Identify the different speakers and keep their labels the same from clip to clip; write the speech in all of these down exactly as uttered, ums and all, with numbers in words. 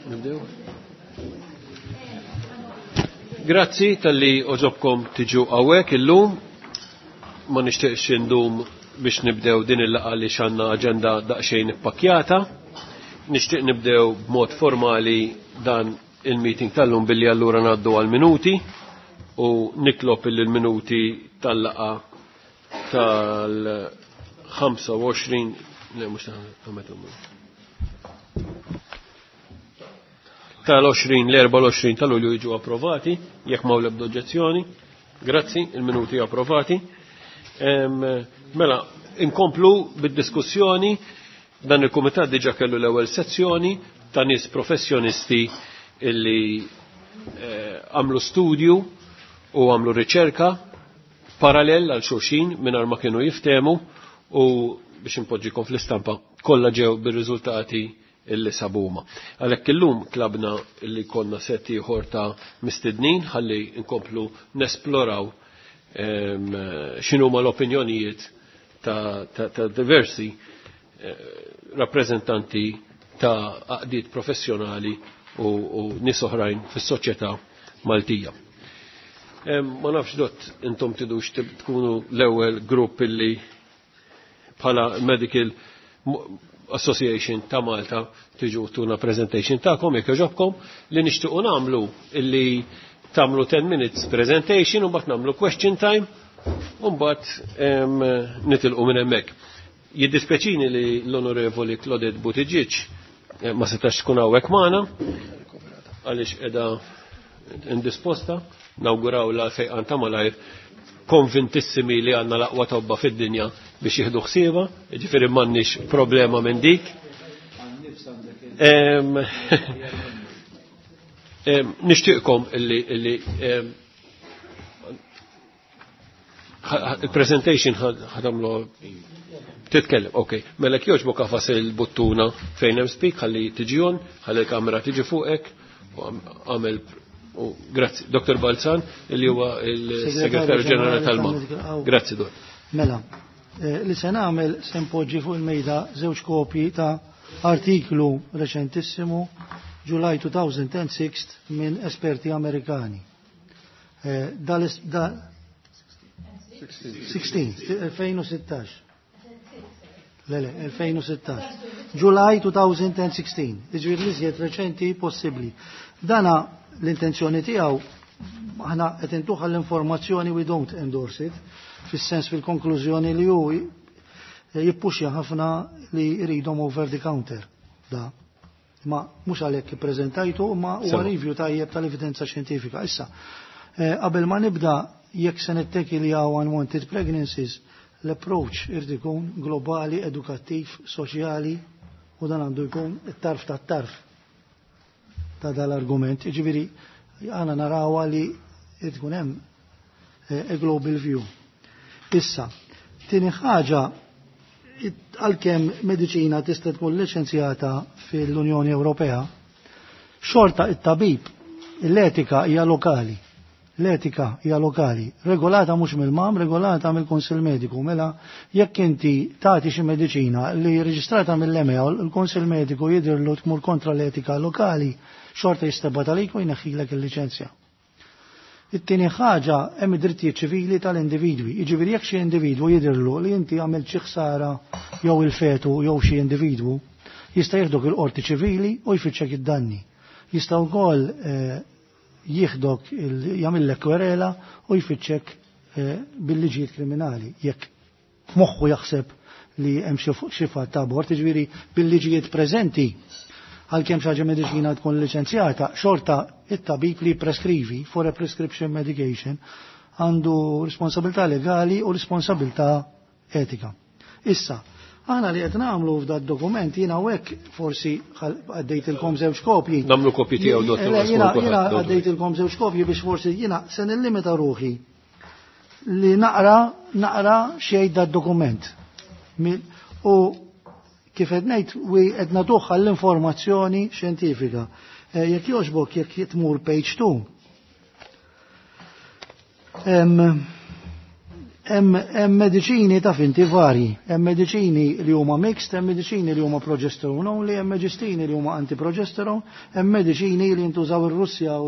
Speaker 1: Nibdew? Grazzi talli għoġobkom tiġu hawnhekk illum. Ma nixtieqx indum biex nibdew din il-laqgħa li għandna aġenda daqsxejn ippakkjata. Nixtieq nibdew b'mod formali dan il-meeting tal-lum billi allura ngħaddu għal-minuti u nitlob il-minuti tal-laqgħa tal-ħamsa u għoxrin le mhux tal-għoxrin l-erbgħa u għoxrin ta' Lulju jiġu approvati, jekk ma l-ebda oġġezzjoni. Grazzi, il-minuti approvati. Mela, inkomplu bid-diskussjoni. Dan il-kumitat diġa kellu l-ewwel sezzjoni ta' nies professjonisti illi għamlu studju u għamlu riċerka parallel għal xulxin mingħajr ma kienu jiftemu u biex impoġġikom fl-istampa kollha ġew bir-riżultati illi sabuma. Għalhekk illum tlabna illi konna set ieħor ta' mistednin ħalli nkomplu nesploraw x'inhuma l-opinjonijiet ta', ta, ta diversi eh, rappreżentanti ta' għaqdiet professjonali u, u nies oħrajn fis-soċjetà Maltija. Ma nafx dott intom tidux tkunu l-ewwel grupp illi bħala Medical Association ta' Malta tiġu tuna presentation ta'kom jekk jogħġobkom li nixtiequ nagħmlu illi tagħmlu ten minutes presentation u mbagħad nagħmlu question time u mbagħad nitilqu minn hemmhekk. Jiddispjaċini li l-Onorevoli Claudette Buttigieg ma setax tkun hawnhekk magħna għaliex qiegħda indisposta, nawguraw la fejqan ta' malajr, konvintissimi li għandna l-aqwa tobba fid-dinja biex jieħdu ħsieba, jiġifieri m'għandniex problema minn dik. Nixtieqkom illi illi il-presentation ħadamlu titkellem, ok. Mela jogħġbok għafas il-buttuna fejn hemm speak, ħalli tiġi on, ħalli l-kamera tiġi fuqek, u għamel. Grazzi, Doktor Balzan, li huwa il-Segretarju Ġenerali tal-M A. Grazzi, Dott.
Speaker 2: Mela, li se nagħmel se npoġġi fuq il-mejda żewġ kopji ta' artiklu reċentissimu July two thousand and six minn esperti Amerikani. Da sixteen, elfejn u sittax. Le, le, elfejn u sittax. July two thousand and sixteen, jiġifieri l-iżjed reċenti possibbli. Dana l-intenzjoni tiegħu aħna qed intuħa l-informazzjoni, we don't endorse it, fis-sens fil-konklużjoni li hu jippuxja ħafna li jridhom over the counter. Da. Ma mhux għalhekk ippreżentajtu, ma huwa review tajjeb tal-evidenza xjentifika. Issa, qabel ma nibda jekk se nitteki li hawn unwanted pregnancies, l-approach irid ikun globali, edukattiv, soċjali, u dan għandu jkun it-tarf tat-tarf ta' dal-argument. Jiġifieri għana narawha li tkun hemm a global view. Issa, tieni ħaġa, għalkemm mediċina tista' tkun liċenzjata fil-Unjoni Ewropea, xorta it-tabib, l-etika hija lokali. L-etika hija lokali, regolata mhux mill-M A M, regolata mill-Kunsill Mediku. Mela jekk inti tagħti xi mediċina li reġistrata mill-E M A u l-Kunsill Mediku jidhirlu tmur kontra l-etika lokali, xorta jistebba talik u jneħħilek il-liċenzja. It-tieni ħaġa hemm id-drittijiet ċivili tal-individwi. Jiġifieri jekk xi individwu jidhirlu li inti għamilt xi ħsara jew il-fetu jew xi individwu, jista' jieħdok il-qorti ċivili u jfittxek id-danni. Jista' wkoll jieħdok jagħmillek kwerela u jfittxek bil-liġijiet kriminali jekk f'moħħu jaħseb li hemm xi fatt ta' abort, jiġifieri bil-liġijiet preżenti għalkemm xi ħaġa mediċina tkun liċenzjata, xorta it-tabib li preskrivi for a prescription medication għandu responsabilità legali u responsabilità etika. Issa, aħna li qed nagħmlu f'dat dokument jiena hawnhekk forsi għaddejtilkom żewġ kopji.
Speaker 1: Nagħmlu kopji tiegħu, dottor,
Speaker 2: Le, jiena,
Speaker 1: għax
Speaker 2: jiena
Speaker 1: kulħadd, dottor.
Speaker 2: għaddejtilkom żewġ kopji biex forsi jiena se nillimita ruħi li naqra, naqra xejn dat dokument. U kif qed ngħid, wi qed nagħtuha l-informazzjoni xjentifika. Eh, jekk jogħġbok, jekk tmur page two. Em, Hemm mediċini ta' finti varji, hemm mediċini li huma mixed, hemm mediċini li huma progesterone only, hemm mediċini li huma antiprogesterone, hemm mediċini li jintużaw ir-Russja u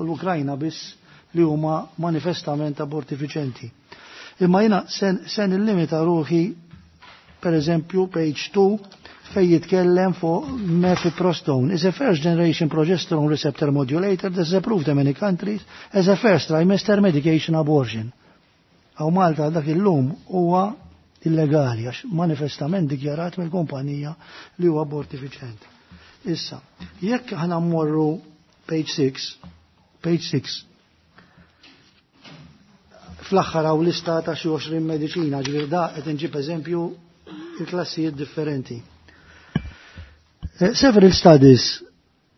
Speaker 2: l-Ukrajna biss li huma manifestament abortifiċenti. Imma jiena se nillimita ruħi per eżempju page two fej jitkellem fuq mifepristone is a first generation progesterone receptor modulator that is approved in many countries as a first trimester medication abortion. Hawn Malta dak illum huwa illegali għax manifestament dikjarat mill-kumpanija li huwa abortifiċent. Issa, jekk aħna mmorru page six, page six, fl-aħħar hawn lista ta' xi għoxrin mediċina, ġifieri da qed inġib eżempju il-klassijiet differenti. Eh, several studies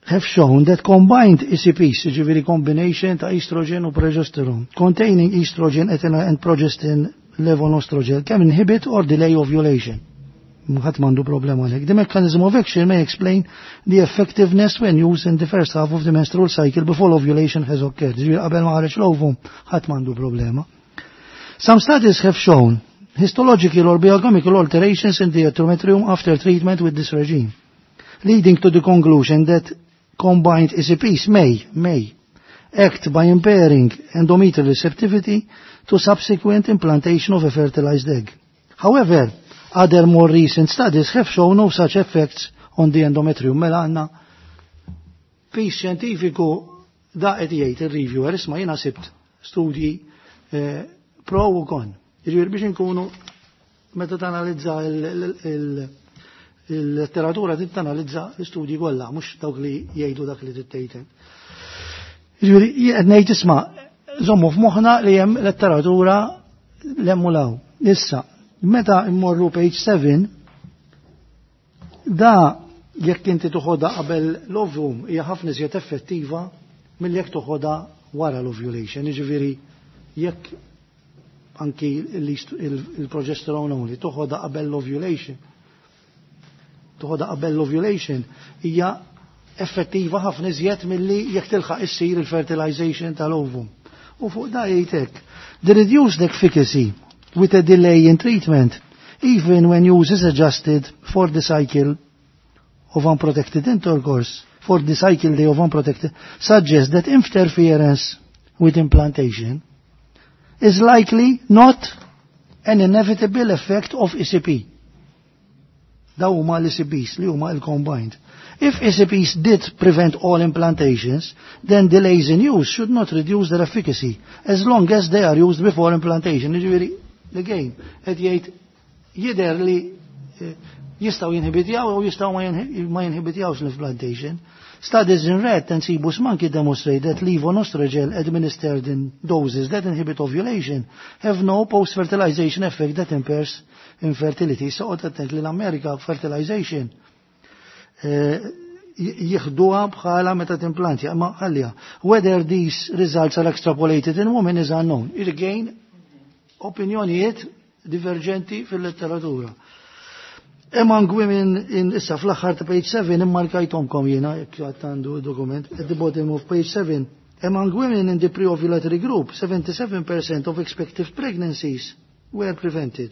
Speaker 2: have shown that combined E C Ps, ġifieri combination ta' estrogen u progesterone, containing estrogen and progestin levonorgestrel, can inhibit or delay ovulation. Ħadd m'għandu problema għalhekk. The mechanism of action may explain the effectiveness when used in the first half of the menstrual cycle before ovulation has occurred. Ġifieri qabel ma ħareġ l-ovum, ħadd m'għandu problema. Some studies have shown histological or biochemical alterations in the endometrium after treatment with this regime, leading to the conclusion that combined E C Ps may, may act by impairing endometrial receptivity to subsequent implantation of a fertilized egg. However, other more recent studies have shown no such effects on the endometrium. Mela għandna piż xjentifiku da qed jgħid il-reviewer, isma' jiena sibt studji eh, pro u kon. Jiġifieri biex inkunu meta tanalizza il-letteratura trid tanalizza l-istudji kollha, mhux dawk li jgħidu dak li trid. Jiġifieri qed ngħid isma' żommu f'moħħna li hemm letteratura l-emmulaw. Issa, meta immorru page seven, da jekk inti toħodha qabel l-ovum hija ħafna iżjed effettiva mill jekk toħodha wara l-ovulation. Jiġifieri jekk anki il-progesterone only toħodha qabel l-ovulation, toħodha qabel l-ovulation hija effettiva ħafna iżjed milli jekk tilħaq issir il-fertilization tal-ovum. U fuq da jgħidek, the reduced efficacy with a delay in treatment, even when use is adjusted for the cycle of unprotected intercourse, for the cycle day of unprotected, suggests that interference with implantation is likely not an inevitable effect of E C P. Daw huma l-E C Ps li huma il-combined. If E C Ps did prevent all implantations, then delays in use should not reduce their efficacy, as long as they are used before implantation. Jiġifieri, again, qed jgħid jidher li eh, jistgħu jinhibitjaw u jistgħu ma jinhibitjawx l-implantation. Studies in rat and cebus monkey demonstrate that levonorgestrel administered in doses that inhibit ovulation have no post-fertilization effect that impairs infertility. So, attent li l-Amerika fertilization eh, jieħduha bħala meta timplantja, ma ħallija. Whether these results are extrapolated in women is unknown. Again, opinjonijiet divergenti fil-letteratura. Among women in issa fl-aħħar ta' page seven immarkajtomkom jiena jekk għandu dokument at the bottom of page seven. Among women in the pre-ovulatory group, seventy-seven percent of expected pregnancies were prevented.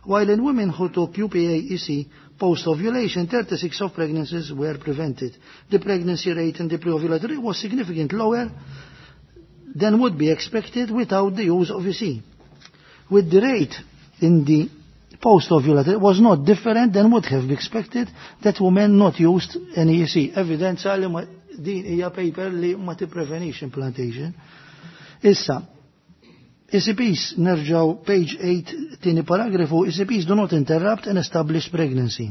Speaker 2: While in women who took U P A E C post-ovulation, thirty-six of pregnancies were prevented. The pregnancy rate in the pre-ovulatory was significantly lower than would be expected without the use of E C. With the rate in the post-ovulatory was not different than would have been expected that women not used any E C. Evidenza li ma din hija paper li ma tipprevenix implantation. Issa, E C Ps, nerġaw page eight, tieni paragrafu, E C Ps do not interrupt an established pregnancy,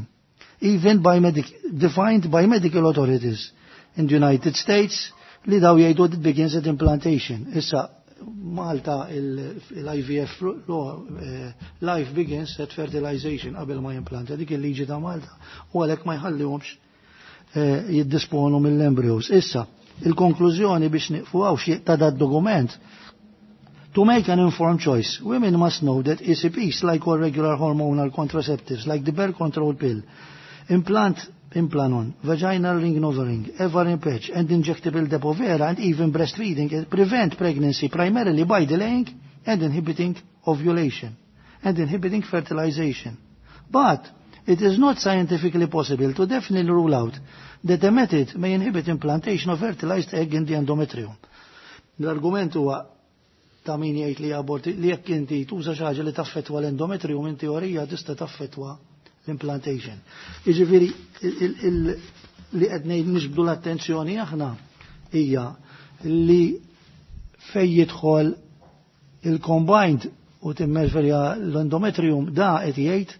Speaker 2: even by medic defined by medical authorities in the United States li daw jgħidu it begins at implantation. Issa, Malta il-I V F law, eh, life begins at fertilization qabel ma jimplanta, dik il-liġi ta' Malta u għalhekk ma jħallihomx eh, jiddisponu mill-embryos. Issa, il-konklużjoni biex niqfu hawn xi ta' dat dokument. To make an informed choice, women must know that E C Ps, like all regular hormonal contraceptives, like the birth control pill, implant Implanon, vaginal ring NuvaRing, Evarin patch, and injectable Depo-Provera, and even breastfeeding prevent pregnancy primarily by delaying and inhibiting ovulation and inhibiting fertilization. But it is not scientifically possible to definitely rule out that the method may inhibit implantation of fertilized egg in the endometrium. L-argument huwa ta' min jgħid li aborti li jekk inti tuża xi ħaġa li taffettwa l-endometrium in teorija tista' taffettwa l-implantation. Jiġifieri li qed ngħid niġbdu l-attenzjoni aħna hija li fej jidħol il-combined u timmerferja l-endometrium da qed jgħid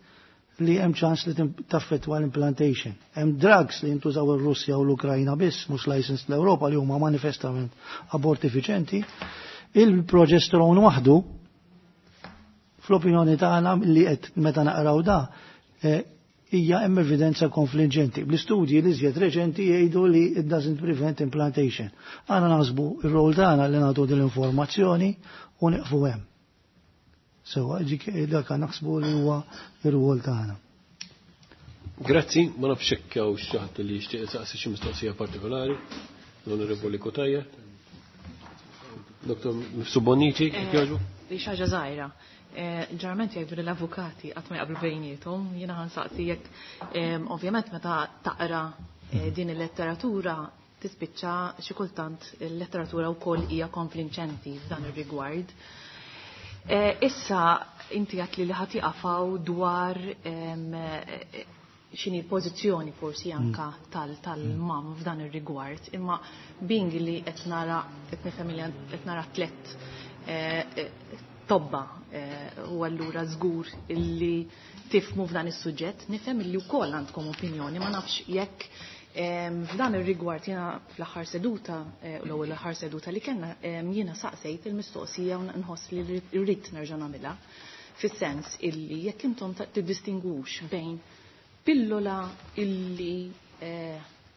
Speaker 2: li hemm ċans li taffettwa l-implantation. Hemm drugs li jintużaw ir-Russja u l-Ukrajna biss, mhux licensed l-Ewropa li huma manifestament abortifiċenti. Il-progesterone waħdu, fl-opinjoni tagħna li qed meta naqraw da, hija hemm evidenza konfliġenti. Bl-istudji li żjed reċenti jgħidu li it doesn't prevent implantation. Aħna naħsbu ir-rol tagħna li nagħtu din l-informazzjoni u nieqfu hemm. Sewa, ġik dak naħsbu li huwa ir-rwol tagħna.
Speaker 1: Grazzi, ma nafx hekk hawn xi ħadd li jixtieq isaqsi xi mistoqsija partikolari. L-Onorevoli Cutajar. Dottor Mifsud Bonnici, kif jogħġbu?
Speaker 3: Li xi ħaġa żgħira. Ġeneralment jgħidu li l-avukati qatt ma jaqblu bejniethom, jiena ħansaqsi jekk ovvjament meta taqra din il-letteratura tispiċċa xi kultant il-letteratura wkoll hija konflinċenti f'dan ir-rigward. Issa inti għat li li ħati għafaw dwar xini l-pożizzjoni forsi anka tal-mam f'dan ir-rigward, imma bing li qed nara qed nifhem li qed nara tliet tobba u allura żgur illi tifmu f'dan is-suġġett, nifhem illi wkoll għandkom opinjoni, ma nafx jekk f'dan ir-rigward jiena fl-aħħar seduta, l-ewwel aħħar seduta li kellna, jiena saqsejt il-mistoqsija u nħoss li rrid nerġa' nagħmilha, fis-sens illi jekk intom tiddistingwux bejn pillola illi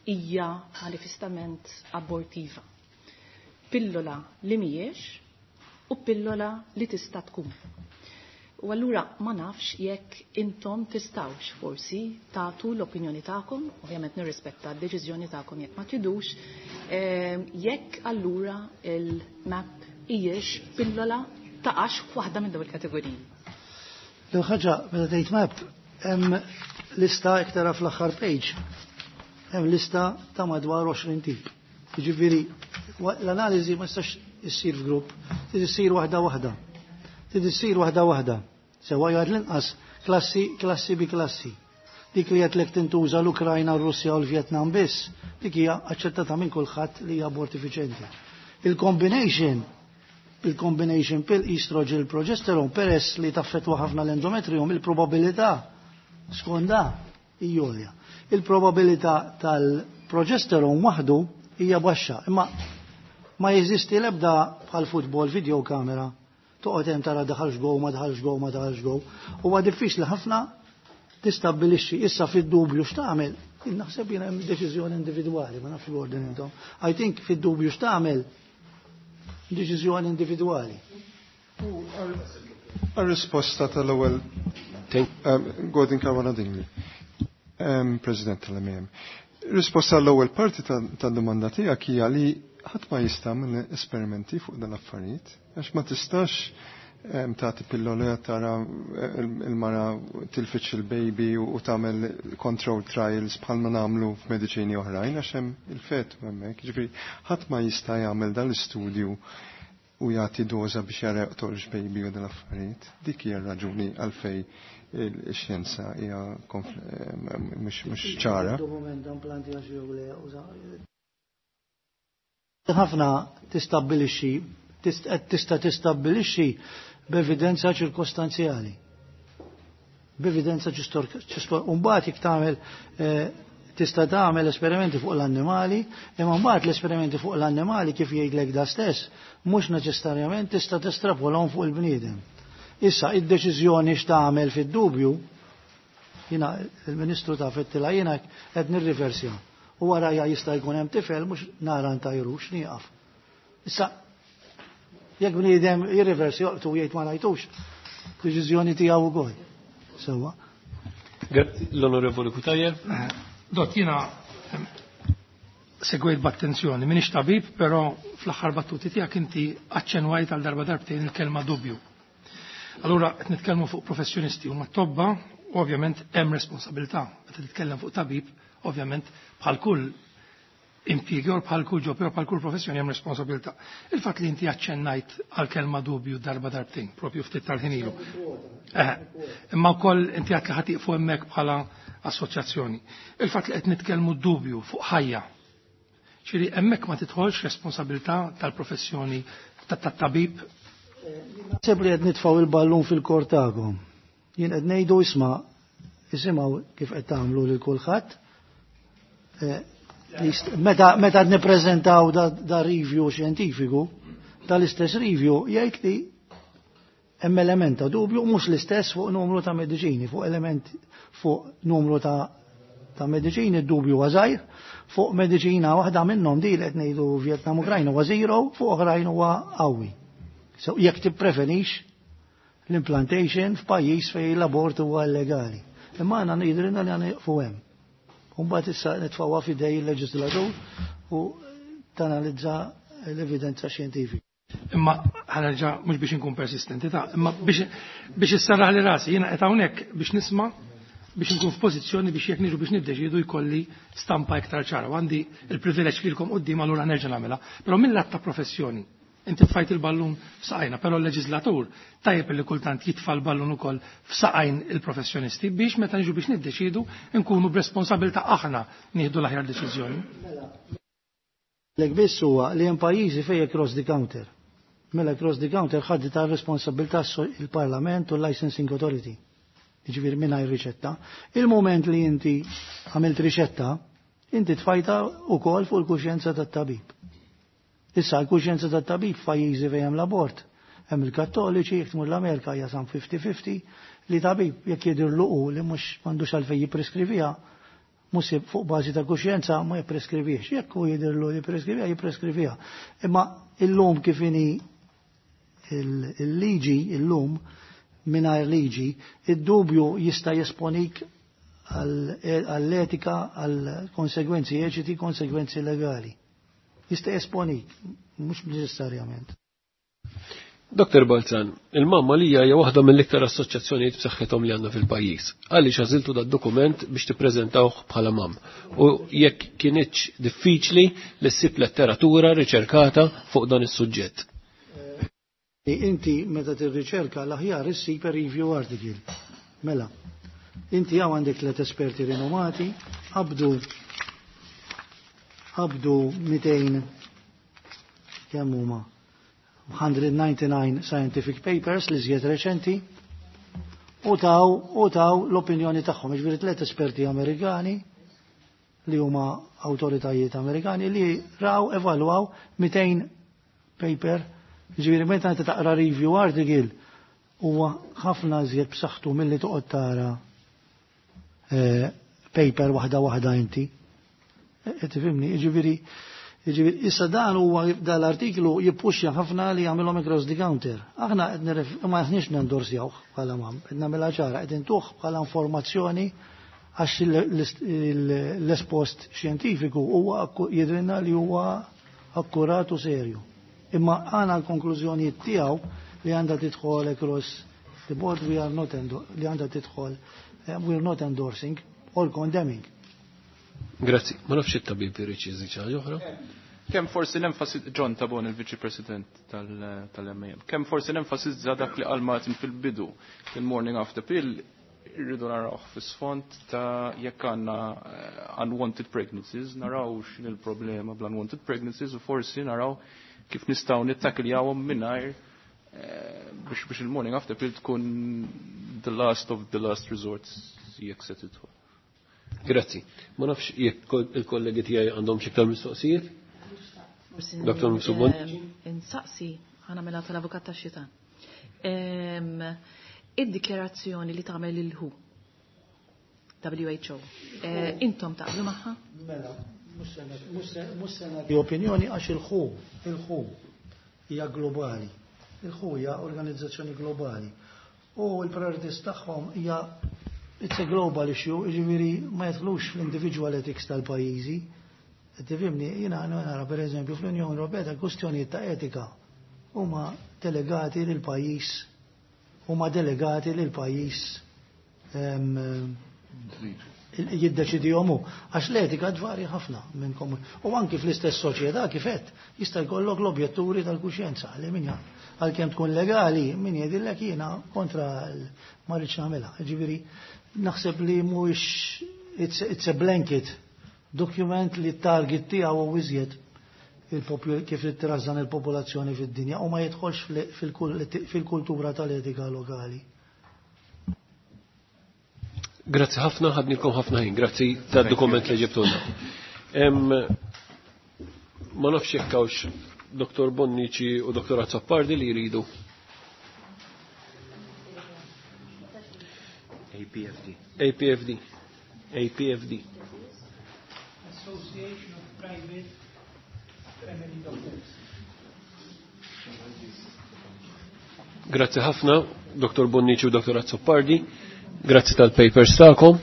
Speaker 3: hija manifestament abortiva, pillola li mhijiex u pillola li tista' tkun. U allura ma nafx jekk intom tistawx forsi tagħtu l-opinjoni tagħkom, ovvjament nirrispetta d-deċiżjoni tagħkom jekk ma tidux, jekk allura il-map hijiex pillola taqax f'waħda minn dawn il-kategoriji.
Speaker 2: L ħaġa meta tgħid map hemm lista iktar fl-aħħar page. Hemm lista ta' madwar għoxrin tip. Jiġifieri l-analiżi ma tistax issir f'grupp, trid issir waħda waħda. Trid issir waħda waħda. Sewa jgħid l-inqas klassi klassi bi klassi. Dik li qed lek tintuża l-Ukrajna, r-Russja u l-Vjetnam biss, dik hija aċċettata minn kulħadd li hija abortifiċenti. Il-combination il-combination pill estrogen progesterone peress li taffettwa ħafna l-endometrium, il-probabilità skonda hija għolja. Il-probabilità tal-progesterone waħdu hija baxxa, imma ma jeżisti l-ebda bħal futbol video kamera. Toqgħod hemm tara daħalx go, ma daħalx go, ma daħalx go. Huwa diffiċli ħafna tistabbilixxi issa fid-dubju x'tagħmel. Naħseb jiena hemm deċiżjoni individwali, ma nafx l-ordin intom. I think fid-dubju x'tagħmel deċiżjoni individwali.
Speaker 4: Għal-risposta tal-ewwel Gordon Caruana Dingli, President tal-M A M. Risposta l-ewwel parti tad-domanda tiegħek hija li ħadd ma jista' minn esperimenti fuq dan l-affarijiet, għax ma tistax tagħti pillola tara il-mara tilfiċ il-baby u tagħmel control trials bħalma nagħmlu f'mediċini oħrajn għax hemm il-fetu hemmhekk. Ġifieri ħadd ma jista' jagħmel dan l-istudju u jagħti doża biex jara joqtolx baby u dan l-affarijiet. Dik hija r-raġuni għalfej il-xjenza hija mhux ċara.
Speaker 2: Ħafna tistabbilixxi, tista' tistabbilixxi b'evidenza ċirkostanzjali. B'evidenza ċirkostanzjali. Mbagħad jekk tagħmel tista' tagħmel esperimenti fuq l-annimali, imma mbagħad l-esperimenti fuq l-annimali kif jgħidlek da stess, mhux neċessarjament tista' testrapolhom fuq il-bniedem. Issa id-deċiżjoni x'tagħmel fid-dubju, jiena il-Ministru ta' fettila jiena qed nirriversja. U warajja jista' jkun hemm tifel mhux nara ntajrux nieqaf. Issa jekk bniedem jirriversi joqtu jgħid ma ngħidux, deċiżjoni tiegħu wkoll. Sewwa.
Speaker 1: Grazzi l-Onorevoli Cutajar.
Speaker 5: Dott, jiena segwejt b'attenzjoni, minix tabib, però fl-aħħar battuti tiegħek inti aċċenwajt għal darba darbtejn il-kelma dubju. Allura qed nitkellmu fuq professjonisti huma tobba, u ovvjament hemm responsabilità. Meta titkellem fuq tabib, ovvjament bħal kull impjieg jew bħal kull job jew bħal kull professjoni hemm responsabilità. Il-fatt li inti aċċennajt għal kelma dubju darba darbtejn, propju ftit tal-ħin ilu. Eh, imma wkoll inti għedt li ħa tieqfu hemmhekk bħala assoċjazzjoni. Il-fatt li qed nitkellmu dubju fuq ħajja. Ġifieri hemmhekk ma tidħolx responsabilità tal-professjoni tat-tabib.
Speaker 2: Naħseb li qed nitfgħu il-ballun fil-kort tagħkom. Jien qed ngħidu isma' isimgħu kif qed tagħmlu lil kulħadd. Eh, meta meta qed nippreżentaw da, da review xjentifiku, tal-istess review jgħid li hemm element ta' dubju mhux l-istess fuq numru ta' mediċini, fuq element fuq numru ta' ta' mediċini d-dubju huwa żgħir, fuq mediċina waħda minnhom di li qed ngħidu Vietnam Ukrajna huwa zero, fuq oħrajn huwa qawwi. So jekk tippreferix l-implantation f'pajjiż fejn l-abort huwa illegali. Imma għandna ngħidilna li għandna nieqfu hemm. U mbagħad issa nitfgħuha f'idej il-leġislatur u tanalizza l-evidenza xjentifika.
Speaker 5: Imma ħa nerġa' mhux biex inkun persistenti ta' imma biex biex issarraħ li rasi jiena qed hawnhekk biex nisma' biex nkun f'pożizzjoni biex jekk niġu biex niddeċidu jkolli stampa iktar ċara. U għandi il-privileġġ lilkom quddiem allura nerġa' nagħmilha. Però mill-lat ta' professjoni, inti tfajt il-ballun f'saqajna, però l-leġislatur tajjeb li kultant jitfa' l-ballun ukoll f'saqajn il-professjonisti biex meta niġu biex niddeċidu nkunu b'responsabilità aħna nieħdu l-aħjar deċiżjoni.
Speaker 2: Lek biss huwa li hemm pajjiżi fejn across the counter. Mela across the counter ħaddi ta' responsabilità il-Parlament u l-Licensing Authority. Jiġifieri mingħajr riċetta. Il-moment li inti għamilt riċetta, inti tfajta wkoll fuq il-kuxjenza tat-tabib. Issa l-kuxjenza tat-tabib f'pajjiżi fejn hemm l-abort. Hemm il-Kattoliċi, jekk tmur l-Amerika hija sam fifty fifty li tabib jekk jidhirlu li mhux m'għandux għalfejn jippreskriviha, mhux fuq bażi ta' kuxjenza ma jippreskrivix. Jekk hu jidhirlu li jippreskriviha, jippreskriviha. Imma illum kif inhi il-liġi, illum mingħajr liġi, id-dubju jista' jesponik għall-etika, għall-konsegwenzi etiċi, konsegwenzi legali. Jista' jesponik, mhux neċessarjament.
Speaker 1: Doktor Balzan, il-MAM hija hija waħda mill-iktar assoċjazzjonijiet b'saħħithom li għandna fil-pajjiż. Għaliex għażiltu dat dokument biex tippreżentawh bħala MAM? U jekk kinitx diffiċli li ssib letteratura riċerkata fuq dan is-suġġett.
Speaker 2: Inti meta tirriċerka l-aħjar issib review article. Mela, inti hawn għandek tliet esperti rinomati, qabdu qabdu mitejn, kemm huma, one hundred ninety-nine scientific papers li żjed reċenti u taw u taw l-opinjoni tagħhom. Jiġifieri tliet esperti Amerikani li huma awtoritajiet Amerikani li raw, evalwaw mitejn paper. Jiġifieri meta inti taqra review article huwa ħafna żjed b'saħħtu milli toqgħod tara eh, paper waħda waħda inti. Eh, tifhimni, jiġifieri Jiġifieri issa dan huwa dal-artiklu jippuxja ħafna li jagħmilhom across the counter. Aħna qed ma aħniex nendorsjawh bħala MAM, qed nagħmilha ċara, qed intuh bħala informazzjoni għax l-espost xjentifiku huwa jidrinna li huwa akkurat u serju. Imma għana l-konklużjonijiet tiegħu li għandha tidħol across the board, we are not li għandha tidħol, eh, we are not endorsing or condemning.
Speaker 1: Grazzi. Ma nafx it-tabib irid iżid xi ħaġa oħra.
Speaker 6: Kemm forsi nenfasi John Tabone, il-Viċi President tal-M A M. Kemm forsi nenfasizza dak li qal Martin fil-bidu, il-morning after pill irridu naraw fis-sfond ta' jekk għandna eh, unwanted pregnancies, naraw x'in il-problema bl-unwanted pregnancies u forsi naraw kif nistgħu nittakiljawhom mingħajr eh, biex biex il-morning after pill tkun the last of the last resorts jekk se tidħol.
Speaker 1: Grazzi. Ma nafx jekk il-kollegi tiegħi għandhom xi iktar mistoqsijiet. Doktor Mifsud.
Speaker 3: Insaqsi, ħa nagħmilha tal-avukat tax-xitan. Id-dikjarazzjoni li tagħmel il-W H O, W H O, eh, intom taqblu magħha?
Speaker 2: Mela, mhux se nagħti opinjoni għax il-W H O, il-W H O hija globali. Il-W H O hija organizzazzjoni globali. U l-priorities tagħhom hija, it's a global issue, jiġifieri ma jidħlux fl-individual ethics tal-pajjiżi. Tifhimni, jiena nara per eżempju fl-Unjoni Ewropea ta' kwistjonijiet ta' etika huma delegati lil pajjiż huma delegati lil pajjiż jiddeċidihom hu. Għax l-etika tvarja ħafna minn komun. U anki fl-istess soċjetà kif qed jista' jkollok l-objetturi tal-kuxjenza li min għalkemm tkun legali min jgħidilek jiena kontra ma rridx nagħmilha. Ġifieri naħseb li mhuwiex it's, it's a blanket document li t-target tiegħu hu iżjed kif trażżan il-popolazzjoni fid-dinja u ma jidħolx fil-kultura tal-etika lokali.
Speaker 1: Grazzi ħafna, ħadnilkom ħafna ħin, grazzi tad-dokument li ġibtulna. Ma nafx jekk hawnx Doktor Bonnici u Doktor Azzopardi li jridu.
Speaker 7: A P F D.
Speaker 1: A P F D. A P F D.
Speaker 5: Association of Private Family Doctors.
Speaker 1: Grazzi ħafna, Doktor Bonnici u Doktor Azzopardi. Grazzi tal-papers tagħkom.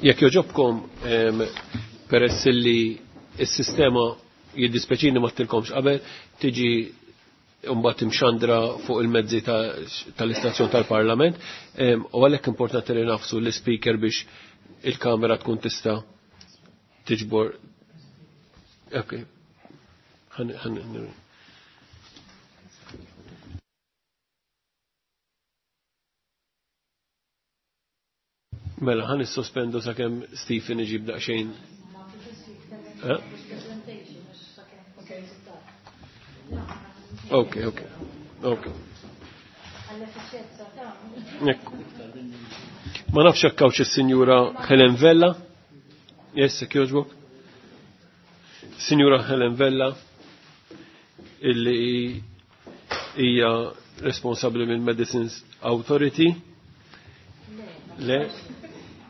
Speaker 1: Jekk joġobkom, peress li s-sistema, jiddispeċini ma għedtilkomx qabel, tiġi mbagħad imxandra fuq il-mezzi tal-istazzjon tal-Parlament, u għalhekk importanti li nagħfsu l-speaker biex il-kamera tkun tista' tiġbor. Ok. Ħan Mela, ħan nissospendu sakemm Stephen iġib daqsxejn. Eh? Ok, ok. Ok. Ekku. Ma nafx jekk hawnx is-Sinjura Helen Vella. Yes, jogħġbok. Sinjura Helen Vella illi hija responsabbli minn Medicines Authority. Le?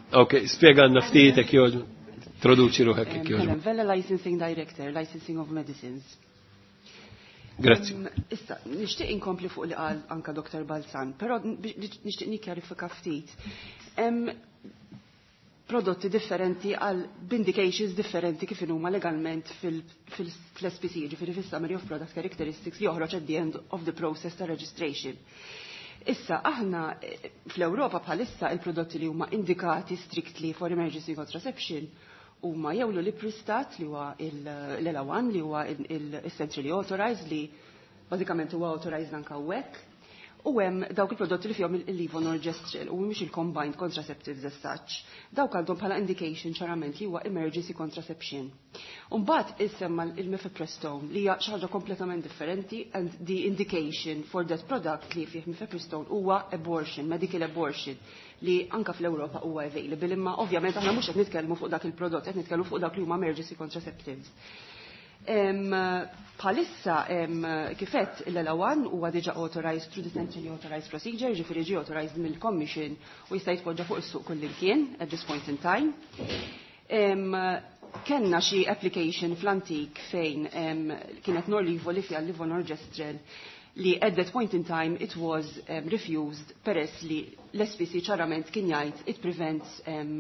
Speaker 1: Ok, spjega ftit jekk jogħġbok. Introduċi ruħek jekk jogħġbok.
Speaker 8: Helen Vella, Licensing Director, Licensing of Medicines.
Speaker 1: Grazzi.
Speaker 8: Issa, nixtieq inkompli fuq li qal anka Doktor Balzan, però nixtieq nikkjarifika ftit. Hemm prodotti differenti għal b'indications differenti kif huma legalment fil-S P C, ġifieri fis-Summary of Product Characteristics li joħroġ at the end of the process ta' registration. Issa, aħna eh, fl-Ewropa bħalissa il-prodotti li huma indikati strictly for emergency contraception huma jew l-Ulipristat li huwa l-EllaOne li huwa il-centrally authorized, li bażikament huwa authorized anka hawnhekk. U hemm dawk il-prodotti li fihom il-levonorgestrel u mhux il-combined contraceptives as such. Dawk għandhom bħala indication ċarament li huwa emergency contraception. Mbagħad issemma il-mifepristone li hija xi ħaġa kompletament differenti, and the indication for that product li fih mifepristone huwa abortion, medical abortion, li anka fl-Ewropa huwa available, imma ovvjament aħna mhux qed nitkellmu fuq dak il-prodott, qed nitkellmu fuq dak li huma emergency contraceptives. Bħalissa, kif għedt, l-EllaOne huwa diġa authorized through the centrally authorized procedure, ġifieri ġi authorized mill-Commission u jista' jitpoġġa fuq is-suq kullimkien at this point in time. Kenna xi application fl-antik fejn kienet Norlevo li fiha levonorgestrel li at that point in time it was um, refused peress li l-S P C ċarament kien jgħid it prevents um,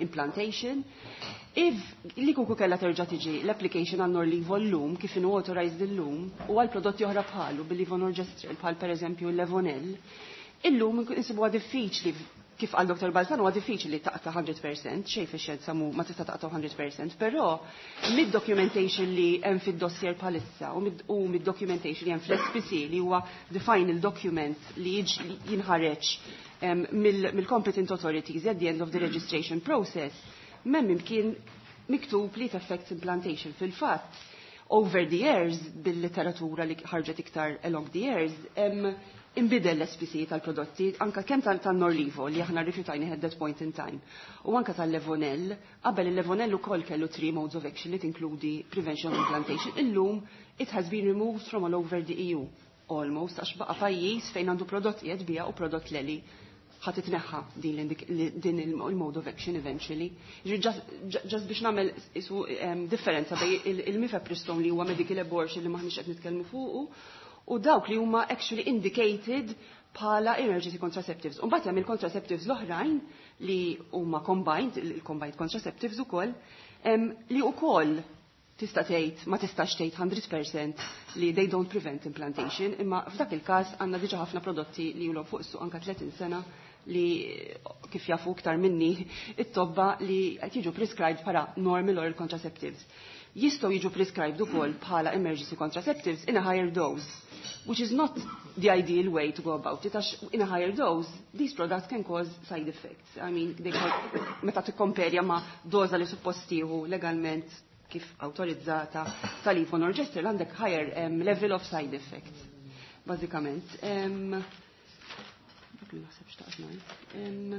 Speaker 8: implantation. If li kieku kella terġa' tiġi l-application għal Norlevo llum kif inhu authorized illum u għal prodotti oħra bħalu bil-levonorgestrel, bħal pereżempju l-Levonelle, illum insibuha diffiċli, kif qal Doktor Balzan, huwa diffiċli taqta' mija fil-mija, xejn fix-xjenza mu ma tista' taqta' mija fil-mija, però mid-documentation li hemm fid-dossier bħalissa u mid-documentation li hemm fl-S P C, li huwa the final document li jinħareġ mill-competent authorities at the end of the registration process, m'hemm imkien miktub li affects implantation. Fil-fatt, over the years, bil-literatura li ħarġet iktar along the years, imbidel l-S P C tal-prodotti, anka kemm tal-Norlevo li aħna rifjutajna at that point in time, u anka tal-Levonelle. Qabel il-Levonelle ukoll kellu three modes of action li tinkludi prevention of implantation. Illum it has been removed from all over the E U almost, għax baqa pajjiż fejn għandu prodott qiegħed biha u prodott leli ħa titneħħa din il-mode of action eventually. Just biex nagħmel isu differenza bejn il-mifepristone li huwa medical abortion li maħniex qed nitkellmu fuqu u dawk li huma actually indicated bħala emergency contraceptives. U mbagħad hemm il-contraceptives l-oħrajn li huma combined, il-combined contraceptives ukoll, li ukoll Tista' tgħid ma tistax tgħid one hundred percent li they don't prevent implantation, imma f'dak il-każ għandna diġà ħafna prodotti li ilhom fuq is-suq anka tletin sena li, kif jafu iktar minni it-tobba, li qed jiġu prescribed bħala normal oral contraceptives. Jistgħu jiġu prescribed ukoll bħala emergency contraceptives in a higher dose, which is not the ideal way to go about it, għax in a higher dose, these products can cause side effects. I mean, they cause, meta tikkomperja ma' doza li suppost tieħu legalment kif autorizzata tal-levonorgestrel, għandek higher um, level of side effects, bażikament. Um, dak li naħseb xtaqt ngħid. Um,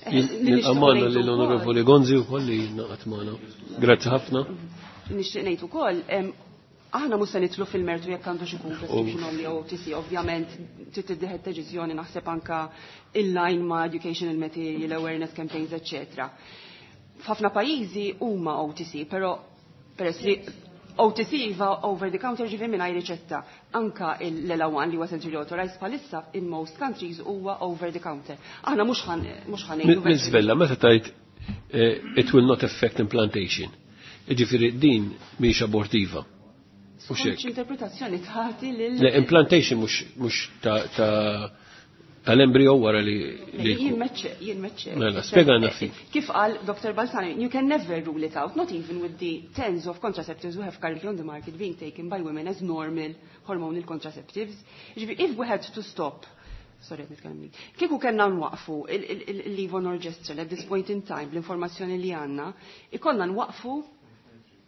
Speaker 8: eh, li nixtieq
Speaker 1: Nilqa' magħna
Speaker 8: ngħid
Speaker 1: l-Onorevoli Gonzi u li ngħaqad magħna. Grazzi ħafna.
Speaker 8: Nixtieq ngħid ukoll, em, aħna mhux se nidħlu fil-mertu jekk għandu xi prescription only jew O T C, ovvjament trid tittieħed deċiżjoni, naħseb, anka in-line ma' educational material, awareness campaigns, eċċetera. F'ħafna pajjiżi huma O T C, però peress li O T C iva, over the counter, ġifieri mingħajr riċetta. Anka l-EllaOne li huwa centrally authorized bħalissa in most countries huwa over the counter. Aħna mhux ħan mhux ħa ngħidu
Speaker 1: Miss Vella, meta tajt eh, it will not affect implantation. Ġifieri din mhix abortiva. U
Speaker 8: Skont
Speaker 1: xek.
Speaker 8: Interpretazzjoni tagħti lil
Speaker 1: Le, implantation mhux mhux ta' ta' tal-embryo wara li li
Speaker 8: Jien meċċe, jien meċċe.
Speaker 1: Mela, spjegana ftit.
Speaker 8: Kif qal Doctor Balzani, you can never rule it out, not even with the tens of contraceptives we have currently on the market being taken by women as normal hormonal contraceptives. Ġifieri, if we had to stop, sorry, nitkellem li. Kieku kellna nwaqfu il-levonorgestrel at this point in time, l-informazzjoni li għandna, ikollna nwaqfu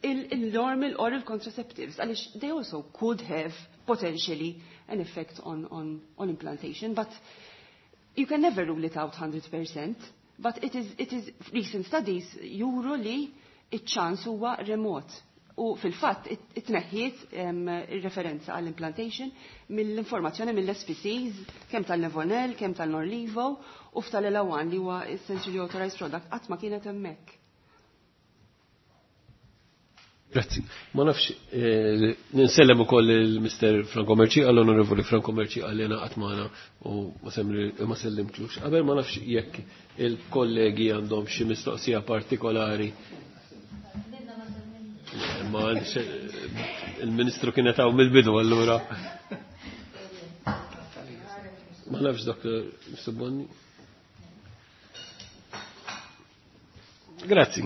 Speaker 8: il-normal oral contraceptives, għaliex they also could have potentially an effect on, on, on implantation, but you can never rule it out one hundred percent, but it is, it is recent studies juru li iċ-ċans huwa remot. U fil-fatt it-tneħħiet referenza għall-implantation mill-informazzjoni mill-S P Cs, kemm tal-Levonelle, kemm tal-Norlevo, u f'tal-EllaOne li huwa essentially authorized product qatt ma kienet hemmhekk.
Speaker 1: Grazzi. Ma nafx, eh, ninsellem ukoll il-Mister Franco Mercieca, l-Onorevoli Franco Mercieca li ngħaqad magħna u ma semri- ma sellimtlux. Qabel, ma nafx jekk il-kollegi għandhom xi mistoqsija partikolari. Ma il-Ministru kienet hawn mill-bidu allura. Ma nafx, Doctor Bonni. Grazzi.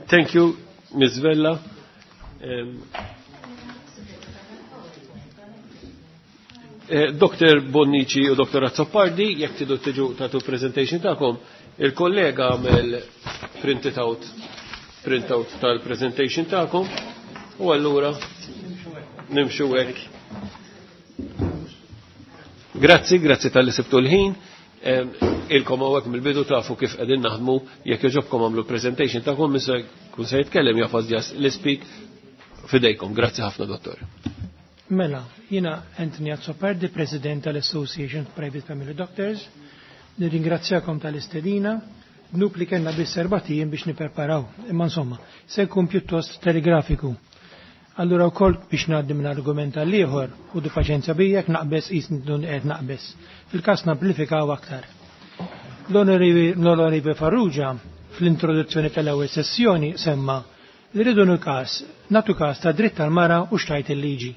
Speaker 1: Thank you, Miz Vella. Um, eh, Doctor Bonnici u Doctor Azzopardi, jekk tridu tiġu tagħtu presentation tagħkom, il-kollega għamel printed out, printout tal-presentation tagħkom, u allura nimxu hekk. Grazzi, grazzi talli sibtu l-ħin. Em, Ilkom hawnhekk mill-bidu, tafu kif qegħdin naħdmu, jekk jogħġobkom għamlu presentation tagħkom, min se jkun se jitkellem jagħfas just l-speak fidejkom. Grazzi ħafna, dottor.
Speaker 5: Mela, jiena Anthony Azzopardi, President tal-Association of Private Family Doctors. Nirringrazzjakom tal-istedina. Dnub li kellna biss erbat ijiem biex nipreparaw. Imma insomma, se jkun pjuttost telegrafiku. Allura wkoll biex ngħaddi minn argument għal ieħor u du paċenzja bijek naqbes qis qed naqbes. Fil-każ namplifikaw aktar. L-Onorevoli Farrugia fl-introduzzjoni tal-ewwel sessjoni semma li rridu każ nagħtu każ ta' dritt tal-mara u x'tgħid il-liġi.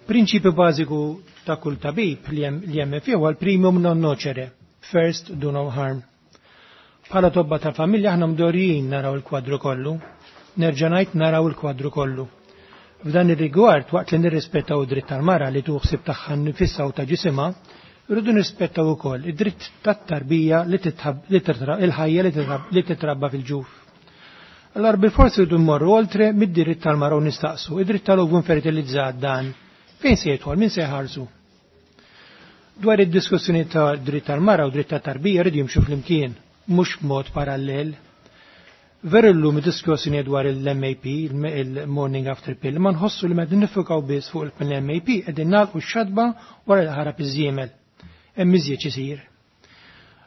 Speaker 5: Prinċipju bażiku ta' kull tabib li hemm fih huwa l-primum non nocere, first do no harm. Bħala tobba ta' familja aħna mdorrijin naraw il-kwadru kollu, nerġa' ngħid naraw il-kwadru kollu. F'dan ir-rigward, waqt li nirrispettaw id-dritt tal-mara li tuħsib tagħha nfisha u ta' ġisimha, rridu nirrispettaw ukoll id-dritt tat-tarbija li il-ħajja li titrabba fil-ġuf. Allora bil-forsi rridu mmorru oltre mid-dritt tal-mara u nistaqsu, id-dritt tal-ovum fertilizzat dan, fejn se jidħol, min se jħarsu? Dwar id-diskussjoni ta' dritt tal-mara u dritt tat-tarbija rridu jimxu flimkien, mhux b'mod parallel. Veru llum id-diskussjoni dwar il-M A P, il-Morning After Pill, ma nħossu li meta niffukaw biss fuq il-M A P qegħdin nagħlqu x-xatba wara l-ħarab iż-żiemel. Hemm iżjed isir.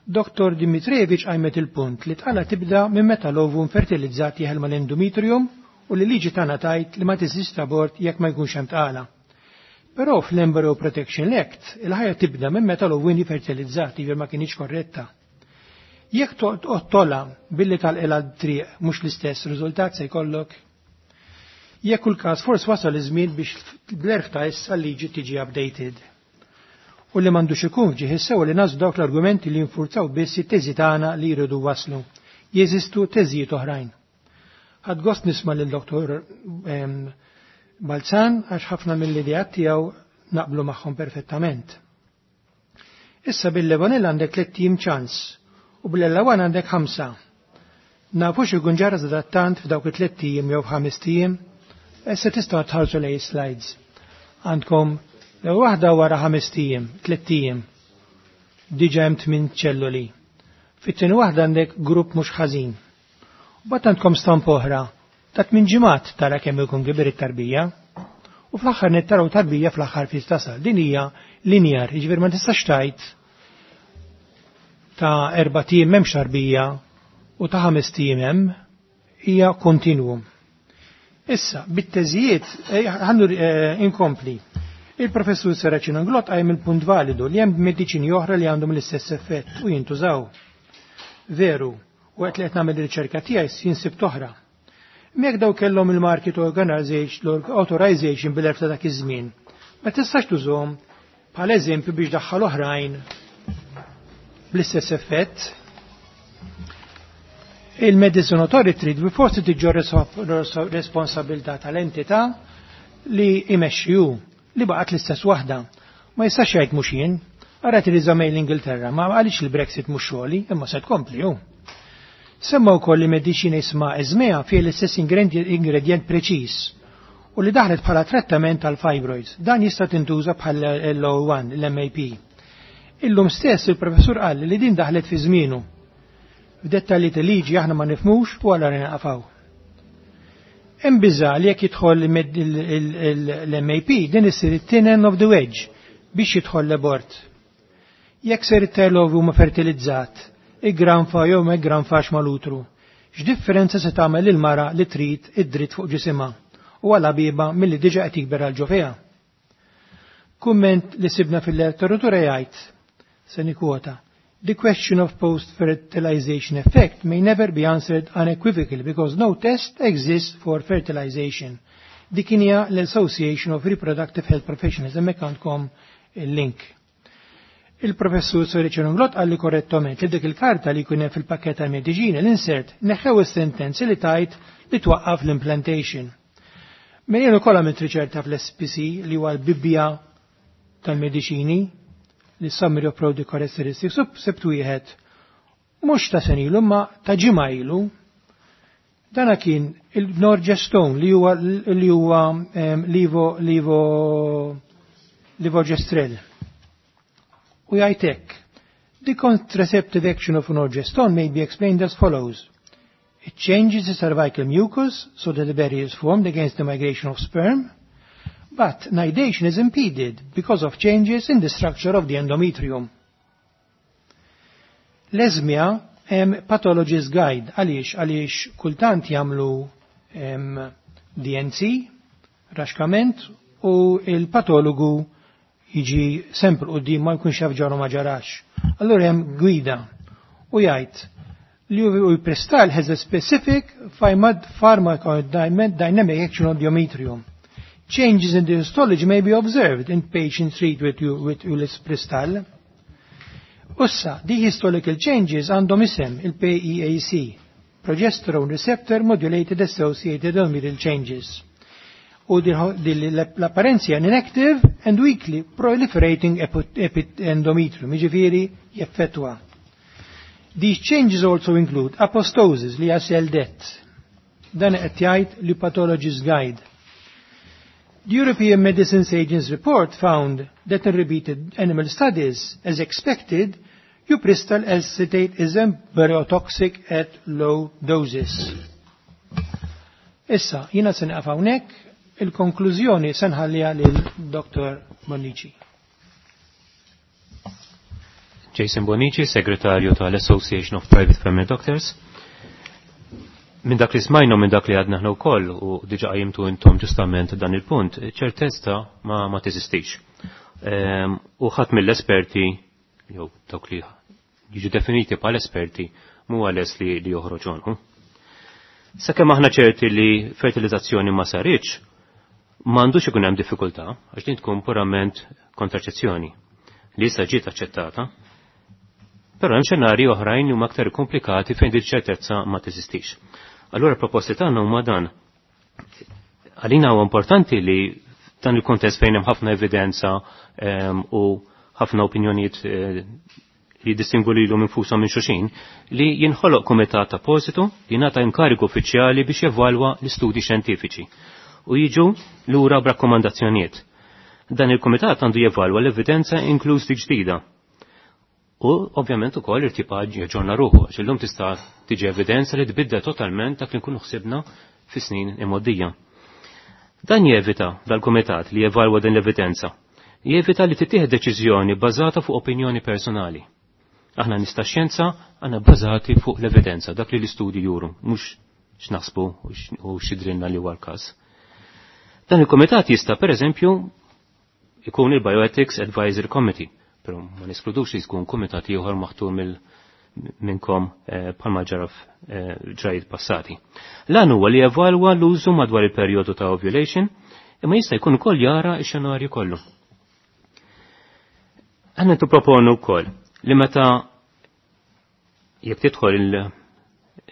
Speaker 5: Doctor Dimitrijevic għajmet il-punt li tqala tibda minn meta l-ovum fertilizzat jeħel mal-endometrium u li liġi tagħna tgħid li ma teżist abort jekk ma jkunx hemm tqala. Però fl-Embryo Protection Act il-ħajja tibda minn meta l-ovum fertilizzati, ma kienx korretta. Jekk toqtolha billi tal-qela triq mhux l-istess riżultat se jkollok. Jekk kull każ forsi wasal iż-żmien biex bl-erf ta' issa liġi tiġi updated. U li m'għandux ikun f'ġieħ sew li nażlu dawk l-argumenti li jinfurzaw biss it-teżi tagħna li jridu waslu. Jeżistu teżijiet oħrajn. Ħadt gost nisma' lil Doktor Balzan għax ħafna mill-ideat tiegħu naqblu magħhom perfettament. Issa bil-Levonel għandek tliet ijiem ċans u bil-ellaOne għandek ħamsa. Nafu x'ikun ġara sadattant f'dawk it-tliet ijiem jew f'ħames ijiem, issa tistgħu tħarsu lejn slides. Għandkom waħda wara ħames ijiem, tliet ijiem, diġà hemm tmien ċelluli. Fit-tieni waħda għandek grupp mhux ħażin. Bat għandkom stamp oħra, ta' tmien ġimgħat tara kemm ikun kibir it-tarbija. U fl-aħħar nittaraw tarbija fl-aħħar fis tasal. Din hija linear, jiġifieri ma tistax tgħid ta' erbat ijiem m'hemmx tarbija u ta' ħames ijiem hemm, hija kontinwum. Issa, bit-teżijiet, ħannu inkompli. Il-professur Serracino Inglott qajjem il-punt validu li hemm mediċini oħra li għandhom l-istess effett u jintużaw. Veru, u għet li qed nagħmel riċerka tiegħi jinsib toħra. Mek daw kellhom il-market organization, authorization bil-erf ta' dak iż-żmien. Ma tistax tużhom bħal eżempju biex daħħal oħrajn bl-istess effett. Il-Medicine Authority trid bi forsi tiġġor responsabilità tal-entità li imexxi hu li baqgħet l-istess waħda. Ma jistax jgħid mhux jien. Ara Theresa May l-Ingilterra, ma għaliex il-Brexit mhux xogħli, imma se tkompli hu. Semma wkoll li mediċina jisma' Esmea fih l-istess ingredient preċiż u li daħlet bħala trattament tal fibroids. Dan jista' tintuża bħal L O one, l-M A P. Illum stess il-professur qal li din daħlet fi żmienu. F'dettalji ta' liġi aħna ma nifmux u għalla naqafaw. Hemm biża' li jekk jidħol l-M A P din issir it-thin end of the wedge biex jidħol l-abort. Jekk ser it-telov huma fertilizzat, igranfa jew ma igranfax mal-utru. X'differenza se tagħmel il-mara li trid id-dritt fuq ġisimha u għala biba milli diġa qed jikber għal ġo fiha. Kumment li sibna fil-letteratura jgħid, se nikkwota: "The question of post-fertilization effect may never be answered unequivocally because no test exists for fertilization." Dik hija l-Association of Reproductive Health Professionals, hemmhekk għandkom il-link. Il-professur Serracino Inglott qalli korrettament li dik il-karta li jkun hemm fil-pakket tal-mediċina l-insert neħew is-sentenzi li tajt li twaqqaf l-implantation. Minn jien ukoll għamilt riċerka fl-S P C li huwa l-Bibbja tal-mediċini, li Summary of Product Characteristics, u sibt wieħed mhux ta' senilu ma ta' ġimgħa ilu. Dana kien il-Norgestone li huwa li huwa levo levo levonorgestrel. U jgħidlek: "The contraceptive action of Norgestone may be explained as follows. It changes the cervical mucus so that the barrier is formed against the migration of sperm, but nidation is impeded because of changes in the structure of the endometrium." L-Esmya hemm Pathologist Guide għaliex għaliex kultant jagħmlu D and C, raxkament, u il-patologu jiġi sempr quddiem ma jkunx jaf ġara ma ġarax. Allura hemm gwida u jgħid li ulipristal has a specific pharmacodynamic action on the endometrium. Changes in the histology may be observed in patients treated with, with ulipristal. Ussa, the histological changes għandhom isem il-P E A C, Progesterone Receptor Modulated Associated Endometrial Changes. U l-apparenza inactive and weakly proliferating endometrium, jiġifieri jeffettwa. These changes also include apoptosis li cell death. Dan qed jgħid li Pathologist Guide. The European Medicines Agency report found that in repeated animal studies, as expected, Ulipristal acetate is embryotoxic at low doses. Issa, jina se nieqaf hawnhekk, il-konklużjoni se nħalliha lil Doktor Bonnici.
Speaker 7: Jason Bonnici, segretarju tal-Association of Private Family Doctors. Minn dak li smajna, minn dak li għadna ħna wkoll u diġa qajjimtu intom ġustament dan il-punt, ċertezza ma, ma teżistix. Ehm, u ħadd mill-esperti jew dawk li jiġu definiti bħal esperti mhu lest li, li joħroġ għonqu. Sakemm aħna ċerti li fertilizzazzjoni ma saritx, m'għandux ikun hemm diffikultà għax din tkun purament kontraċezzjoni li issa ġiet aċċettata. Però hemm xenarji oħrajn li huma aktar komplikati fejn din ċertezza ma teżistix. Allura proposti tagħna huma dan. Għalina huwa importanti li dan il-kontest fejn hemm ħafna evidenza um, u ħafna opinjonijiet uh, li jiddistingwu lilhom infushom minn xulxin, li jinħoloq kumitat appositu li jingħata inkarigu uffiċjali biex jevalwa l-istudji xjentifiċi u jiġu lura b'rakkomandazzjonijiet. Dan il-kumitat għandu jevalwa l-evidenza inkluż dik ġdida. U ovvjament ukoll irtipa jaġġorna ruħu, għax illum tista' tiġi evidenza li tbiddel totalment dak li nkunu ħsibna fi snin imgħoddija. Dan jevita dal-kumitat li jevalwa din l-evidenza. Jevita li tittieħed deċiżjoni bbażata fuq opinjoni personali. Aħna nista' xjenza għandna bbażati fuq l-evidenza, dak li l-istudji juru, mhux x'naħsbu u x'idrinna li huwa l-każ. Dan il-kumitat jista' pereżempju ikun il-Bioethics Advisory Committee, però ma neskludux li jkun kumitat ieħor maħtur mill minnkom bħalma ġara f'ġrajiet passati. L-għan huwa li jevalwa l-użu madwar il-perjodu ta' ovulation, imma jista' jkun ukoll jara x-xenarju kollu. Aħna nipproponu wkoll li meta jekk tidħol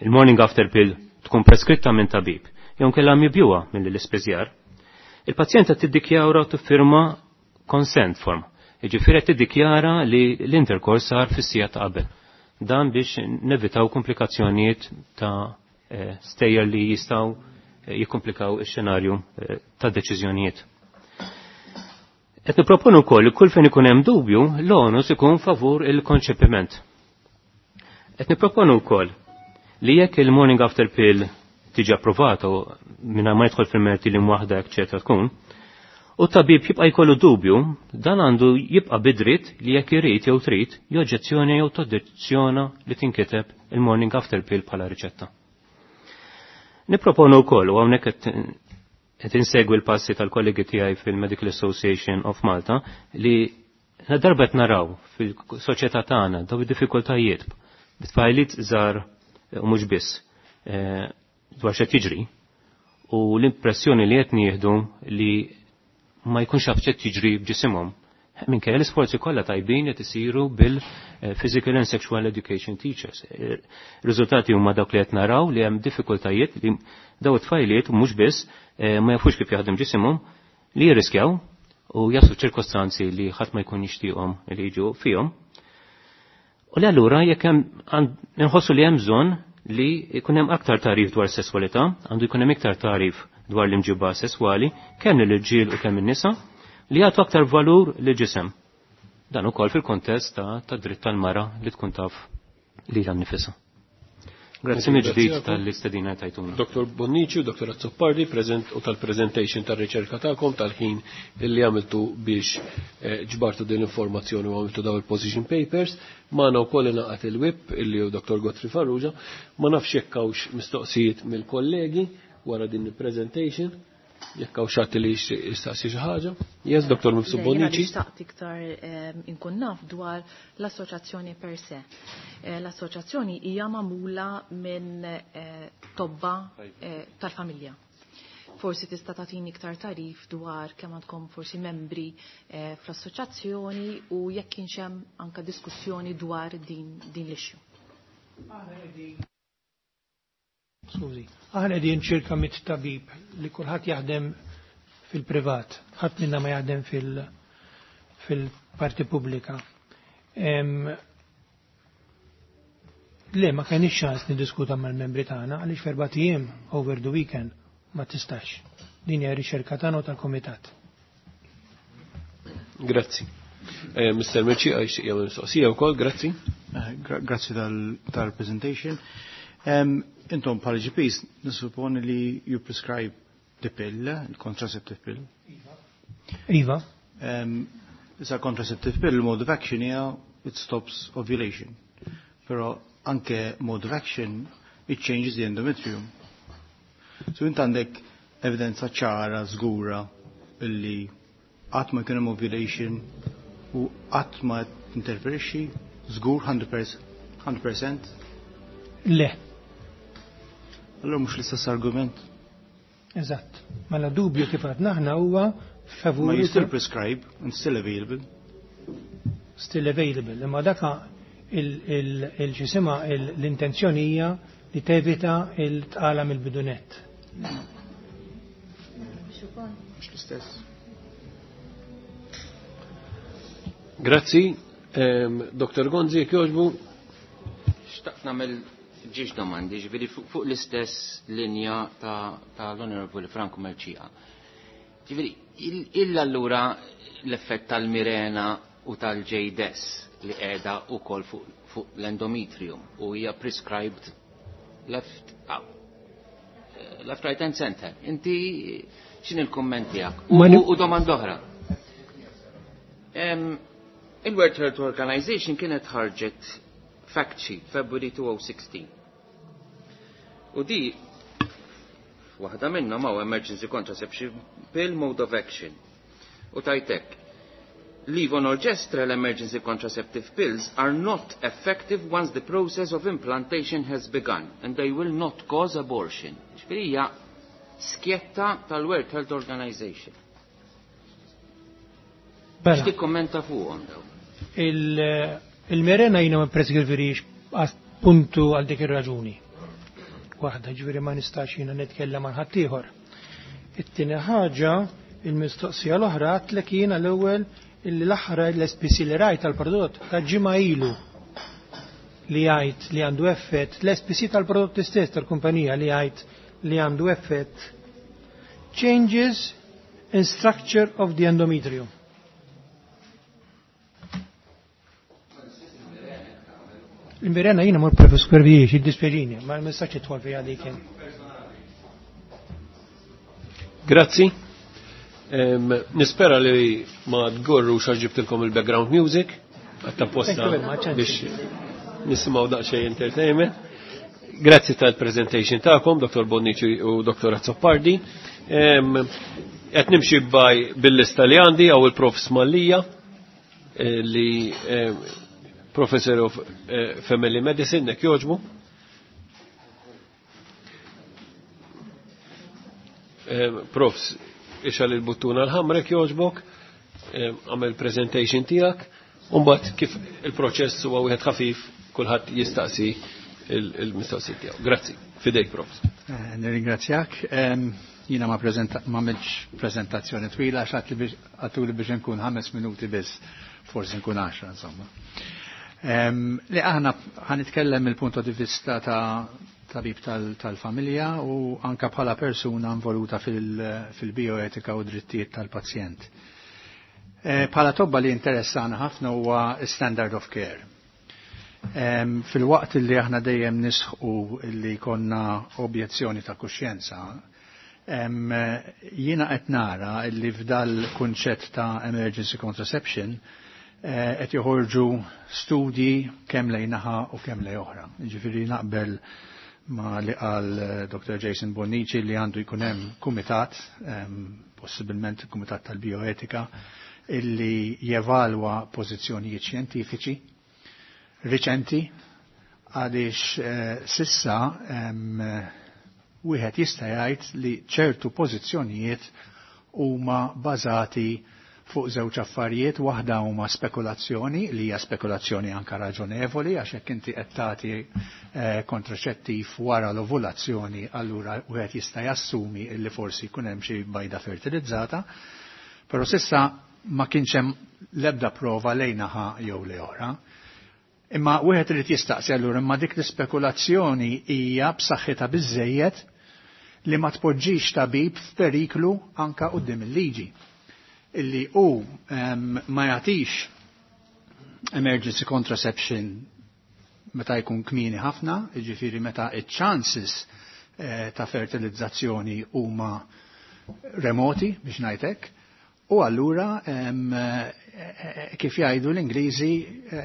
Speaker 7: il-morning after pill tkun preskritta minn tabib, jew kellha mibjuha minn l-ispiżjar, il-pazjenta tiddikjara u tiffirma consent form. Jiġifieri tiddikjara li l-intercourse sar fis-sija ta' qabel. Dan biex nevitaw komplikazzjonijiet ta' stejjer li jistgħu jikkomplikaw ix-xenarju ta' deċiżjonijiet. Qed nipproponu wkoll li kull fejn ikun hemm dubju, l-onus ikun favur il-konċepiment. Qed nipproponu wkoll li jekk il-morning after pill tiġi approvata mingħajr ma jidħol fil-merti li waħda eċetera tkun, u t-tabib jibqa' jkollu dubju, dan għandu jibqa' bidritt li jekk irid jew trid joġġezzjoni jew toġġezzjona li tinkiteb il-morning after pill bħala riċetta. Nipproponu wkoll u hawnhekk qed insegwi l-passi tal-kollegi tiegħi fil-Medical Association of Malta li darba qed naraw fil-soċjetà tagħna daw id-diffikultajiet bit-tfajliet żgħar u mhux biss dwar x'qed jiġri u l-impressjoni li qed nieħdu li ma jkunx jaf x'qed jiġri b'ġisimhom. Minkejja l-isforzi kollha tajbin qed isiru bil-Physical and Sexual Education Teachers. Riżultati huma dawk li qed naraw li hemm diffikultajiet li daw it-tfajliet mhux biss ma jafux kif jaħdem ġisimhom li jirriskjaw u jaslu ċirkostanzi li ħadd ma jkun jixtieqhom li jiġu fihom. U li allura jekk hemm inħossu li hemm bżonn li jkun hemm aktar tagħrif dwar sesswalità, għandu jkun hemm iktar tagħrif dwar l-imġiba sesswali, kemm lill-irġiel u kemm in-nisa, li jagħtu aktar valur lil ġisem. Dan ukoll fil-kontest ta' ta' dritt tal-mara li tkun taf lilha nnifisha. Grazzi mill-ġdid tal-istedina tajtuna.
Speaker 1: Dottor Bonnici u Dottor Azzopardi prezent u tal-presentation tal-riċerka tagħkom tal-ħin li għamiltu biex ġbartu din l-informazzjoni u għamiltu daw il-position papers. Magħna wkoll ingħaqad il-whip illi hu Dottor Godfrey Farrugia. Ma nafx jekk hawnx mistoqsijiet mill-kollegi wara din il-presentation. Jekk hawn xi li jistaqsi xi ħaġa. Yes, Dottor Mifsud Bonnici.
Speaker 3: Nixtaq iktar inkun naf dwar l-assoċjazzjoni per se. L-assoċjazzjoni hija magħmula minn tobba tal-familja. Forsi tista' tagħtini iktar tarif dwar kemm għandkom forsi membri fl-assoċjazzjoni u jekk kienx hemm anke diskussjoni dwar din din l-issue.
Speaker 5: Skużi, aħna qegħdin ċirka mit tabib li kulħadd jaħdem fil-privat, ħadd minna ma jaħdem fil-parti pubblika. Le, ma kenix ċans niddiskuta mal-membri tagħna għaliex f'erbat ijiem over the weekend ma tistax. Din hija riċerka tagħna u tal-kumitat.
Speaker 1: Grazzi. Mister Merċi, għax jagħmel mistoqsija wkoll, grazzi.
Speaker 9: Grazzi tal-presentation. Intom bħala G Ps nissupponi li you prescribe the pill, il-contraceptive pill.
Speaker 5: Iva.
Speaker 9: Issa contraceptive pill, mode of action hija it stops ovulation. Però anke mode of action it changes the endometrium. So int għandek evidenza ċara, żgura illi qatt ma jkun hemm ovulation u qatt ma tinterferixxi. Żgur hundred percent?
Speaker 5: Le.
Speaker 9: Allora mhux l-istess argument.
Speaker 5: Eżatt. Mela dubju kif għadna aħna huwa favur.
Speaker 9: Ma you still prescribe and still available.
Speaker 5: Still available. Imma daka il-ġisima l-intenzjoni hija li tevita il-tqala mill-bidunet.
Speaker 9: Mhux l-istess.
Speaker 1: Grazzi. Doktor Gonzi, jekk jogħġbu.
Speaker 10: Xtaqt nagħmel ġiex domandi, ġifieri fuq l-istess linja ta' l-Onorevoli Franco Mercieca. Ġifieri, illa allura l-effett tal-Mirena u tal-J D E S li qiegħda wkoll fuq l-endometrium u hija prescribed left up, left, right and center. Inti x'in il-kumment tiegħek? U domanda oħra. Il-World Health Organization kienet ħarġet fact sheet February twenty sixteen. U di waħda minnhom hawn emergency contraception pill mode of action. U tajtek, "Levonorgestrel emergency contraceptive pills are not effective once the process of implantation has begun and they will not cause abortion." Ġifieri hija skjetta tal-World Health Organization.
Speaker 5: Bella.
Speaker 10: X'tikkommenta fuqhom daw?
Speaker 5: Il-Mirena jiena ma preskrivirix puntu għal dik ir-raġuni. Waħda, ġifieri ma nistax jiena nitkellem għal ħaddieħor. It-tieni ħaġa, il-mistoqsija l-oħra, għedtlek jiena l-ewwel illi l-aħħar l-S P C li rajt tal-prodott ta' ġimgħa ilu li jgħid li għandu effett, l-S P C tal-prodott stess tal-kumpanija li jgħid li għandu effett changes in structure of the endometrium. Il-Mirena jiena mur preskrivirix, jiddispjaċini, ma nistax nidħol fiha dik.
Speaker 1: Grazzi. Nispera li ma tgorru għax ġibtilkom il-background music, għatta posta biex nisimgħu daqsxejn entertainment. Grazzi tal-presentation tagħkom, Doktor Bonnici u Doktor Azzopardi. Qed nimxi baj bil-lista li għandi għaw il-Prof Smalija eh, li Professor of eh, Family Medicine, nek joġbu. Profs, ixgħel il-buttuna l-ħamra jekk joġbok, għamel presentation tiegħek, Umbat kif il-proċess huwa wieħed ħafif, kulħadd jistaqsi il-mistoqsijiet tiegħu. Grazzi. Fidejk, profs.
Speaker 11: Eh, nirringrazzjak. Jiena ma għamilx prezentazzjoni twila għax għedtuli biex nkun ħames minuti biss, forsi nkun għaxra insomma. Li aħna ħa nitkellem il-punto di vista ta' tabib tal-familja u anka bħala persuna involuta fil-bioetika u drittijiet tal-pazjent. Eh, bħala tobba li interessana ħafna huwa standard of care. Fil-waqt li aħna dejjem nisħu li konna objezzjoni ta' kuxjenza, jiena qed nara li f'dal kunċett ta' emergency contraception eh, qed joħorġu studji kemm lejn naħa u kemm lejn oħra. Ġifieri naqbel ma li qal eh, Doktor Jason Bonnici li għandu jkun hemm kumitat, possibilment kumitat tal-bioetika, illi jevalwa pożizzjonijiet xjentifiċi riċenti għaliex eh, sissa wieħed jista' jgħid li ċertu pożizzjonijiet huma bażati fuq żewġ affarijiet, waħda huma spekulazzjoni li hija spekulazzjoni anka raġonevoli għax hekk inti qed tagħti eh, kontraċettiv wara l-ovulazzjoni, allura wieħed jista' jassumi li forsi jkun hemm xi bajda fertilizzata, però sissa ma kienx hemm l-ebda prova lejn naħa jew le oħra. Imma wieħed irid jistaqsi allura imma dik l-ispekulazzjoni hija b'saħħitha biżejjed li ma tpoġġix tabib f'periklu anka quddiem il-liġi illi hu um, ma jagħtix emergency contraception meta jkun kmieni ħafna, jiġifieri meta iċ-chances eh, ta' fertilizzazzjoni huma remoti biex ngħidlek, u allura um, kif jgħidu l-Ingliżi,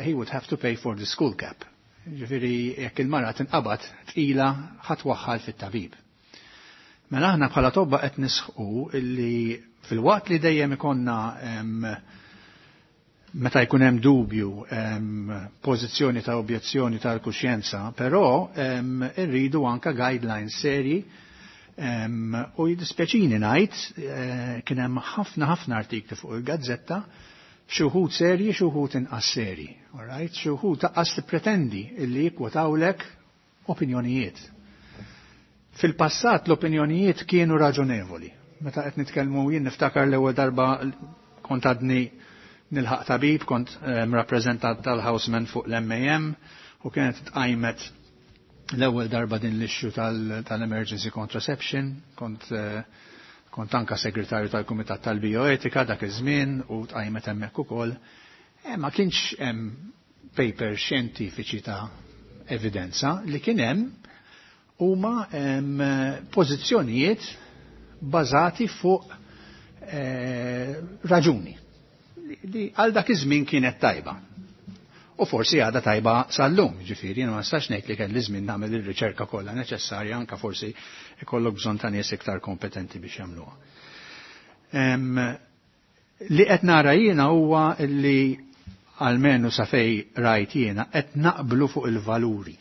Speaker 11: he would have to pay for the skull cap. Ġifieri jekk il-mara tinqabad tqila ħa twaħħal fit-tabib. Mela aħna bħala tobba qed nisħqu illi fil-waqt li dejjem ikonna meta jkun hemm dubju pożizzjoni ta' objezzjoni tal-kuxjenza, però irridu anka guidelines serji u jiddispjaċini ngħid eh, kien hemm ħafna ħafna artikli fuq il-gazzetta xi wħud serji, xi wħud inqas serji. All right? Xi wħud taqqas tippretendi illi jikkwotawlek opinjonijiet. Fil-passat l-opinjonijiet kienu raġonevoli. Meta qed nitkellmu jien niftakar l-ewwel darba kont għadni nilħaq tabib, kont rappreżentant tal-Houseman fuq l-M A M u kienet tqajmet l-ewwel darba din l-issue tal-emergency contraception, kont eh, kont anka segretarju tal-Kumitat tal-Bioetika dak iż-żmien u tqajmet hemmhekk ukoll. E, ma kienx hemm paper xjentifiċi ta' evidenza. Li kien hemm huma pożizzjonijiet bażati fuq eh, raġuni li għal dak iż-żmien kienet tajba. U forsi għadha tajba sal-lum, ġifieri, ma nistax ngħid li kelli żmien nagħmel ir-riċerka kollha neċessarja, anka forsi ikollok bżonn ta' nies iktar kompetenti biex jagħmluha. Li qed nara jiena huwa li almenu sa fej rajt jiena qed naqblu fuq il-valuri.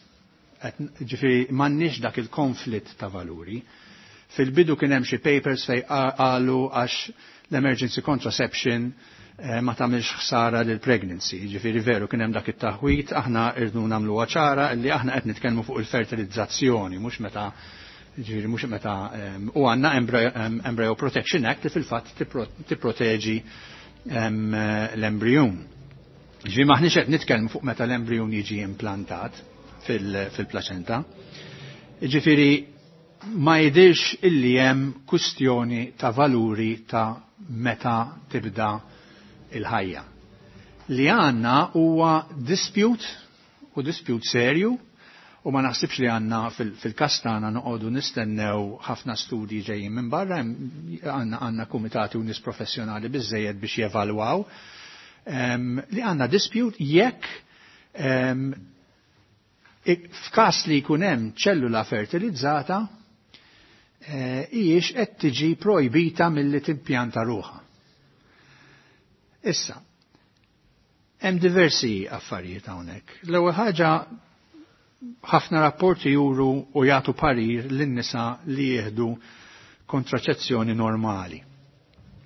Speaker 11: Ġifieri m'għandniex dak il-konflitt ta' valuri. Fil-bidu kien hemm xi papers fej qalu għax l-emergency contraception eh, ma tagħmilx ħsara lil pregnancy. Ġifieri veru kien hemm dak it-taħwit, aħna irdu nagħmluha ċara li aħna qed nitkellmu fuq il-fertilizzazzjoni, mhux meta ġifieri mhux meta u għandna Embryo Protection Act li fil-fatt tipproteġi l-embryun. Ġifieri maħniex qed nitkellmu fuq meta l-embryun jiġi implantat fil-plaċenta. Ġifieri ma jidirx illi hemm kustjoni ta' valuri ta' meta tibda il-ħajja. Li għanna huwa dispute u dispute serju u ma naħsibx li għanna fil-kastana noqogħdu nistennew ħafna studji ġejjin minn barra, għanna għanna kumitati u nies professjonali biżejjed biex jevalwaw li għanna dispute jekk f'każ li jkun hemm ċellula fertilizzata eh, hijiex qed tiġi projbita milli timpjanta ruħha. Issa, hemm diversi affarijiet hawnhekk. L-ewwel ħaġa, ħafna rapporti juru u jagħtu parir lin-nisa li jieħdu kontraċezzjoni normali.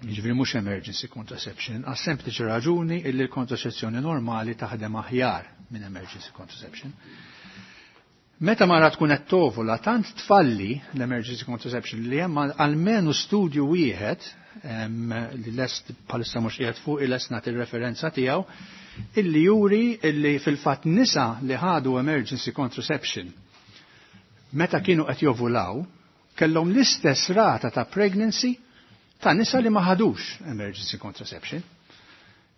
Speaker 11: Jiġifieri mhux emergency contraception, għas sempliċi raġuni illi l-kontraċezzjoni normali taħdem aħjar minn emergency contraception. Meta mara tkun qed tovula tant tfalli l-emergency contraception li hemm almenu studju wieħed li lest bħalissa mhux qiegħed fuq il-lest nagħti referenza tiegħu illi juri illi fil-fatt nisa li ħadu emergency contraception meta kienu qed jovulaw kellhom l-istess rata ta' pregnancy ta' nisa li ma ħadux emergency contraception.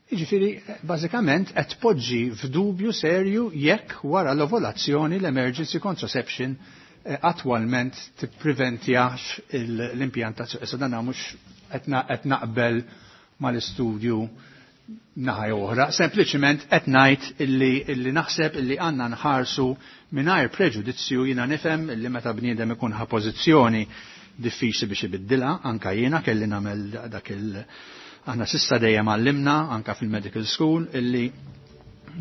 Speaker 11: Jiġifieri, bażikament qed tpoġġi f'dubju serju jekk wara l-ovulazzjoni l-emergency contraception eh, attwalment tippreventjax l-impjantazzjoni. Issa dan mhux qed naqbel mal-istudju naħa oħra, sempliċement qed ngħid illi, illi naħseb illi għandna nħarsu mingħajr preġudizzju. Jiena nifhem illi meta bniedem ikun ħa pożizzjoni diffiċli biex ibiddilha, anka jiena kelli nagħmel dak il- Aħna sissa dejjem għallimna anka fil-medical school illi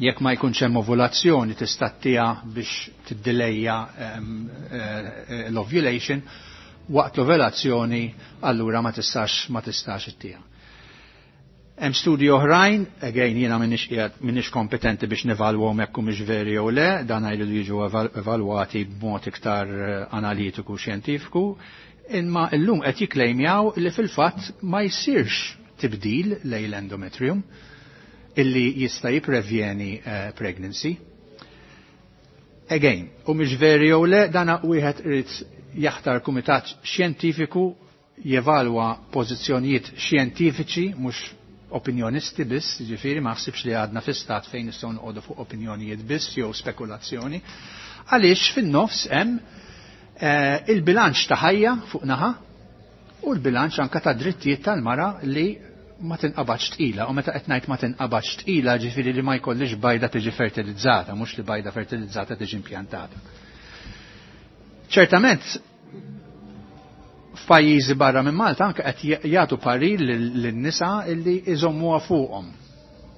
Speaker 11: jekk ma jkunx hemm ovulazzjoni tista' ttiha biex tiddilejja eh, l-ovulation, waqt l-ovulazzjoni allura ma tistax ma tistax ittiha. Hemm studji oħrajn, again jiena m'iniex qiegħed m'iniex kompetenti biex nevalwhom jekk humiex veri jew le, dan jridu jiġu evalwati b'mod iktar eh, analitiku xjentifiku, imma llum qed jiklejmjaw li fil-fatt ma jsirx tibdil lejn l-endometrium illi jista' jipprevjeni uh, pregnancy. Again, u mhix veri jew le, dana wieħed irid jaħtar kumitat xjentifiku jevalwa pożizzjonijiet xjentifiċi mhux opinjonisti biss, ġifieri ma ħsibx li għadna fi stat fejn nistgħu noqogħdu fuq opinjonijiet biss jew spekulazzjoni, għaliex fin-nofs hemm eh, il-bilanċ ta' ħajja fuq naħa u l-bilanċ anka ta' drittijiet tal-mara li ma tinqabadx tqila, u meta qed ngħid ma tinqabadx tqila ġifieri li ma jkollix bajda tiġi fertilizzata, mhux li bajda fertilizzata tiġi impjantata. Ċertament f'pajjiżi barra minn Malta anke qed jagħtu parir lin-nisa illi iżommuha fuqhom.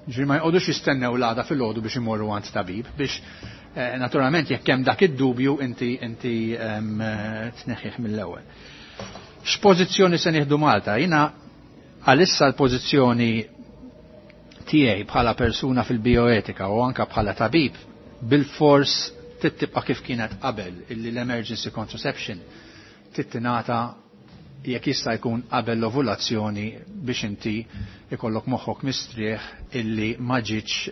Speaker 11: Ġifieri ma jqogħdux jistennew l-għada fil-għodu biex imorru għand tabib biex eh, naturalment jekk hemm dak id-dubju inti inti tneħħih mill-ewwel. X'pożizzjoni se nieħdu Malta? Jiena għalissa l-pożizzjoni tiegħi bħala persuna fil-bioetika u anka bħala tabib bil-fors tibqa' kif kienet qabel illi l-emergency contraception tittinata jekk jista' jkun qabel l-ovulazzjoni biex inti ikollok moħħok mistrieħ illi ma ġietx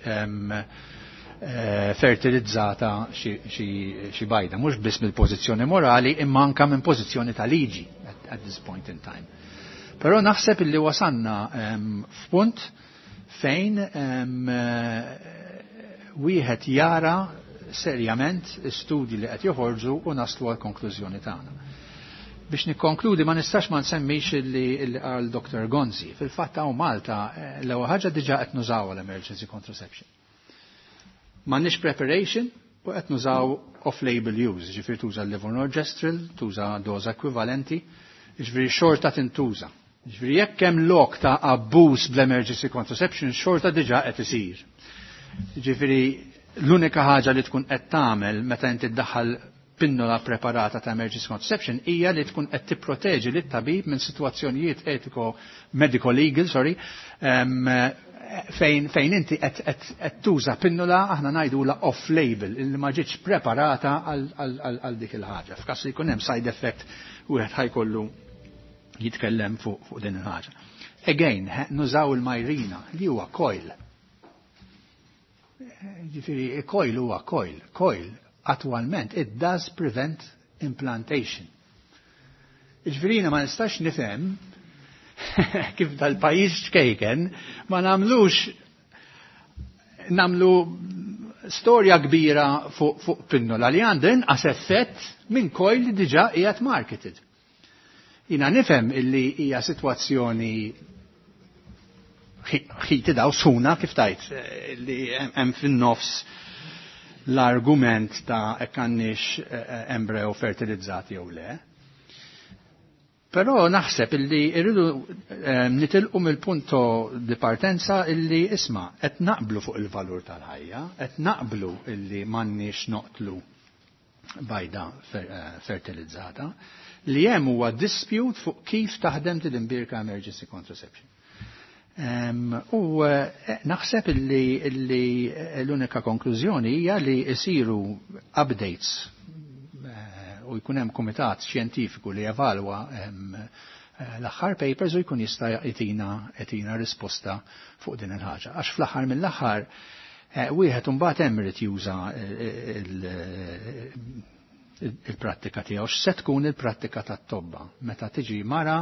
Speaker 11: fertilizzata xi bajda, mhux biss mill-pożizzjoni morali imma anka minn pożizzjoni ta' liġi at, at this point in time. Però naħseb illi wasanna f'punt fejn wieħed jara serjament studji li qed joħorġu u naslu għal konklużjoni tagħna. Biex nikkonkludi ma nistax ma nsemmix illi qal Doktor Gonzi. Fil-fatt hawn Malta l-ewwel ħaġa diġà qed nużaw l-emergency contraception. M'għandniex preparation u qed nużaw off-label use, ġifieri tuża l-levonorgestrel, tuża doża ekwivalenti, ġifieri xorta tintuża. Ġifieri jekk hemm lok ta' abbuż bl-emergency contraception, xorta diġà qed isir. Ġifieri l-unika ħaġa li tkun qed tagħmel meta inti ddaħħal pinnola preparata ta' emergency contraception hija li tkun qed tipproteġi lit-tabib minn sitwazzjonijiet etiko medico legal, sorry, um, fejn fejn inti qed tuża pinnola aħna ngħidula off label illi ma ġietx preparata għal dik il-ħaġa. F'każ li jkun hemm side effect wieħed ħajkollu jitkellem fuq fuq din il-ħaġa. Again, nużaw il-Mirena li huwa coil. Ġifieri coil huwa coil, coil attualment it does prevent implantation. Ġifieri ma nistax nifhem kif dal-pajjiż ċkejken ma nagħmlux nagħmlu storja kbira fuq fu pinnola li għandha inqas effett minn coil li diġà qiegħed marketed. Jina nifhem illi hija sitwazzjoni ħiti daw suna kif tajt li hemm fin-nofs l-argument ta' hekk għandniex embryo fertilizzati jew le. Però naħseb illi irridu nitilqu mill-punto di partenza illi isma' qed naqblu fuq il-valur tal-ħajja, qed naqblu illi m'għandniex noqtlu bajda fertilizzata, li hemm huwa dispute fuq kif taħdem din imbirka emergency contraception. Um, u naħseb illi, illi l-unika konklużjoni hija li jsiru updates u jkun hemm kumitat xjentifiku li jevalwa um, l-aħħar papers u jkun jista' jtina jtina risposta fuq din il-ħaġa. Għax fl-aħħar mill-aħħar wieħed imbagħad hemm irid juża il-prattika tiegħu. X'se tkun il-prattika tat-tobba meta tiġi mara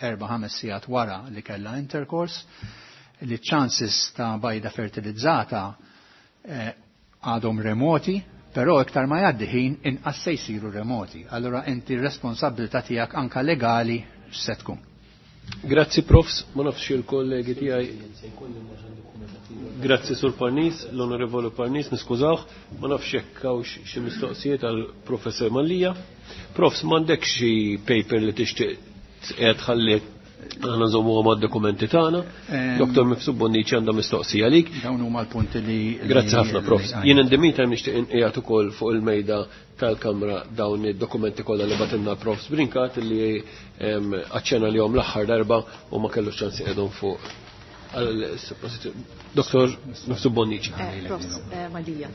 Speaker 11: erba' ħames sigħat wara li kellha intercourse, li chances ta' bajda fertilizzata għadhom remoti, però iktar ma jgħaddi ħin inqas se jsiru remoti. Allura inti r-responsabilità tiegħek anka legali x'se tkun.
Speaker 1: Grazzi profs, ma nafx il-kollegi tiegħi. Grazzi Sur Parnis, l-Onorevole Parnis, niskużawh, ma nafx jekk hawnx xi mistoqsijiet għal Professor Mallia. Profs, m'għandek xi paper li tixtieq qiegħed ħalli aħna nżommuha mad-dokumenti tagħna. Doktor Mifsud Bonnici għandha mistoqsija għalik.
Speaker 11: Dawn huma l-punti li.
Speaker 1: Grazzi ħafna profs. Jien in the meantime nixtieq inqiegħed ukoll fuq il-mejda tal-kamra dawn id-dokumenti kollha li batilna profs Brincat li aċċena li jom l-aħħar darba u ma kellux ċans iqegħdhom fuq. Doktor Mifsud Bonnici.
Speaker 3: Profs Mallia,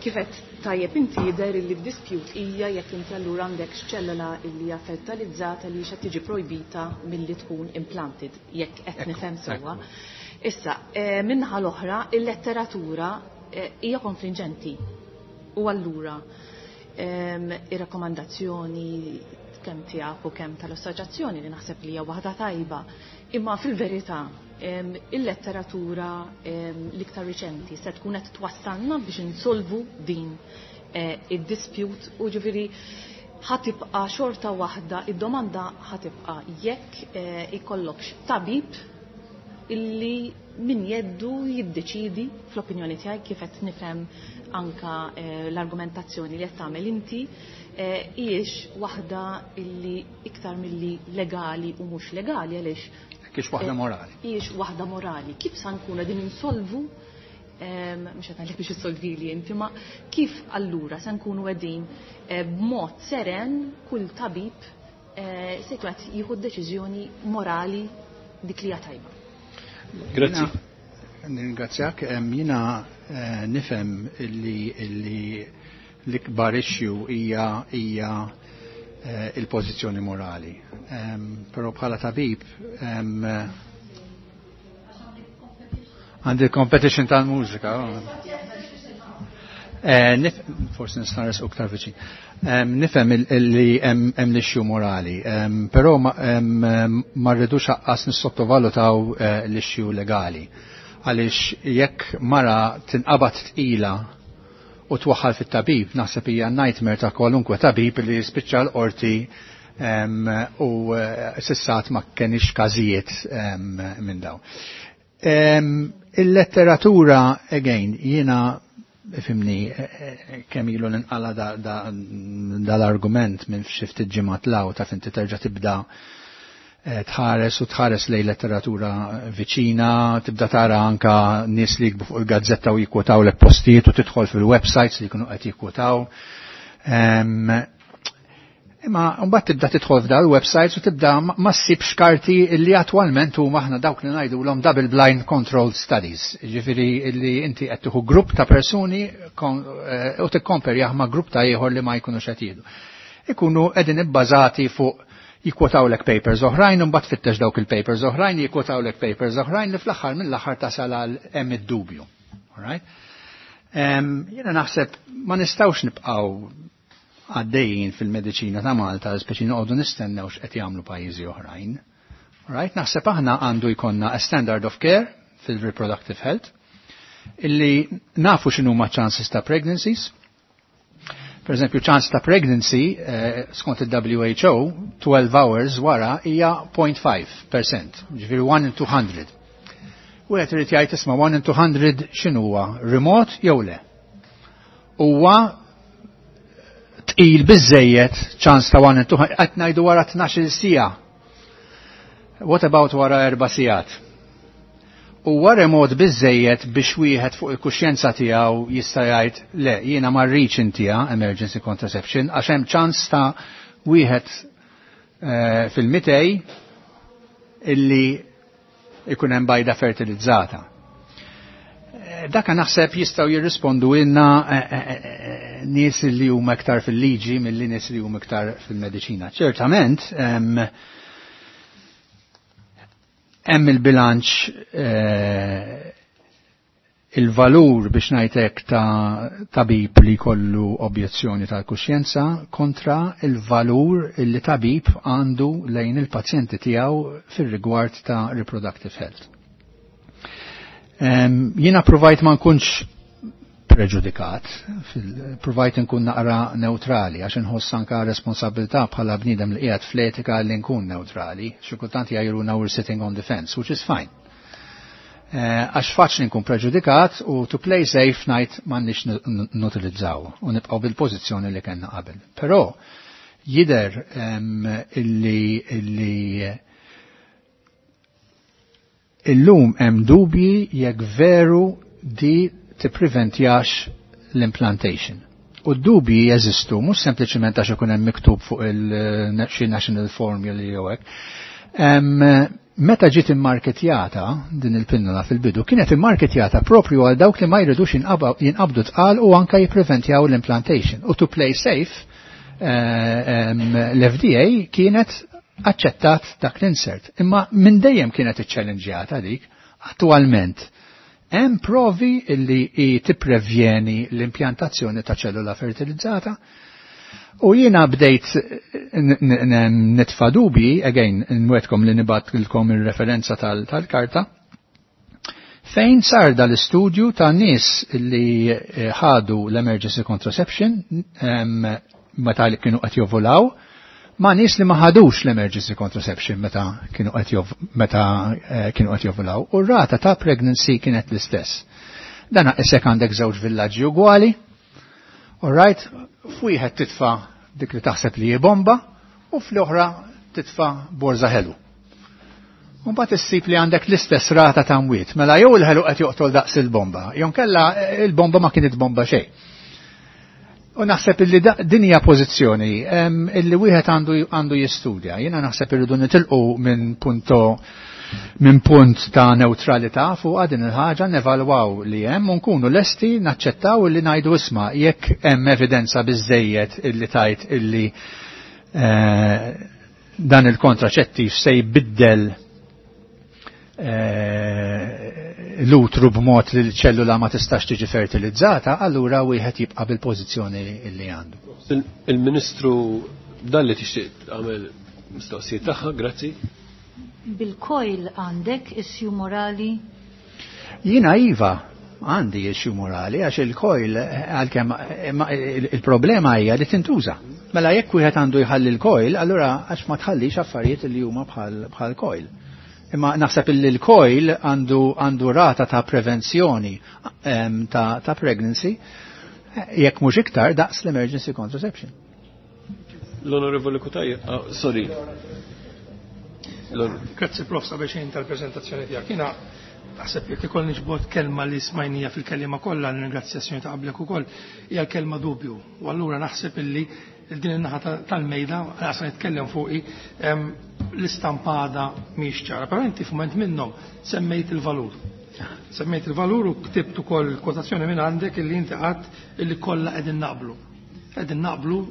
Speaker 3: kifet tajjeb inti jidher li d-dispute hija jekk inti allura għandek x'ċellola li hija fertilizzata li xa tiġi projbita milli tkun implanted, jekk qed nifhem sewwa. Issa, minnaħa l-oħra, il-letteratura hija konfliġenti. U allura ir-rakkomandazzjoni kemm tiegħek u kemm tal-assoċjazzjoni li naħseb li hija waħda tajba, imma fil-verità il-letteratura l-iktar riċenti se tkun qed twassalna biex insolvu din id-dispute u ġifieri ħatibqa' xorta waħda, id-domanda ħatibqa' jekk ikollokx tabib illi min jeddu jiddeċidi fl-opinjoni tiegħi kif qed nifhem anka l-argumentazzjoni li qed tagħmel inti hijiex waħda illi iktar milli legali u mhux legali għaliex
Speaker 11: Kiex waħda morali.
Speaker 3: Hijiex waħda morali. Kif sa nkunu qegħdin insolvu, mhux qed ngħidlek biex issolvili inti, ma kif allura se nkunu qegħdin b'mod seren kull tabib se jkun qed jieħu deċiżjoni morali dik li hija tajba.
Speaker 1: Grazzi.
Speaker 11: Nirringrazzjak, jiena nifhem illi l-ikbar issue hija hija il-pożizzjoni morali. Però bħala tabib għandi competition tal-mużika. Forsi nista' nresqu iktar viċin. Nifhem li hemm l-issue morali, però ma rridux aqqas nissottovalutaw l-issue legali. Għaliex jekk mara tinqabad tqila u twaħħal fit-tabib, naħseb hija nightmare ta' kwalunkwe tabib li jispiċċa l-qorti u sissat ma kenix każijiet minn dawn. Il-letteratura, again, jiena fimni kemm ilu ninqala dal-argument minn xi ftit ġimgħat law ta' finti terġa' tibda tħares u tħares lej letteratura viċina, tibda tara anka nies li jikbu fuq il-gazzetta u jikkwotaw lek postijiet u tidħol fil-websites li jkunu qed jikkwotaw. Imma mbagħad tibda tidħol f'dal websites u tibda ma ssibx karti li attwalment huma aħna dawk li ngħidulhom double blind controlled studies. Ġifieri li inti qed tieħu grupp ta' persuni u tikkomperjah ma' grupp ta' ieħor li ma jkunux qed jieħdu. Ikunu qegħdin ibbażati fuq jikkwotawlek papers oħrajn, u mbagħad tfittex dawk il-papers oħrajn, jikkwotawlek papers oħrajn li fl-aħħar mill-aħħar tasal għal hemm id-dubju. All right? Jiena naħseb ma nistgħux nibqgħu għaddejjin fil-mediċina ta' Malta, speċi noqogħdu nistennew x'qed jagħmlu pajjiżi oħrajn. All right? Naħseb aħna għandu jkollna a standard of care fil-reproductive health illi nafu x'inhuma chances ta' pregnancies. Per eżempju, chance ta' pregnancy, eh, skont il-W H O, twelve hours wara hija zero point five percent, ġifieri one in two hundred. U qed irid jgħid, isma', one in two hundred x'inhu huwa, remote jew le? Huwa tqil biżejjed ċans ta' one in two hundred, qed ngħidu wara tnax-il siegħa. What about wara erba' sigħat? Huwa remot biżejjed biex wieħed fuq il-kuxjenza tiegħu jista' jgħid, le, jiena ma rridx intiha emergency contraception għax hemm ċans ta' wieħed eh, fil-mitej illi ikun hemm bajda fertilizzata? Eh, daka naħseb jistgħu jirrispondu ilna eh, nies li huma iktar fil-liġi milli nies li huma iktar fil-mediċina. Ċertament, hemm il-bilanċ, eh, il-valur biex ngħidlek ta' tabib li kollu objezzjoni tal-kuxjenza kontra il-valur li tabib għandu lejn il-pazjenti tiegħu fir-rigward ta' reproductive health. Jiena provajt ma nkunx preġudikat, provajt nkun naqra neutrali, għax nħoss anka responsabilità bħala bniedem li qiegħed fl-etika li nkun neutrali, xi kultant jgħajruna we're sitting on the fence, which is fine. Eh, għax faċli nkun preġudikat u to play safe ngħid m'għandniex nutilizzaw u nibqgħu bil-pożizzjoni li kellna qabel. Però jidher illi illi illum hemm dubji jekk veru di tippreventjax l-implantation. U d-dubji jeżistu mhux sempliċement għax ikun hemm miktub fuq il-xi national formula jew hekk. Meta ġiet immarketjata din il-pinnola fil-bidu, kienet immarketjata propju għal dawk li ma jridux jinqabdu tqal u anka jippreventjaw l-implantation. U to play safe, eh, l-F D A kienet aċċettat dak l-insert. Imma minn dejjem kienet iċċellenġjata dik, attualment hemm provi illi tipprevjeni l-impjantazzjoni ta' ċellula fertilizzata. U jiena bdejt nitfa dubji, again, nwedkom li nibgħatilkom il-referenza tal-karta, fejn sar dal-istudju ta' nies li eh, ħadu l-emergency contraception meta li kienu qed jovulaw, ma' nies li ma ħadux l-emergency contraception meta kienu qed meta eh, kienu qed jovulaw u r-rata ta' pregnancy kienet l-istess. Dana isek għandek żewġ villaġġi ugwali, all right, f'wieħed titfa' dik li taħseb li hi bomba u fl-oħra titfa' borza ħelu. U mbagħad issib li għandek l-istess rata ta' mwiet. Mela jew il-ħelu qed joqtol daqs il-bomba, jew kella il-bomba ma kienet bomba xejn. U naħseb illi din hija pożizzjoni illi wieħed għandu jistudja. Jiena naħseb irridu nitilqu minn punto minn punt ta' neutralità fuq din il-ħaġa, nevalwaw li hemm u nkunu lesti naċċettaw illi ngħidu isma' jekk hemm evidenza biżejjed illi tajt illi eh, dan il-kontraċettiv se jbiddel eh, l-utru b'mod li l-ċellula ma tistax tiġi fertilizzata, allura wieħed jibqa' bil-pożizzjoni li għandu.
Speaker 1: Il-Ministru Dalli tixtieq tagħmel mistoqsijiet tagħha, grazzi.
Speaker 12: Bil-coil għandek issue morali?
Speaker 11: Jiena iva, għandi issue morali, għax il-coil għalkemm il-problema hija li tintuża. Mela jekk wieħed għandu jħalli l-coil, allura għax ma tħallix affarijiet li huma bħal coil. Imma naħseb li l-coil għandu għandu rata ta' prevenzjoni ta', ta' pregnancy jekk mhux iktar daqs l-emergency contraception.
Speaker 1: L-Onorevoli Cutajar, oh, sorry.
Speaker 5: Grazzi Prof sabiex tal-prezentazzjoni tiegħek. Jiena naħseb jekk ikollni ġbod kelma li smajnija fil-kelliema kollha, nirringrazzjazzjoni ta' qablek ukoll, hija l-kelma dubju. U allura naħseb illi din in-naħa tal-mejda, għasa nitkellem fuqi, l-istampada mhix ċara. Però inti f'mument minnhom semmejt il-valur. Semmejt il-valur u ktibt ukoll kwotazzjoni minn għandek illi inti qatt illi kollha qegħdin naqblu. Qegħdin naqblu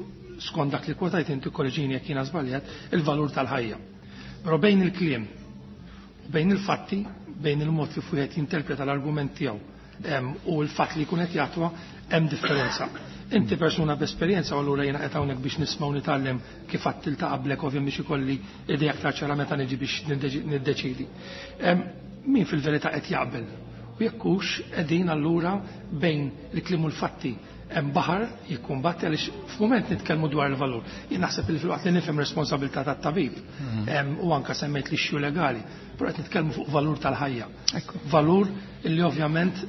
Speaker 5: skont dak li kwotajt inti korreġini jekk jiena żbaljat, il-valur tal-ħajja. Però bejn il-kliem u bejn il-fatti, bejn il-mod kif wieħed jinterpreta l-argument tiegħu u l-fatt li jkun qed jatwa hemm differenza. Inti persuna b'esperjenza u allura jiena qed hawnhekk biex nisma' u nitgħallem kif qatt tilta' qablek ovvja biex ikolli idea aktar ċara meta niġi biex niddeċidi. Min fil-verità qed jaqbel? U jekk hux qegħdin allura bejn il-kliem u l-fatti hemm baħar jikkumbatti għaliex f'mument nitkellmu dwar il-valur. Jien naħseb li fil-waqt li nifhem responsabilità tat-tabib u anke semmejt l-issue legali, però qed nitkellmu fuq valur tal-ħajja. Valur illi ovvjament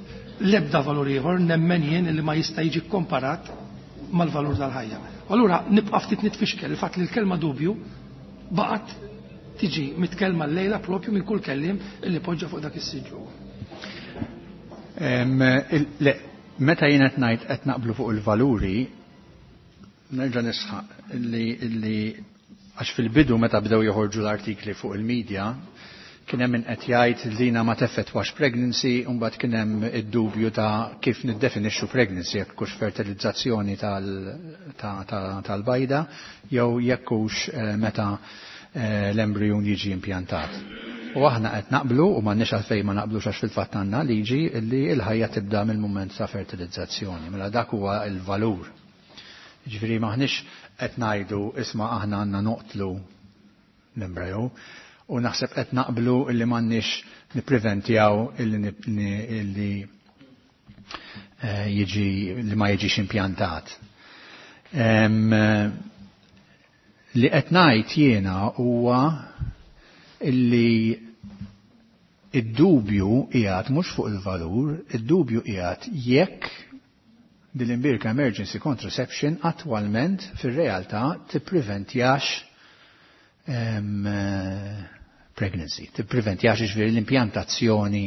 Speaker 5: l-ebda valur ieħor nemmen jien illi ma jista' jiġi komparat mal-valur tal-ħajja. Allura nibqa' ftit nitfixkel il-fatt li l-kelma dubju baqgħet tiġi mitkellma llejla propju minn kull kelliem illi poġġa fuq dak is-siġġu.
Speaker 11: Meta jien qed ngħid qed naqblu fuq il-valuri, nerġa' nisħaq illi illi għax fil-bidu meta bdew joħorġu l-artikli fuq il-medja, kien hemm min qed jgħid li ma teffettwax pregnancy, u mbagħad kien hemm id-dubju ta' kif niddefinixxu pregnancy, jekk hux fertilizzazzjoni tal-bajda jew jekk hux meta l-embrijun jiġi impjantat. U aħna qed naqblu u m'għandniex għalfejn ma naqblux għax fil-fatt għandna liġi li l-ħajja tibda mill-mument ta' fertilizzazzjoni. Mela dak huwa l-valur. Jiġifieri m'aħniex qed ngħidu isma' aħna għandna noqtlu l-embryo u naħseb qed naqblu illi m'għandniex nippreventjaw illi jiġi li ma jiġix impjantat. Li qed ngħid jiena huwa illi id-dubju qiegħed mhux fuq il-valur, id-dubju qiegħed jekk dil-imbirka emergency contraception attwalment fir-realtà tippreventjax pregnancy, tippreventjax ġifieri l-impjantazzjoni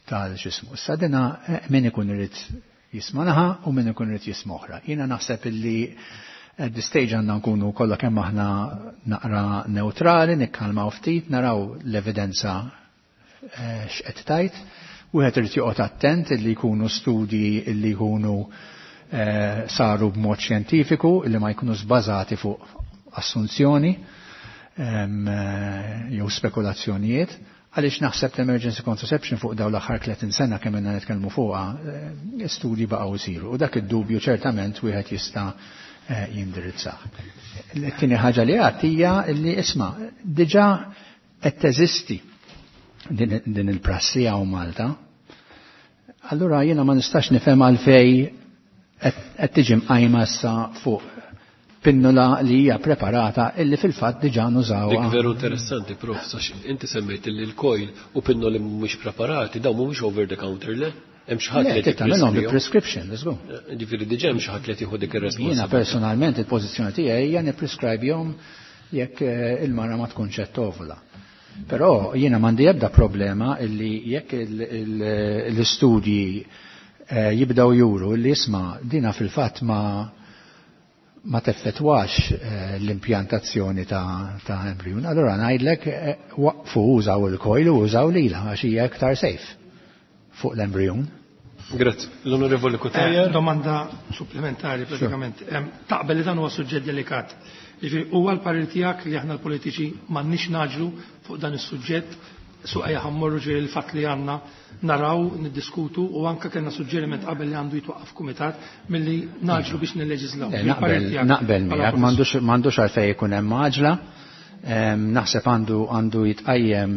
Speaker 11: tal-xismu. Issa dina min ikun irid jisma' naħa u min ikun irid jisma' oħra. Jiena naħseb illi at the stage għandna nkunu kollha kemm aħna naqra neutrali, nikkalmaw ftit, naraw l-evidenza x'qed tajt. Wieħed irid joqgħod attent illi jkunu studji illi jkunu saru b'mod xjentifiku, illi ma jkunu żbażati fuq assunzjoni jew spekulazzjonijiet, għaliex naħseb l-emergency contraception fuq dawn l-aħħar tletin sena kemm ilna nitkellmu fuqha, studji baqgħu jsiru. U dak id-dubju ċertament wieħed jista' jindirizzah. L-tieni ħaġa li għad hija li isma' diġà qed teżisti din il-prassi hawn Malta. Allura jiena ma nistax nifhem għalfej qed tiġi mqajma issa fuq pinnula li hija preparata illi fil-fatt diġà nużawha.
Speaker 1: Dik veru interessanti, Prof, sax inti semmejt illi l-coil u pinnoli mhumiex preparati, dawn mhumiex over the counter, le? Hemm xi ħadd li
Speaker 11: tagħmelhom bi prescription, let's go.
Speaker 1: Ġifieri diġà hemm xi ħadd li tieħu dik ir-responsabilità.
Speaker 11: Jiena personalment il-pożizzjoni tiegħi hija nipprescribihom jekk il-mara ma tkunx qed tovula. Però jiena m'għandi ebda problema illi jekk l-istudji eh, jibdew juru illi isma' dina fil-fatt ma ma teffettwax eh, l-impjantazzjoni ta', ta embryon. Allora ngħidlek eh, waqfu użaw il-coil u użaw lila għax hija iktar safe fuq l-embryon.
Speaker 1: Grazzi. L-Onorevoli Cutajar.
Speaker 5: Eh, domanda supplementari pratikament. Sure. Taqbel li dan huwa suġġett delikat. Jiġifieri huwa l-parir tiegħek li aħna l-politiċi m'għandniex naġlu fuq dan is-suġġett suq ejja ħammorru ġifieri l-fatt li għandna naraw, niddiskutu u anke kellna suġġeriment qabel li għandu jitwaqqaf kumitat milli naġlu biex nilleġislaw.
Speaker 11: Naqbel naqbel miegħek m'għandux għalfejn ikun hemm għaġla. Naħseb għandu għandu jitqajjem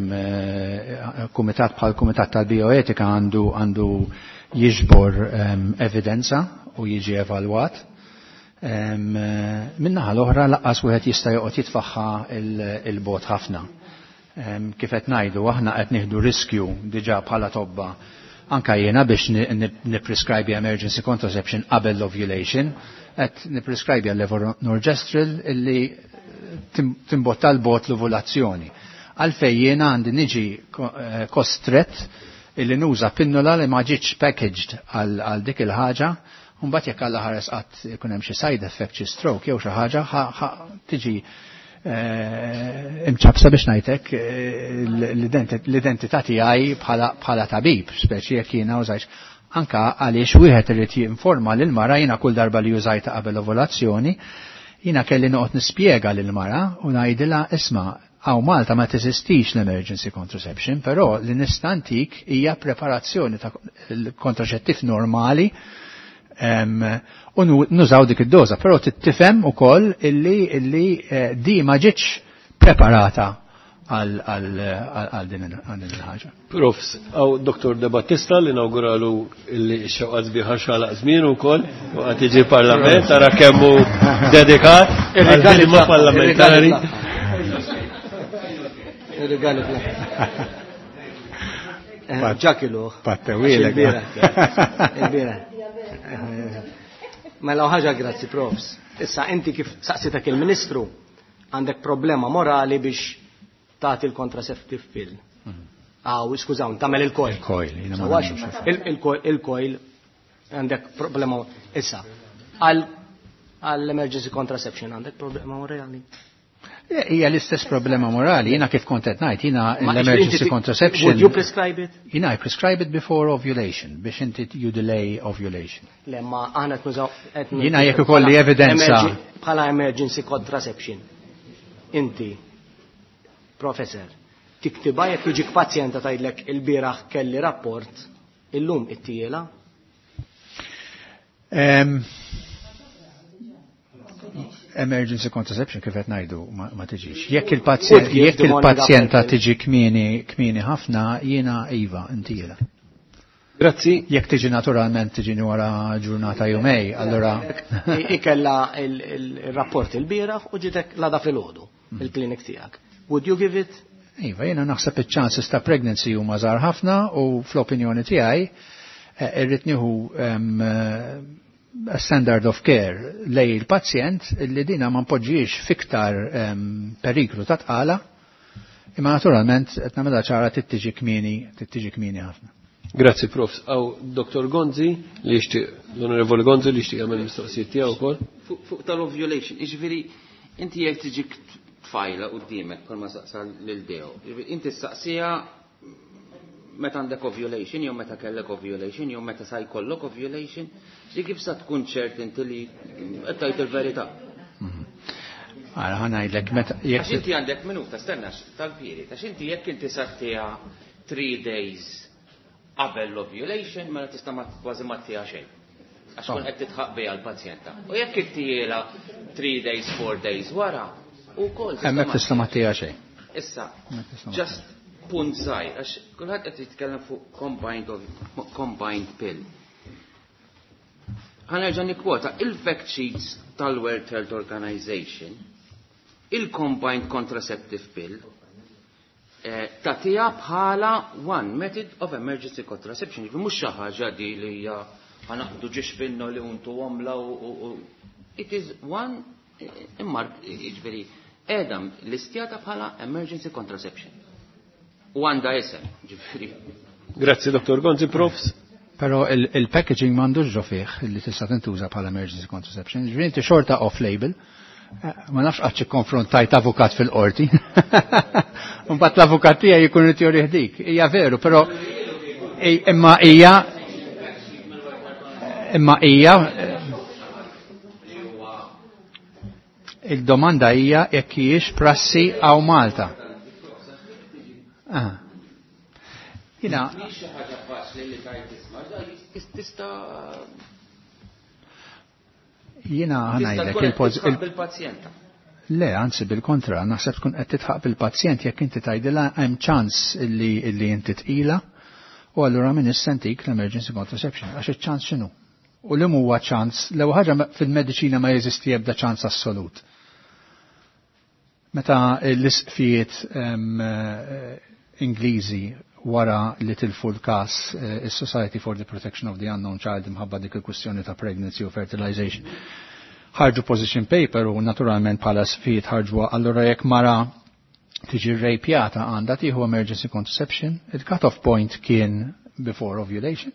Speaker 11: kumitat bħal kumitat tal-bioetika għandu għandu jiġbor evidenza u jiġi evalwat. Min-naħa l-oħra laqqas wieħed jista' joqgħod jitfaħħa il-bot ħafna. Kif qed ngħidu aħna qed nieħdu riskju diġà bħala tobba anka jiena biex nipprescribe emergency contraception qabel l-ovulation, qed nipprescribe levonorgestrel illi timbotta l-bot l-ovulazzjoni. Għalfejn jiena għandi niġi kostret illi nuża pinnola li ma ġietx packaged għal dik il-ħaġa, u mbagħad jekk Alla ħares qatt ikun hemm xi side effect, xi stroke jew xi ħaġa tiġi imċabsa biex ngħidlek l-identità tiegħi bħala tabib, speċi jekk jiena użajx. Anka għaliex wieħed irid jinforma lil mara jiena kull darba li użajta qabel ovulazzjoni, jiena kelli noqgħod nispjega lil mara u ngħidilha isma' għaw Malta ma teżistix l-emergency contraception, però li nista' ntik hija preparazzjoni ta' kontraċettiv normali u nużaw dik id-doża, però tifhem ukoll illi illi di ma ġietx preparata għal din il-ħaġa.
Speaker 1: Profs, għaw Doktor De Battista li nawguralu illi xewqat biħar xalaq żmien ukoll u qed jiġi parlament tara kemm hu dedikat għall-ħidma parlamentari.
Speaker 13: Ir-rigali fl-aħħar. Ġakiluh.
Speaker 11: Pattewilek.
Speaker 13: Il-bieraħ. Mela ħaġa grazzi profs. Issa inti kif saqsitek il-Ministru għandek problema morali biex tagħti l-contraceptive pill. Aw, skużaw, tagħmel il-coil.
Speaker 11: Il-coil,
Speaker 13: il-coil għandek problema issa. Għall-emergency contraception għandek problema morali.
Speaker 11: Hija l-istess problema morali, jiena kif kont qed ngħid, jiena l-emergency contraception.
Speaker 13: Would you prescribe it?
Speaker 11: Jiena I prescribe it before ovulation, biex inti you delay ovulation.
Speaker 13: Le, ma aħna qed nużaw.
Speaker 11: Jiena jekk ikolli evidenza.
Speaker 13: Bħala emergency contraception. Inti, professor, tiktiba jekk jiġik pazjenta tgħidlek il-bieraħ kelli rapport, illum ittiela?
Speaker 11: Emergency contraception kif qed ngħidu ma, ma tiġix. Jekk il-pazjent jekk il-pazjenta tiġi kmieni kmieni ħafna jiena iva intiela.
Speaker 1: Grazzi.
Speaker 11: Jekk tiġi naturalment tiġi wara ġurnata jumej, allora
Speaker 13: ikella il-rapport il-bieraħ u ġitek l-għada filgħodu il-klinik tiegħek. Would you give it?
Speaker 11: Iva, jiena naħseb iċ-chances ta' pregnancy huma żgħar ħafna u fl-opinjoni tiegħi irrid nieħu standard of care lej il-pazjent li dina ma npoġġiex fiktar um, periklu ta' tqala, imma naturalment qed nagħmilha ċara tittiġi kmieni, tittiġi kmieni ħafna.
Speaker 1: Grazzi Profs. Aw Doktor Gonzi li jixtieq, l-Onorevoli Gonzi li jixtieq jagħmel mistoqsijiet tiegħu wkoll.
Speaker 10: Fuq tal-ovulation, jiġifieri inti jekk tiġik tfajla qudiemek bħalma saqsa lil Deo, inti saqsija meta għandek ovulation, jew meta kellek ovulation, jew meta sa jkollok ovulation, li kif sa tkun ċert inti li qed tgħid il-verità.
Speaker 11: Ara ħa ngħidlek meta
Speaker 10: jekk inti għandek minuta stenna tal-pieri, għax inti jekk inti sartiha three days qabel l-ovulation, mela tista' kważi ma ttiha xejn. Għax kun qed titħaq biha l-pazjenta. U jekk inti three days, four days wara, ukoll
Speaker 11: hemmhekk tista' ma ttiha xejn.
Speaker 10: Issa, just punt żgħir, għax kulħadd qed jitkellem fuq combined, combined pill. Ħa nerġa' nikkwota il-fact sheets tal-World Health Organization, il-combined contraceptive pill, eh, tagħtiha bħala one method of emergency contraception, jiġifieri mhux xi ħaġa di li hija ħa naqdu ġiex pinno li untu għomla u it is one immark, jiġifieri qiegħda listjata bħala emergency contraception. U għandha isem, ġifieri.
Speaker 1: Grazzi Dottor Gonzi, Profs.
Speaker 11: Però il-packaging m'għandux ġo fih li tista' tintuża bħala emergency contraception. Ġifieri inti xorta off-label. Ma nafx qatt xi konfrontajt avukat fil-qorti. Mbagħad l-avukat tiegħi jkun irid jurih dik. Hija veru, però imma hija imma hija il-domanda hija jekk hijiex prassi hawn Malta. Ah. Jina.
Speaker 10: Mhix xi ħaġa faċli li tgħid tisma', tista'
Speaker 11: Jina ħanajdlek
Speaker 10: il-pazjenta.
Speaker 11: Le, anzi bil-kontra, naħseb tkun qed titħaq bil-pazjent jekk inti tgħidilha hemm ċans illi illi inti tqila u allura min issentik l-emergency contraception għax iċ-ċans x'inhu. U li huwa ċans, l-ewwel ħaġa fil-mediċina ma jeżisti ebda ċans assolut. Meta l-isqfijiet Ingliżi wara li tilfu l-kas is-Society for the Protection of the Unknown Child imħabba dik il-kwistjoni ta' pregnancy u fertilization. Ħarġu position paper u naturalment bħala sfijiet ħarġu allura jekk mara tiġi rejpjata għandha tieħu emergency contraception, il-cut-off point kien before ovulation.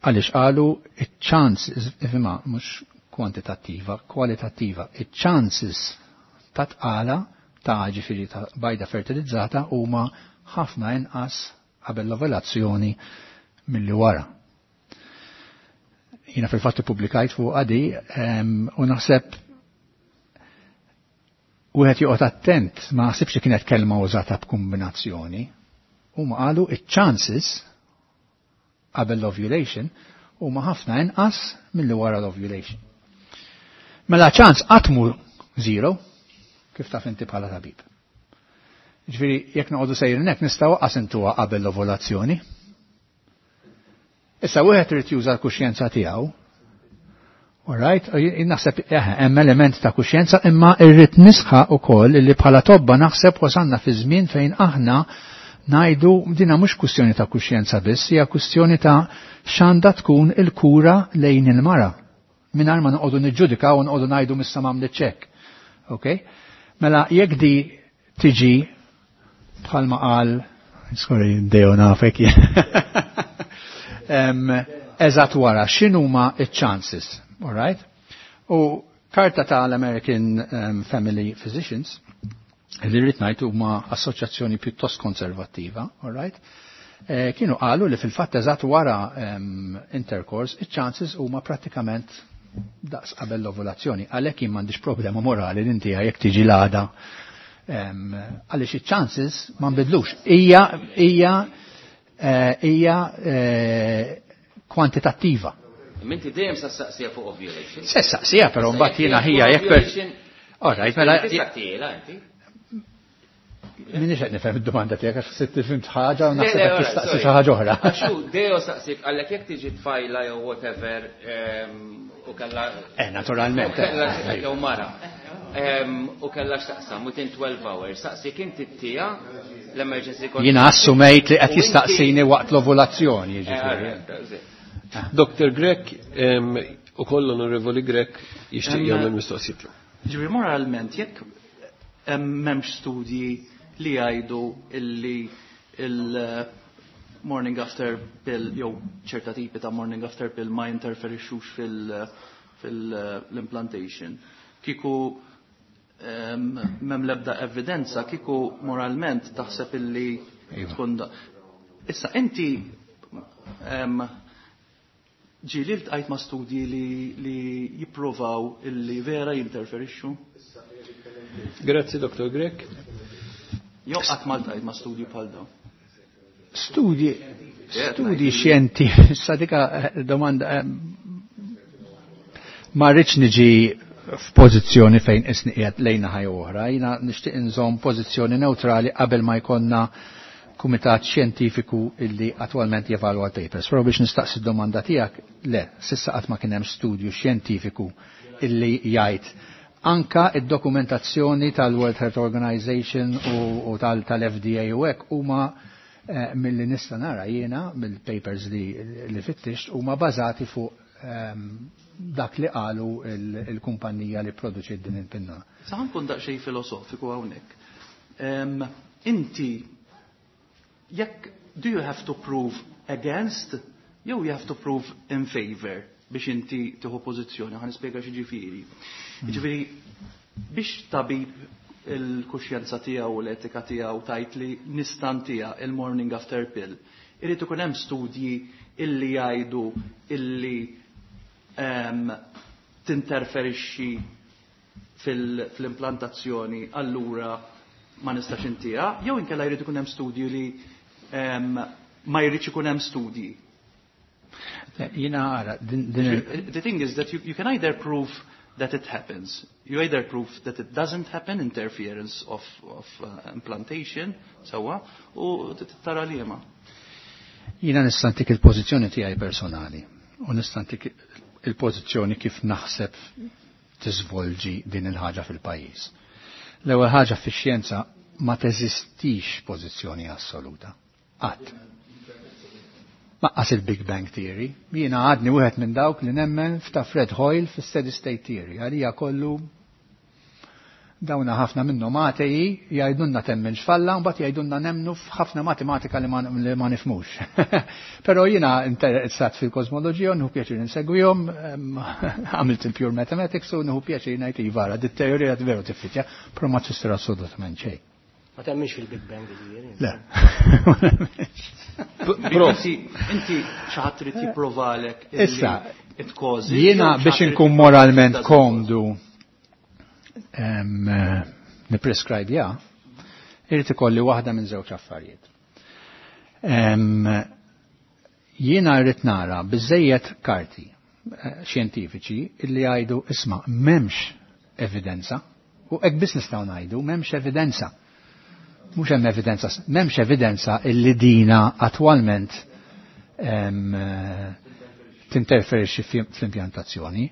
Speaker 11: Għaliex qalu iċ-chances, ifhimha mhux kwantitattiva, kwalitattiva, iċ-chances ta' tqala ta' ġifieri ta' bajda fertilizzata huma ħafna inqas qabel l-ovulazzjoni milli wara. Jiena fil-fatt ippubblikajt fuq għadi u naħseb wieħed joqgħod attent ma naħsibx li kienet kelma użata b'kombinazzjoni. Huma qalu iċ-chances qabel l-ovulation huma ħafna inqas milli wara l-ovulation. Mela ċans qatt mhu zero, kif taf inti bħala tabib. Ġifieri jekk noqogħdu sejrin hekk nistgħu qas intuha qabel l-ovulazzjoni. Issa wieħed irid juża l-kuxjenza tiegħu. All right, naħseb hemm element ta' kuxjenza imma rrid nisħaq ukoll li bħala tobba naħseb wasalna fi żmien fejn aħna ngħidu dina mhux kwistjoni ta' kuxjenza biss, hija kwistjoni ta' x'għandha tkun il-kura lejn il-mara. Mingħajr ma noqogħdu niġġudikaw u noqogħdu ngħidu missa m'għamlet ċekk. Okay? Mela jekk di tiġi bħalma qal, sorry, dejju nafek eżatt wara x'inhuma iċ-chances, all right? U karta tal-American um, Family Physicians li rrid ngħid huma assoċjazzjoni pjuttost konservattiva, all right? Eh, kienu qalu li fil-fatt eżatt wara um, intercourse iċ-chances huma prattikament daqs qabel l-ovulazzjoni. Għalhekk jien m'għandix problema morali li inti jekk tiġi l-għada għaliex iċ-chances ma nbidlux. Hija hija hija kwantitattiva.
Speaker 10: Minti dejjem sa saqsija fuq ovulation.
Speaker 11: Se saqsija però mbagħad jiena ħija jekk per. All right, mela. Minix qed nifhem id-domanda tiegħek għax ħsibt fimt ħaġa u naħseb qed tistaqsi xi ħaġa oħra.
Speaker 10: Għax dejjem saqsik għalhekk jekk tiġi tfajla jew whatever u kellha.
Speaker 11: Eh, naturalment.
Speaker 10: Jew mara. U kellha x'taqsam within twelve hours. Saqsik inti tija l-emergency contraception.
Speaker 11: Jiena assumejt li qed jistaqsini waqt l-ovulazzjoni, jiġifieri.
Speaker 1: Doktor Grech u koll Onorevoli Grech jixtieq jagħmel mistoqsijiet.
Speaker 14: Ġifieri moralment jekk m'hemmx studji li jgħidu illi il-morning after pill jew ċerta tipi ta' morning after pill ma jinterferixxux fil-implantation. Kieku m'hemm l-ebda evidenza, kieku moralment taħseb illi tkun da. Issa inti ġieli ltqajt ma' studji li, li jipprovaw illi vera jinterferixxu?
Speaker 1: Grazzi Doktor Grech.
Speaker 14: Jew qatt ma ltqajt ma' studji bħal dawn?
Speaker 11: Studji, studji xjentifiċi, sa dika domanda ma rridx niġi f'pożizzjoni fejn isni qiegħed lejna ħaj oħra, jiena nixtieq inżomm pożizzjoni neutrali qabel ma jkollna kumitat xjentifiku illi attwalment jevalwa l-papers. Però biex nistaqsi d-domanda tiegħek, le, sissa qatt ma kien hemm studju xjentifiku illi jgħid anka id-dokumentazzjoni tal-World Health Organization u, u tal-F D A u hekk huma eh, milli nista' nara jiena mill-papers li, li fittixt huma bażati fuq um, dak li qalu il-kumpanija li produċi din il-pinna.
Speaker 14: Sa nkun daqsxejn filosofiku hawnhekk. Um, inti, jekk, do you have to prove against, jew you have to prove in favor biex inti tieħu pożizzjoni, ħa nispjega xi ġifieri. Ġifieri, biex tabib il-kuxjenza tiegħu u l-etika tiegħu tajt li nistantija il-morning after pill. Irid ikun hemm studji illi jgħidu illi um, tinterferixxi fil-implantazzjoni allura ma nistax intija, jew inkella jrid ikun hemm studji li um, ma jridx ikun hemm studji.
Speaker 11: Jiena ara, din, din
Speaker 14: The thing is that you, you can either prove that it happens. You either prove that it doesn't happen, interference of, of uh, implantation, sawa, u tara liema.
Speaker 11: Jiena nista' ntik il-pożizzjoni tiegħi personali u nista' ntik il-pożizzjoni kif naħseb tiżvolġi din il-ħaġa fil-pajjiż. L-ewwel ħaġa fix-xjenza ma teżistix pożizzjoni assoluta. Qatt. Maqqas il-Big Bang Theory. Jiena għadni wieħed minn dawk li nemmen f'ta' Fred Hoyle fis-Steady State Theory. Għalija kollu dawna ħafna minnhom ateji jgħidulna temmen x'falla u mbagħad jgħidulna nemmnu f'ħafna matematika li ma, li ma nifhmux. Però jiena interessat fil-kosmoloġija u nieħu pjaċir insegwihom, għamilt il-pure mathematics u nieħu pjaċir ngħid iva dit-teorija veru tiffitja, però ma tfisser assolutament xejn.
Speaker 13: Ma temminx fil-Big Bang ġifieri.
Speaker 11: Le.
Speaker 14: Prof, inti xi ħadd trid jipprovalek
Speaker 11: Issa,
Speaker 14: it causes.
Speaker 11: Jiena biex inkun moralment komdu niprescribe ja, irrid ikolli waħda minn żewġ affarijiet. Jiena rrid nara biżejjed karti xjentifiċi illi jgħidu isma' m'hemmx evidenza, u hekk biss nistgħu ngħidu m'hemmx evidenza. Mhux hemm evidenza, m'hemmx evidenza illi dina attwalment tinterferixxi fl-impjantazzjoni.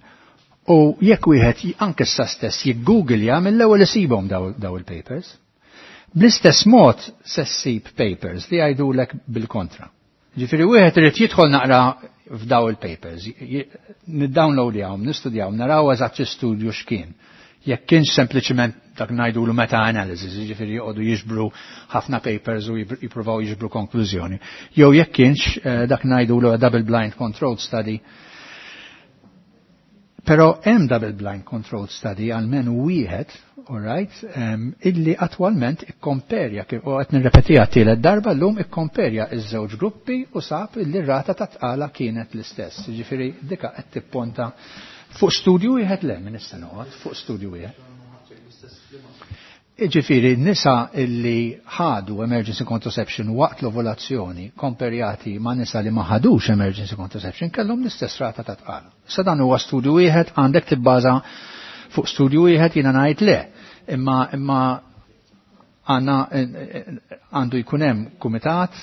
Speaker 11: U jekk wieħed anke issa stess jiggooglja mill-ewwel isibhom daw il-papers. Bl-istess mod se ssib papers li jgħidulek bil-kontra. Ġifieri wieħed irid jidħol naqra f'daw il-papers, niddownloadjahom, nistudjahom, naraw eżatt studju x'kien. Jekk kienx sempliċement dak ngħidulu meta-analysis, jiġifieri joqogħdu jiġbru ħafna papers u jippruvaw jiġbru konklużjoni. Jew jekk kienx dak ngħidulu double blind controlled study. Però hemm double blind controlled study għalmenu wieħed, all right, um, illi attwalment ikkomperja, u qed nirrepetiha tielet darba llum ikkomperja iż-żewġ gruppi u sab illi r-rata ta' tqala kienet l-istess. Jiġifieri dika qed tipponta fuq studju wieħed le minn issa noqgħod, fuq studju wieħed. Ġifieri nisa illi ħadu emergency contraception waqt l-ovulazzjoni komperjati ma' nisa li ma ħadux emergency contraception kellhom l-istess rata ta' tqala. Sa dan huwa studju wieħed, għandek tibbaża fuq studju wieħed, jiena ngħid le, imma imma għandna għandu jkun hemm kumitat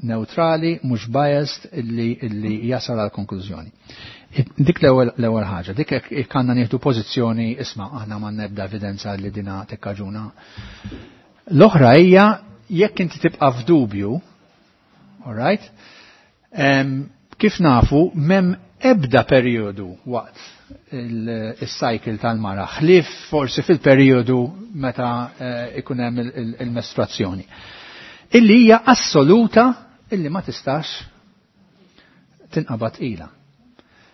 Speaker 11: neutrali, mhux biased, illi illi jasal għal konklużjoni. Dik l-ewwel ħaġa, dik jekk għandna nieħdu pożizzjoni isma' aħna ma nebda evidenza li dina tikkaġuna. L-oħra hija jekk inti tibqa' f'dubju, all right, um, kif nafu m'hemm ebda perjodu waqt il-cycle tal-mara, ħlief forsi fil-perjodu meta uh, ikun hemm il-mestruazzjoni. Illi hija assoluta illi ma tistax tinqabad ila.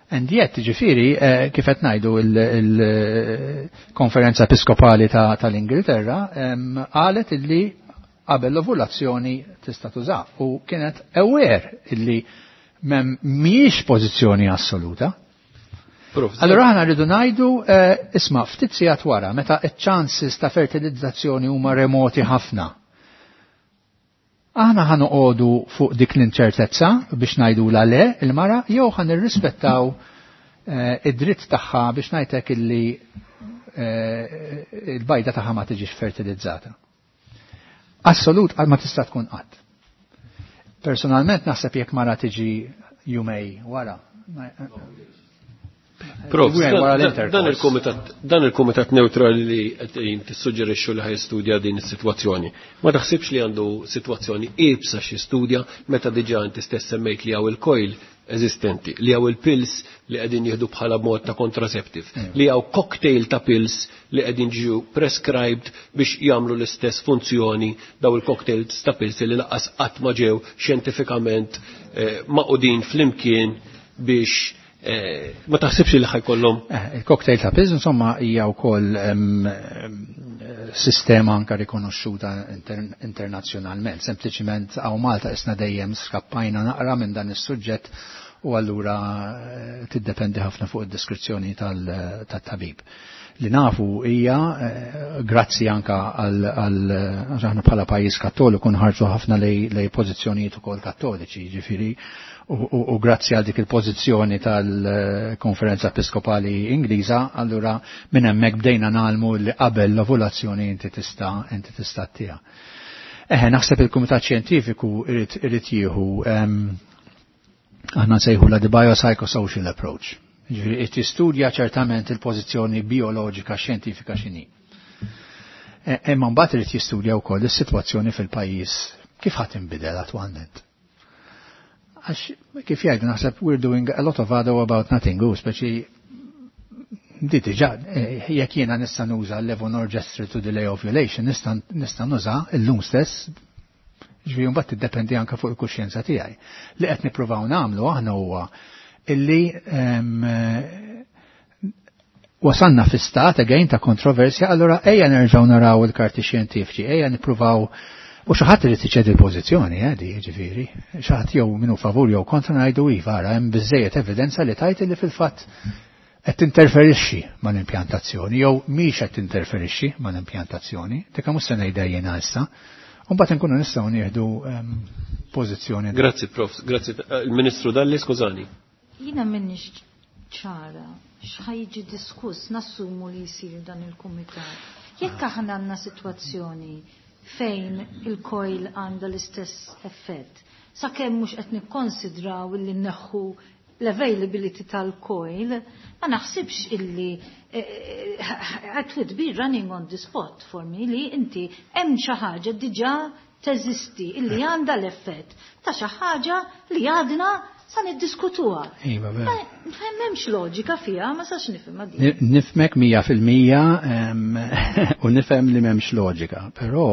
Speaker 11: And yet, ġifieri, eh, kif qed ngħidu il-Konferenza Episkopali tal-Ingilterra qalet illi qabel l-ovulazzjoni tista' tuża u kienet aware illi mhijiex pożizzjoni assoluta. Allora aħna rridu ngħidu eh, isma' ftit sigħat wara meta ċ-chances ta' fertilizzazzjoni huma remoti ħafna. Aħna ħa noqogħdu fuq dik l-inċertezza biex ngħidu la le il-mara jew ħa nirrispettaw eh, id-dritt tagħha biex ngħidlek illi eh, il-bajda tagħha ma tiġix fertilizzata. Assolut ma tista' tkun qatt. Personalment naħseb jekk mara tiġi jumej wara.
Speaker 1: Prof, dan il-komitat dan il-komitat neutrali li qed tissuġġerixxu li ħajstudja din is-sitwazzjoni. Ma taħsibx li għandu sitwazzjoni iebsa xi studja meta diġà inti stess semmejt li hawn il-coil eżistenti, li hawn il-pills li qegħdin jieħdu bħala mod ta' contraceptive, li hawn cocktail ta' pills li qegħdin ġew prescribed biex jagħmlu l-istess funzjoni, daw il-cocktails ta' pills li lanqas qatt ma ġew xjentifikament eh, maqudin flimkien biex eh, ma taħsibx li ħajkollhom.
Speaker 11: Eh, il-cocktail ta' pills insomma hija wkoll sistema anka rikonoxxuta inter internazzjonalment. Sempliċiment hawn Malta isna dejjem skappajna naqra minn dan is-suġġett u allura eh, tiddependi ħafna fuq id-deskrizzjoni tat-tabib. Li nafu hija eh, grazzi anka għal aħna bħala pajjiż kattoliku nħarġu ħafna lej pożizzjonijiet ukoll kattoliċi, jiġifieri u grazzi għal dik il-pożizzjoni tal-Konferenza Episkopali Ingliża, allura minn hemmhekk bdejna nagħlmu li qabel l-ovulazzjoni inti tista' inti tista' tiha. Eħe, naħseb il-Kumitat Xjentifiku irid jieħu aħna nsejħu la the biopsychosocial approach. Ġifieri qed jistudja ċertament il-pożizzjoni bioloġika xjentifika x'inhi. Imma mbagħad irid jistudja wkoll is-sitwazzjoni fil-pajjiż kif ħadd inbidel attwalment. Għax kif jgħidu naħseb we're doing a lot of ado about nothing, u speċi di diġà jekk jiena nista' nuża levonorgestrel to delay ovulation, nista' nuża illum stess. Ġifieri mbagħad tiddependi anke fuq il-kuxjenza tiegħi. Li qed nippruvaw nagħmlu aħna huwa illi wasanna fi stat again ta' kontroversja, allura ejja nerġgħu naraw il-karti xjentifiċi, ejja nippruvaw u xi ħadd irid iċedi l-pożizzjoni, eh, di ġifieri. Xi ħadd jew minnu favur jew kontra ngħidu iva, ara hemm biżejjed evidenza li tajt li fil-fatt qed tinterferixxi mal-impjantazzjoni jew mhix qed tinterferixxi mal-impjantazzjoni, dik mhux se ngħidha jiena issa. Mbagħad inkunu nistgħu nieħdu pożizzjoni.
Speaker 1: Grazzi Prof, grazzi il-Ministru Dalli, skużani.
Speaker 12: Jiena m'inhix ċara x'ħa jiġi diskuss nassumu li jsir dan il-kumitat. Jekk aħna għandna sitwazzjoni fejn il-coil għandha l-istess effett, sakemm mhux qed nikkonsidraw illi nneħħu l-availability tal-coil, ma naħsibx illi it would be running on the spot for me li inti hemm xi ħaġa diġà teżisti illi għandha l-effett ta' xi ħaġa li għadna sa niddiskutuha.
Speaker 11: Iva, vera.
Speaker 12: M'hemmx loġika fiha, ma sax nifhimha din.
Speaker 11: Nifhmek mija fil-mija u nifhem li m'hemmx loġika, però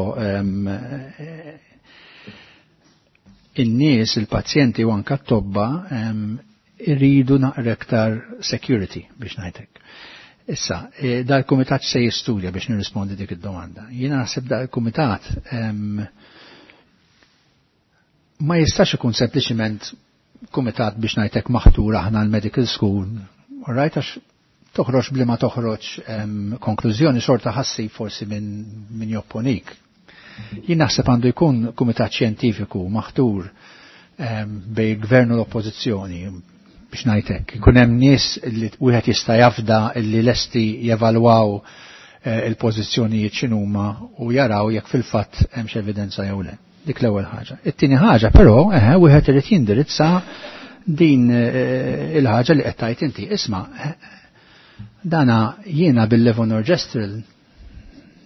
Speaker 11: in-nies, il-pazjenti u anka t-tobba irridu naqra iktar security biex ngħidlek. Issa, dal-kumitat se jistudja biex nirrispondi dik id-domanda. Jiena naħseb dal-kumitat ma jistax ikun sempliċiment kumitat biex ngħidlek maħtur aħna l-medical school, all right, għax toħroġ bli ma toħroġ konklużjoni xorta ħassi forsi minn min jopponik. Jien naħseb għandu jkun kumitat xjentifiku maħtur bej gvern u l-oppożizzjoni biex ngħidlek. Ikun hemm nies li wieħed jista' jafda li lesti jevalwaw il-pożizzjonijiet x'inhuma u jaraw jekk fil-fatt hemmx evidenza jew le. Dik l-ewwel ħaġa. It-tieni ħaġa però eħe wieħed irid jindirizza din il-ħaġa li qed tgħid inti. Isma' dana jiena bil-levonorgestrel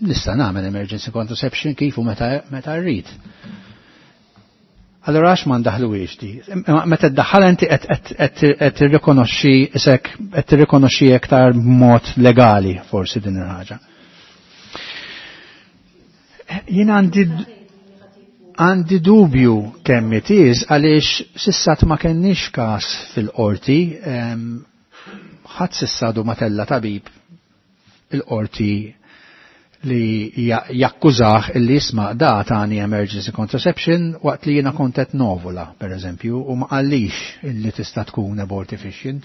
Speaker 11: nista' nagħmel emergency contraception kif u meta meta rrid. Allora għax ma ndaħluwiex di? Meta ddaħħal inti qed tirrikonoxxi isek qed tirrikonoxxi iktar b'mod legali forsi din il-ħaġa. Jien għandi għandi dubju kemm it is għaliex sissat ma kenniex każ fil-qorti, ħadd sissadu ma tella tabib il-qorti li jakkużah illi jisma' da tani emergency contraception waqt li jiena kont qed novula, per eżempju, u ma qallix illi tista' tkun abortifacient.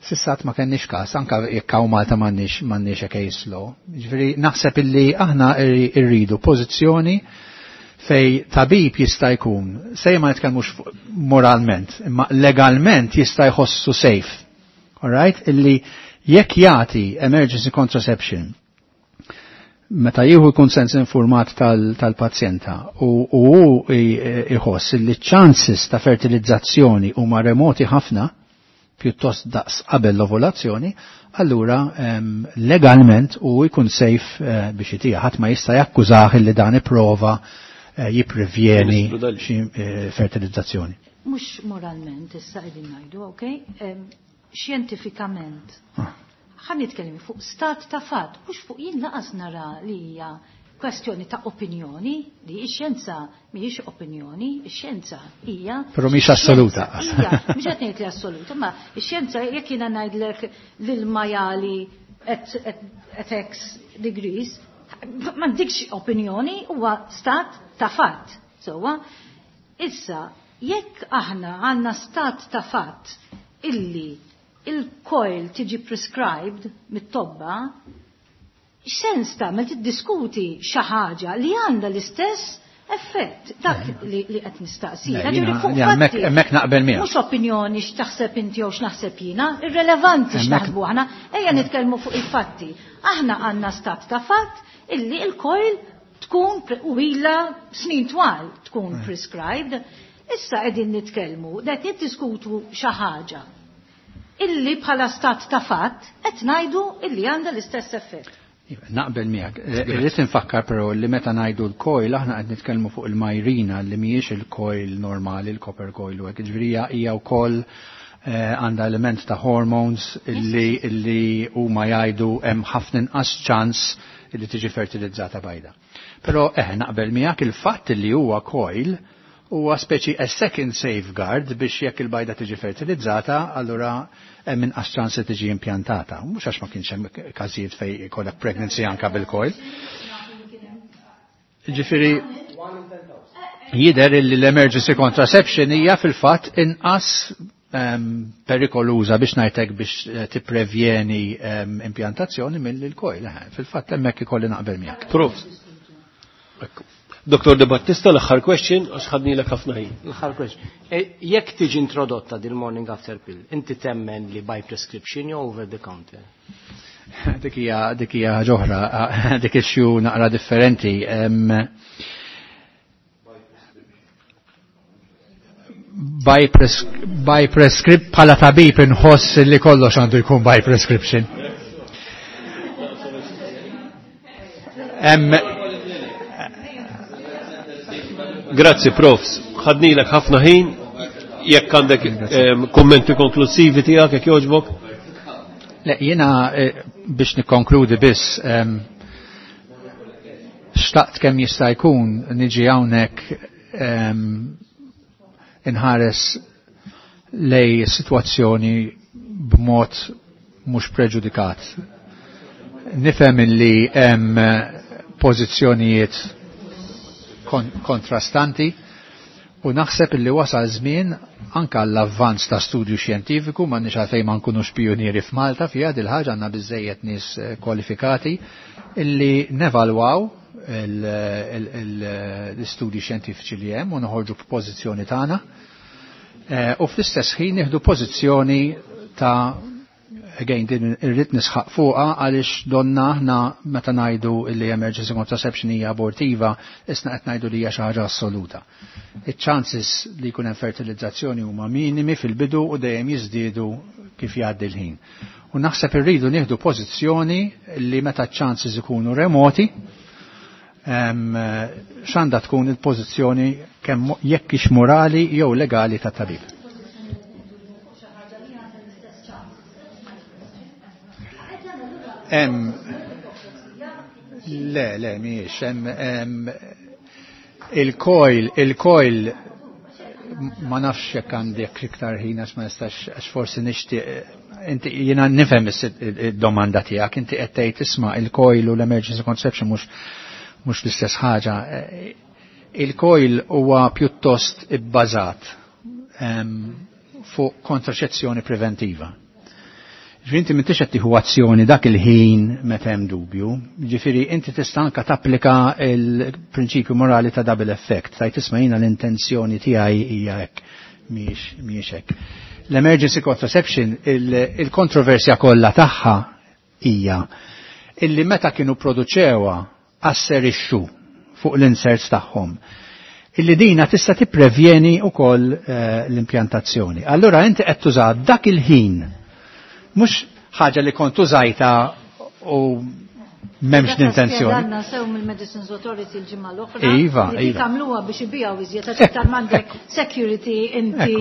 Speaker 11: Sissat ma kenniex każ, anka jekk hawn Malta m'għandniex m'għandniex a case law. Ġifieri naħseb illi aħna rridu pożizzjoni fej tabib jista' jkun, sej ma nitkellmux moralment, imma legalment jista' jħossu safe. All right? Illi jekk jagħti emergency contraception meta jieħu l-konsens informat tal-pazjenta u hu iħoss li ċ-chances ta' fertilizzazzjoni huma remoti ħafna, pjuttost daqs qabel l-ovulazzjoni, allura legalment u jkun safe biex itija. Ħadd ma jista' jakkużah li dan ipprova jipprevjeni xi fertilizzazzjoni.
Speaker 12: Mhux moralment issa qegħdin ngħidu, okej? Xjentifikament. Ħa nitkellem fuq stat ta' fatt, mhux fuq jien laqas nara li hija kwestjoni ta' opinjoni, li x-xjenza mhijiex opinjoni, ix-xjenza hija.
Speaker 11: Però mhix assoluta.
Speaker 12: Hija, mhux qed ngħid li assoluta, ma x-xjenza jekk jiena ngħidlek l-majjali at, at, at X degrees, m'għandikx opinjoni, huwa stat ta' fatt. Sewwa, issa, jekk aħna għandna stat ta' fatt illi il-coil tiġi prescribed mit-tobba, x'sens tagħmel tiddiskuti xi ħaġa li għandha l-istess effett dak li qed nistaqsi.
Speaker 11: Hemmhekk naqbel miegħek.
Speaker 12: Mhux opinjoni x'taħseb inti jew x'naħseb jiena, irrelevanti x'naħsbu aħna, ejja nitkellmu fuq il-fatti. Aħna għandna stat ta' fatt illi il-coil tkun u ilha snin twal tkun prescribed. Issa qegħdin nitkellmu, qed niddiskutu xi ħaġa illi bħala stat ta' fatt qed ngħidu illi għandha l-istess effett.
Speaker 11: Naqbel miegħek. Irrid infakkar però li meta ngħidu l-coil aħna qed nitkellmu fuq il-Mirena li mhijiex il-coil normali, il-copper coil u hekk. Ġifieri hija wkoll għandha element ta' hormones illi illi huma jgħidu hemm ħafna inqas ċans illi tiġi fertilizzata bajda. Però eh naqbel miegħek il-fatt li huwa coil huwa speċi a second safeguard biex jekk il-bajda tiġi fertilizzata, allura hemm inqas ċans li tiġi impjantata. Mhux għax ma kienx hemm każijiet fejn ikollek pregnancy anka bil-coil. Ġifieri jidher li l-emergency contraception hija fil-fatt inqas perikoluża biex ngħidlek biex tipprevjeni impjantazzjoni mill-coil. Fil-fatt hemmhekk ikolli naqbel miegħek.
Speaker 1: Prof. Doktor De Battista, l-aħħar question, għax ħadnilek ħafna ħin.
Speaker 13: L-aħħar question. Jekk tiġi introdotta dil morning after pill, inti temmen li by prescription jew over the counter?
Speaker 11: Dik hija dik hija ġoħra, dik issue naqra differenti. By, pres by prescript bħala tabib inħoss li kollox għandu jkun by prescription. Em,
Speaker 1: Grazzi, profs. Ħadnilek ħafna ħin. Jekk għandek kommenti konklusivi tiegħek jekk jogħġbok.
Speaker 11: Le, jiena biex nikkonkludi biss, xtaqt kemm jista' jkun niġi hawnhekk inħares lej sitwazzjoni b'mod mhux preġudikat. Nifhem li hemm pożizzjonijiet kontrastanti u naħseb illi wasal żmien anka l-avvanz ta' studju xjentifiku, ma nix għalfejn ma nkunux pionieri f'Malta fiha dil ħaġa, għandna biżejjed nies kwalifikati illi nevalwaw l-istudji xjentifiċi li hemm u noħorġu b'pożizzjoni tagħna u fl-istess ħin nieħdu pożizzjoni ta' again din irrid nisħaq fuqha għaliex donna aħna meta ngħidu li emergency contraception hija abortiva, isna qed ngħidu li hija xi ħaġa assoluta. Iċ-chances li jkun hemm fertilizzazzjoni huma minimi fil-bidu u dejjem jiżdiedu kif jgħaddi l-ħin. U naħseb irridu nieħdu pożizzjoni li meta ċ-chances ikunu remoti, x'għandha tkun il-pożizzjoni kemm jekk hix morali jew legali ta' tabib. Em, le, le, miex, em, il-coil, il-coil, ma nafx jekk għandek iktar ħin għax ma nistax, għax forsi nixtieq, inti jiena nifhem id-domanda tiegħek, inti qed tgħid isma' il-coil u l-emergency contraception mhux mhux l-istess ħaġa. Il-coil huwa pjuttost ibbażat fuq kontraċezzjoni preventiva. Ġifieri inti m'intix qed tieħu azzjoni dak il-ħin meta hemm dubju, ġifieri inti tista' anke tapplika l-prinċipju morali ta' double effect, tajt isma' jiena l-intenzjoni tiegħi hija hekk, mhijiex mhijiex hekk. L-emergency contraception, il-kontroversja kollha tagħha hija illi meta kienu produċewha asserixxu fuq l-inserts tagħhom illi dina tista' tipprevjeni wkoll l-impjantazzjoni. Allura inti qed tuża dak il-ħin mhux ħaġa li kont użajta u M'hemmx l-intenzjoni.
Speaker 12: Għandna sew mill-Medicines Authority l-ġimgħa l-oħra.
Speaker 11: Iva,
Speaker 12: li
Speaker 11: iva.
Speaker 12: Tagħmluha biex ibijaw iżjed għax iktar m'għandek security inti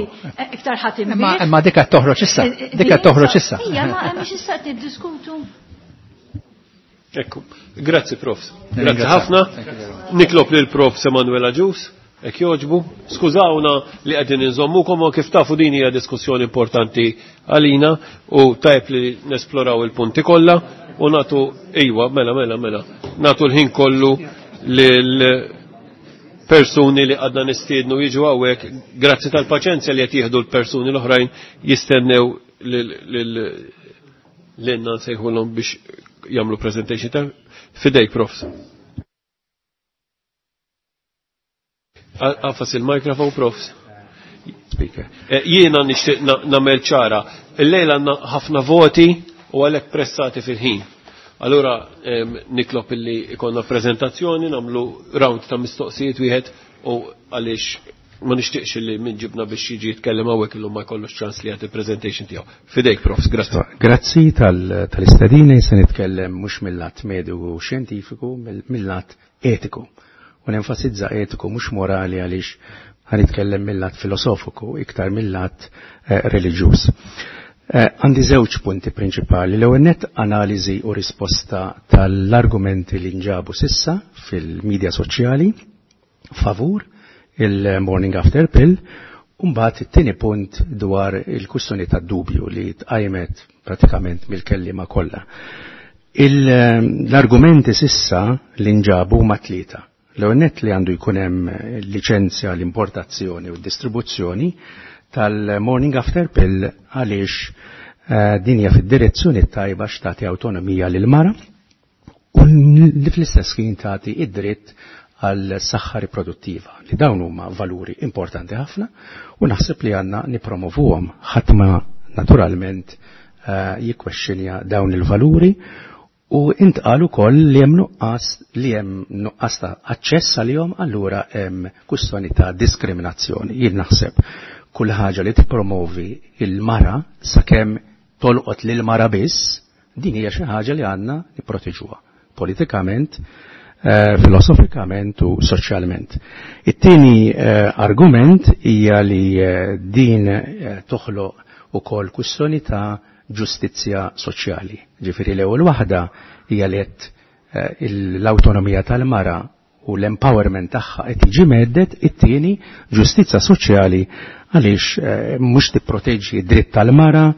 Speaker 12: iktar ħadd
Speaker 11: Imma imma dik qed toħroġ issa, dik qed toħroġ issa.
Speaker 12: Ija, ma mhux issa qed niddiskutu.
Speaker 1: Ekku, grazzi prof. Grazzi ħafna. Nitlob lil prof Emanuela Ġus, ek joġbu. Skużawna li qegħdin inżommukom u kif tafu din hija diskussjoni importanti għalina u tajb li nesploraw il-punti kollha u natu ejwa, mela, mela, mela, natu l-ħin kollu lil persuni li għadna nistiednu jiġu hawnhekk, grazzi tal-paċenzja li qed jieħdu l-persuni l-oħrajn jistennew lil nsejħulhom biex jagħmlu presentation ta' fidejk profs. Għafas il-mikrofon profs.
Speaker 15: Speaker.
Speaker 1: Jiena nixtieq nagħmel ċara. Illejla għandna ħafna voti u għalhekk pressati fil-ħin. Allura nitlob illi ikonna prezentazzjoni, nagħmlu round ta' mistoqsijiet wieħed u għaliex ma nixtieqx li min ġibna biex jiġi jitkellem hawnhekk illum ma jkollux ċans li jagħti presentation tiegħu. Fidejk profs, grazzi.
Speaker 15: Grazzi tal-istedina se nitkellem mhux mill-lat mediku u xjentifiku, mill-lat etiku. U nenfasizza etiku mhux morali għaliex ħanitkellem mill-lat filosofiku iktar mill-lat reliġjuż. Għandi żewġ punti prinċipali. L-ewwel nett analiżi u risposta tal-argumenti li nġabu sissa fil-medja soċjali favur il-morning after pill, u mbagħad it-tieni punt dwar il-kwistjoni tad-dubju li tqajmet pratikament mill-kelliema kollha. L-argumenti sissa li nġabu huma tlieta. L-ewwel nett li għandu jkun hemm liċenzja l-importazzjoni u d-distribuzzjoni tal-morning after pill għaliex din hija fid-direzzjoni tajba x'tagħti awtonomija lil mara u li fl-istess ħin tagħti id-dritt għal saħħa riproduttiva li dawn huma valuri importanti ħafna u naħseb li għandna nipromovuhom. Ħadd ma naturalment jikkwexxinja dawn il-valuri u intqal ukoll li hemm nuqqas li hemm nuqqas ta' aċċess għalihom, allura hemm kwistjoni ta' diskriminazzjoni. Jien naħseb kull ħaġa li tippromovi il-mara sakemm tolqot lil mara biss, din hija xi ħaġa li għandna nipproteġuha politikament, filosofikament u soċjalment. It-tieni argument hija li din toħloq ukoll kwistjoni ta' ġustizzja soċjali. Ġifieri l-ewwel waħda hija li qed l-awtonomija tal-mara u l-empowerment tagħha qed jiġi meddet, it-tieni ġustizzja soċjali għaliex mhux tipproteġġi d-dritt tal-mara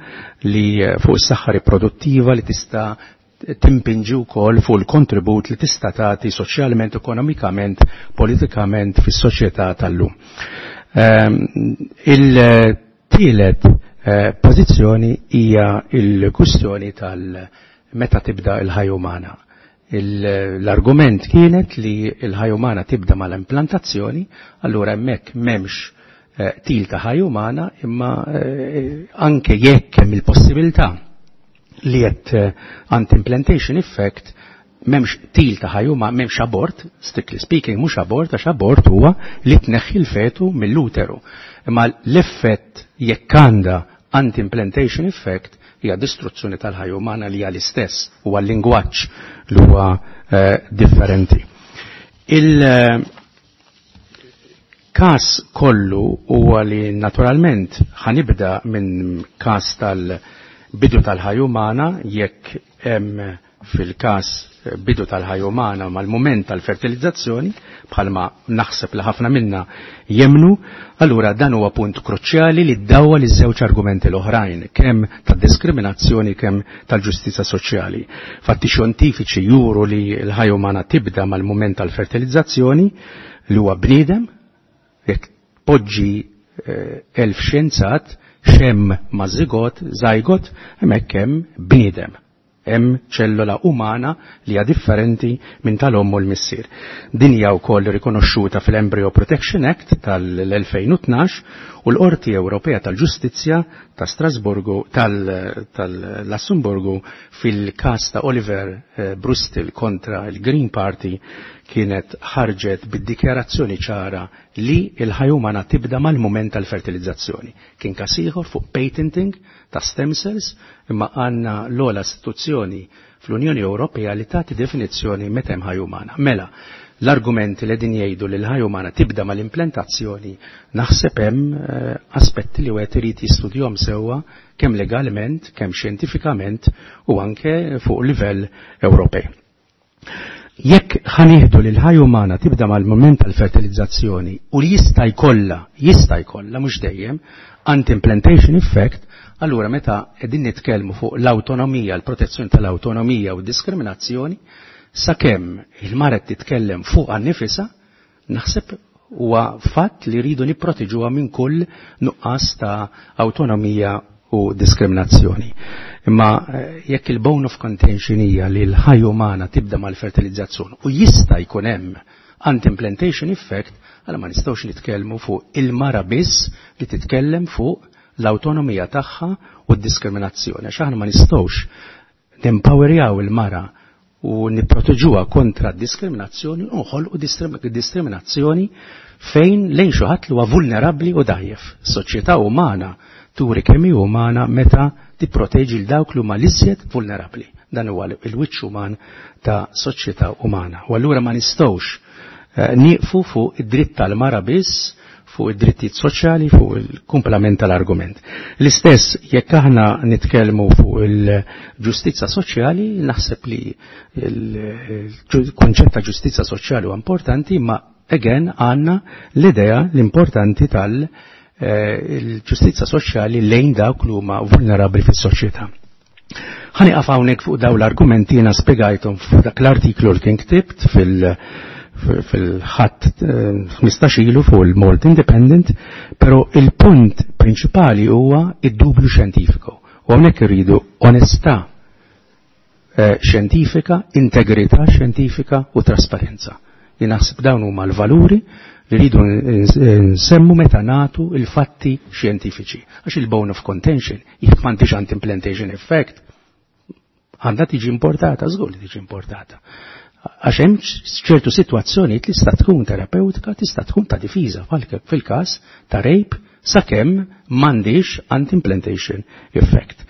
Speaker 15: li fuq is-saħħa riproduttiva li tista' timpinġi wkoll fuq il-kontribut li tista' tagħti soċjalment, ekonomikament, politikament fis-soċjetà tal-lum. Il-tielet pożizzjoni hija l-kwistjoni tal-meta tibda l-ħajja umana. L-argument kienet li l-ħajja umana tibda mal-implantazzjoni, allura hemmhekk m'hemmx til ta' ħajja umana, imma anke jekk hemm il-possibilità li qed anti-implantation effect m'hemmx til ta' ħajja umana, m'hemmx abort, strictly speaking mhux abort, għax abort huwa li tneħħi l-fetu mill-uteru. Imma l-effett jekk għandha anti-implantation effect hija distruzzjoni tal-ħajja umana li hija l-istess, huwa l-lingwaġġ li huwa differenti. Il-każ kollu huwa li naturalment ħanibda minn każ tal-bidu tal-ħajja umana, jekk hemm fil-każ bidu tal-ħajja umana mal-mument tal-fertilizzazzjoni, bħalma naħseb li ħafna minna jemnu, allura dan huwa punt kruċjali li ddawwa li żewġ argumenti l-oħrajn, kemm tad-diskriminazzjoni kemm tal-ġustizja soċjali. Fatti xjentifiċi juru li l-ħajja umana tibda mal-mument tal-fertilizzazzjoni li huwa bniedem, jekk poġġi elf xjenzat xem ma' zigot, zajgot, hemmhekk hemm bniedem. Hemm ċellola umana li hija differenti minn tal-omm u l-missier. Din hija wkoll rikonoxxuta fil-Embryo Protection Act tal-elfejn u tnax u l-Qorti Ewropea tal-Ġustizzja ta' Strasburgu tal-Lussemburgu fil-każ ta' Oliver Brustil kontra l-Green Party kienet ħarġet bid-dikjarazzjoni ċara li l-ħajja umana tibda mal-mument tal-fertilizzazzjoni. Kien każ ieħor fuq patenting ta' stem cells, imma għandna l-ogħla istituzzjoni fl-Unjoni Ewropea li tagħti definizzjoni meta hemm ħajja umana. Mela, l-argumenti li din jgħidu li l-ħajja umana tibda mal-implantazzjoni, naħseb hemm eh, aspetti li wieħed irid jistudjahom sewwa kemm legalment, kemm xjentifikament u anke fuq livell Ewropej. Jekk ħa nieħdu li l-ħajja umana tibda mal-moment tal-fertilizzazzjoni u li jista' jkollha, jista' jkollha mhux dejjem, anti-implantation effect, allura meta qegħdin nitkellmu fuq l-awtonomija, l-protezzjoni tal-awtonomija u diskriminazzjoni, sakemm il-mara titkellem fuq nifisha, naħseb huwa fatt li rridu nipproteġuha minn kull nuqqas ta' awtonomija u diskriminazzjoni. Imma eh, jekk il-bone of contention hija li l-ħajja umana tibda mal-fertilizzazzjoni u jista' jkun hemm anti-implantation effect, għala ma nistgħux nitkellmu fuq il-mara biss li titkellem fuq l-awtonomija tagħha u d-diskriminazzjoni. Għax aħna ma nistgħux nempowerjaw il-mara u nipproteġuha kontra d-diskriminazzjoni u nħolqu diskriminazzjoni fejn lejn xi ħadd li huwa vulnerabbli u dgħajjef. Soċjetà umana turi kemm hi umana meta tipproteġi l dawk li huma l-iżjed vulnerabbli. Dan huwa il-wiċċ uman ta' soċjetà umana. U allura ma nistgħux eh, nieqfu fuq id-dritt tal-mara biss, fuq id-drittijiet soċjali, fuq il-kumplament tal-argument. L-istess jekk aħna nitkellmu fuq il-ġustizza soċjali, naħseb li il-konċett ta' ġustizza soċjali huwa importanti, ma again għandna l-idea l-importanti tal- il-ġustizza soċjali lejn dawk li huma vulnerabbli fis-soċjetà. Ħa nieqaf hawnhekk fuq dawn l-argumenti. Jiena spjegajthom fuq dak l-artiklu li kien ktibt fil- fil-ħadd ħmistax ilu fuq il-Malta Independent, però il-punt prinċipali huwa id-dubju xjentifiku. U hawnhekk irridu onestà eh, xjentifika, integrità xjentifika u trasparenza. Jien naħseb dawn huma l-valuri li rridu nsemmu meta nagħtu il-fatti xjentifiċi. Għax il-bone of contention, jekk m'għandix anti-implantation effect, għandha tiġi importata, żgur li tiġi importata. Għax hemm ċertu sitwazzjonijiet li tista' tkun terapeutika, tista' tkun ta' difiża fil-każ ta' rape sakemm m'għandix anti-implantation effect.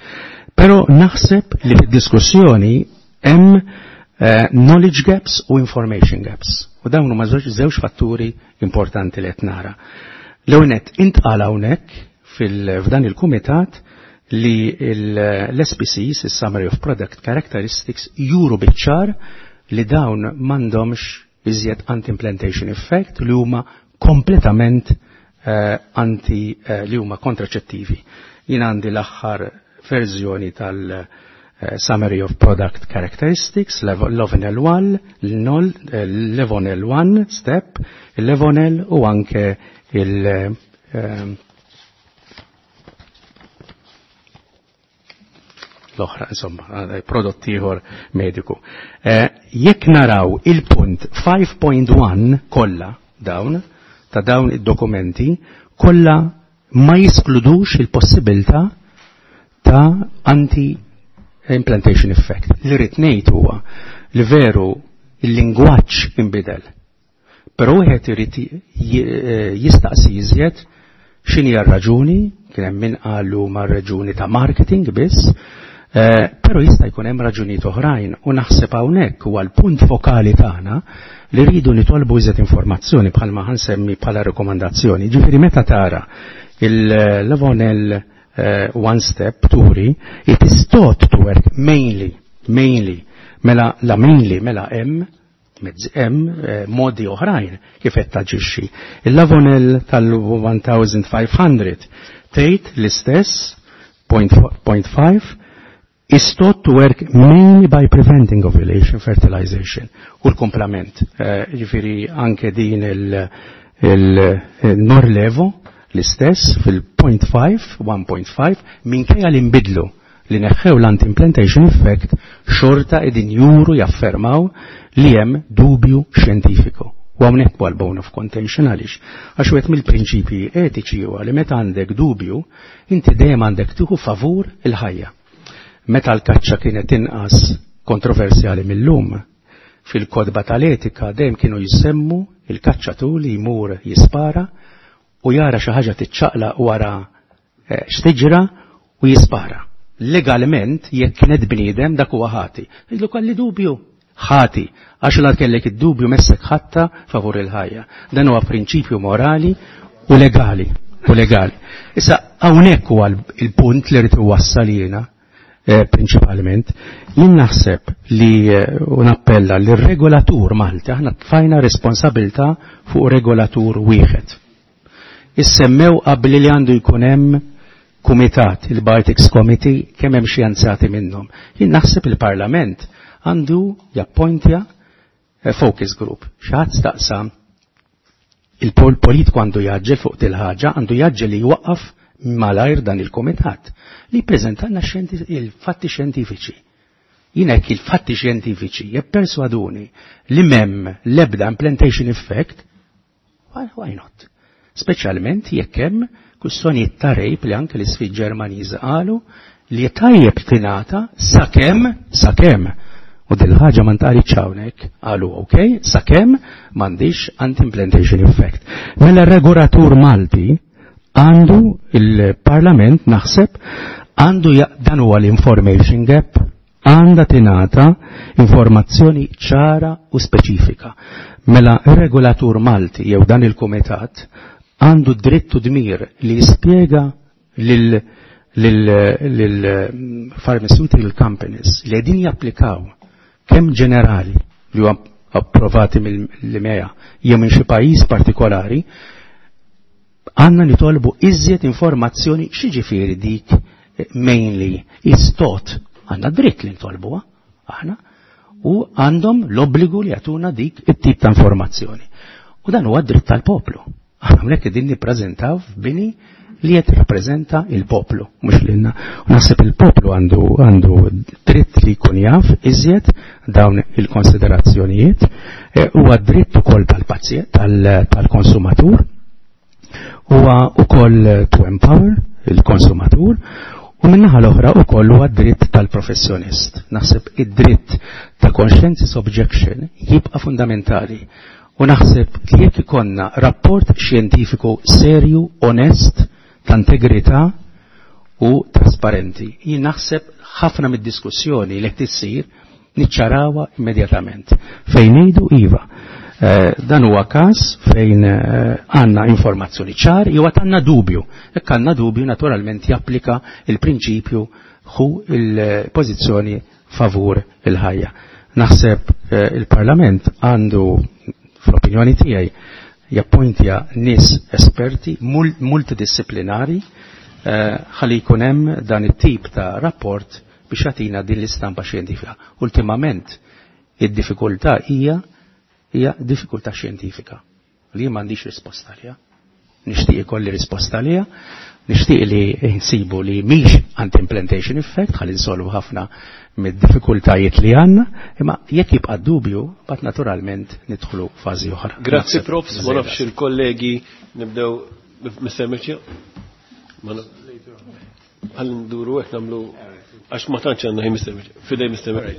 Speaker 15: Però naħseb li fid-diskussjoni hemm uh, knowledge gaps u information gaps. U dawn huma żewġ fatturi importanti li qed nara. L-ewwel intqal hawnhekk f'dan il-kumitat li l-S P Cs, il-Summary of Product Characteristics, juru biċ-ċar li dawn m'għandhomx iżjed anti-implantation effect, li huma kompletament uh, anti uh, li huma kontraċettivi. Jien għandi l-aħħar verżjoni tal- uh, Summary of Product Characteristics, Lovonel one, Levonelle one Step, Levonelle u anke il- uh, l-oħra, insomma, prodott ieħor mediku. Eh, jekk naraw il-punt ħamsa punt wieħed kollha dawn ta' dawn id-dokumenti kollha ma jiskludux il-possibilità ta' anti-implantation effect. Li rrid ngħid huwa li veru il-lingwaġġ inbidel. Però wieħed irid eh, jistaqsi iżjed x'inhi r-raġuni, kien hemm min qalu ma' raġuni ta' marketing biss, eh, però jista' jkun hemm raġunijiet oħrajn u naħseb hawnhekk huwa l-punt fokali tagħna li rridu nitolbu iżjed informazzjoni bħalma ħa nsemmi bħala rekomandazzjoni. Ġifieri meta tara il-Levonelle uh, One Step turi, it is thought to work mainly, mainly, mela la mainly, mela hemm mezz hemm eh, modi oħrajn kif qed taġixxi. Il-Lovonelle tal-elf u ħamsmija tgħid l-istess zero punt ħamsa is thought to work mainly by preventing ovulation fertilization u l-komplement. Eh, ġifieri anke din il-Norlevo l-istess fil-zero punt ħamsa, wieħed punt ħamsa, minkejja li nbidlu li neħħew l-anti-implantation effect, xorta qegħdin juru jaffermaw li hemm dubju xjentifiku. U hawnhekk huwa l-bone of contention. Għaliex? Għax wieħed mill-prinċipji etiċi huwa li meta għandek dubju, inti dejjem għandek tieħu favur il-ħajja. Meta l-kaċċa kienet inqas kontroversjali mill-lum, Fil-kodba tal-etika dejjem kienu jissemmu il-kaċċatur li jmur jispara u jara xi ħaġa tiċċaqlaq wara xtiġra u jispara. Legalment jekk kienet bniedem dak huwa ħati. Jgħidlu kelli dubju. Ħati, għax la kellek id-dubju messek ħatta favur il-ħajja. Dan huwa prinċipju morali u legali. U legali. Issa hawnhekk huwa il-punt li rrid iwassal jiena eh, prinċipalment. Jien naħseb li u nappella li r-regolatur Malti, aħna tfajna responsabilità fuq regolatur wieħed. Issemmew qabli li għandu jkun hemm kumitat, il-Bioethics Committee, kemm hemm xjenzati minnhom. Jien naħseb il-Parlament għandu jappointja focus group. Xi staqsa il-politiku għandu jaġġel fuq til-ħaġa, għandu jaġġel li jwaqqaf malajr dan il-komitat li jippreżentalna il-fatti xjentifiċi. Jien hekk il-fatti xjentifiċi jipperswaduni li m'hemm l-ebda implantation effect, why, why not? Speċjalment jekk hemm kwistjonijiet ta' rape li anke l-isfid Ġermaniż qalu li tajjeb tingħata sakemm sakemm u dil-ħaġa ma ntqalitx hawnhekk, qalu ok, sakemm m'għandix anti-implantation effect. Mela r-regolatur Malti għandu il-Parlament naħseb għandu dan huwa l-information gap, għandha tingħata informazzjoni ċara u speċifika. Mela r-regolatur Malti jew dan il-kumitat għandu dritt u dmir li jispjega lil lil pharmaceutical companies li qegħdin japplikaw kemm ġenerali li huwa approvati mill-E M A jew minn xi pajjiż partikolari, għandna nitolbu iżjed informazzjoni x'jiġifieri dik mainly is taught. Għandna dritt li nitolbuha aħna u għandhom l-obbligu li jagħtuna dik it-tip ta' informazzjoni. U dan huwa dritt tal-poplu. Aħna hawnhekk qegħdin nippreżentaw f'bini li qed jirrappreżenta il-poplu, mhux lilna. U naħseb il-poplu għandu għandu dritt li jkun jaf iżjed dawn il-konsiderazzjonijiet, huwa dritt ukoll tal-pazjent, tal-konsumatur, huwa ukoll to empower il-konsumatur, u min-naħa l-oħra ukoll huwa dritt tal-professjonist. Naħseb id-dritt ta' conscientious objection jibqa' fundamentali. U naħseb li jekk ikollna rapport xjentifiku serju, onest, ta' integrità u trasparenti, jien naħseb ħafna mid-diskussjoni li qed issir niċċarawha immedjatament. Fejn ngħidu iva. Eh, dan huwa każ fejn għandna eh, informazzjoni ċar jew għad għandna dubju. Jekk għandna dubju naturalment japplika il-prinċipju hu il-pożizzjoni favur il-ħajja. Naħseb eh, il-Parlament għandu fl-opinjoni tiegħi jappointja nies esperti multidisciplinari ħalli jkun hemm dan it-tip ta' rapport biex jagħtina din l-istampa xjentifika. Ultimament id-diffikultà hija hija diffikultà xjentifika li m'għandix risposta għaliha. Nixtieq ikolli risposta għaliha, nixtieq li nsibu li mhix anti-implantation effect ħalli nsolvu ħafna mid-diffikultajiet li għandna, imma jekk jibqa' dubju, bat naturalment nidħlu fażi oħra.
Speaker 1: Grazzi Profs, ma nafx il-kollegi nibdew Mister Mirċi. Ħalli nduru hekk nagħmlu għax ma tantx għandna ħin Mister Mirċi. Fidej Mister Mirċi.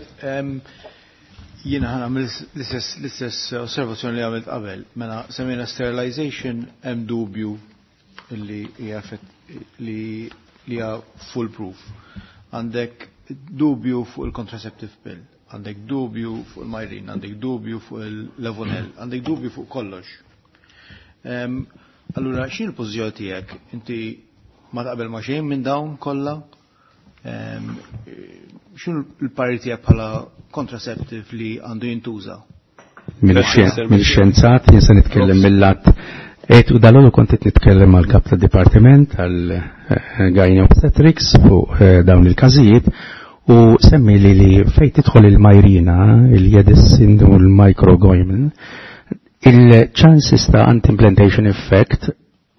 Speaker 9: Jiena ħa nagħmel l-istess osservazzjoni li għamilt qabel. Mela semmejna sterilization hemm dubju li hija li hija foolproof. Għandek dubju fuq il-contraceptive pill, għandek dubju fuq il-Mirena, għandek dubju fuq il-Levonel, għandek dubju fuq kollox. Allura, x'in il-pożizzjoni tiegħek? Inti ma taqbel ma xejn minn dawn kollha? X'inhu l-parir tiegħek bħala contraceptive li għandu jintuża?
Speaker 15: Mill-xjenzat, jien se nitkellem mill-lat. Et u dal-għodu kont qed nitkellem mal kap tad-dipartiment għal Gyne Obstetrics fuq dawn il-każijiet u semmi li li fejn tidħol il-Mirena, il-Jedessin u l-Microgynon, il-chances ta' anti-implantation effect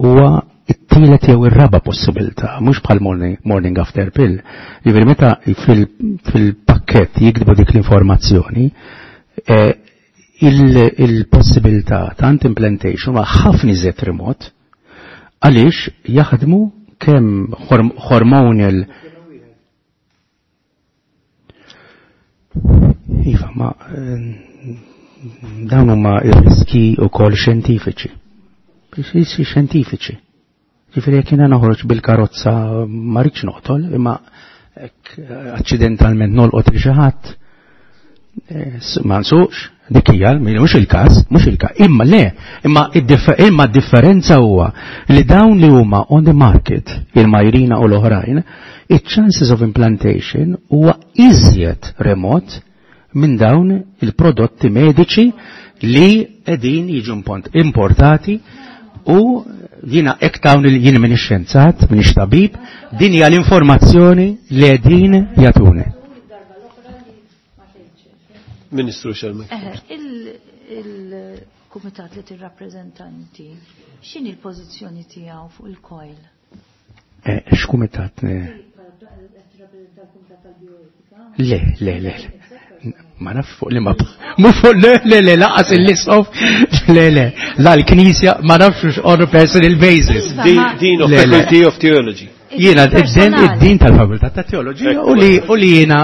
Speaker 15: huwa it-tielet jew ir-raba possibilità, mhux bħal morning, morning after pill. Jiġifieri meta fil-pakkett jiktbu dik l-informazzjoni, eh, il-possibilità ta' anti-implantation huwa ħafna iżjed remot għaliex jaħdmu kemm hormonal. Iva, ma Dawn huma r-riski wkoll xjentifiċi. Riski xjentifiċi. Ġifieri jekk jiena noħroġ bil-karozza ma rridx noqtol, imma hekk aċċidentalment nolqot il xi ħadd ma nsuqx, dik hija, mhux il-każ, mhux il-każ. Imma le, imma imma d-differenza huwa li dawn li huma on the market, il-Mirena u l-oħrajn, it-chances of implantation huwa iżjed remot minn dawn il-prodotti mediċi li qegħdin jiġu importati u jiena hekk dawn jien minn xjenzat, minn tabib, din hija l-informazzjoni li qegħdin jagħtuni.
Speaker 1: Ministru Xelmek.
Speaker 12: Il-kumitat li tirrappreżentanti, x'inhi l-pożizzjoni tiegħu fuq il-coil?
Speaker 15: Eh, x'kumitat? Le, le, le. Ma naf fuq li ma mhu fuq le le le lanqas il-isqof le le la l-Knisja ma nafx on a personal basis.
Speaker 1: Dean of Faculty of Theology.
Speaker 15: Jiena id-dean tal-Fakultà ta' Teoloġija u li u li jiena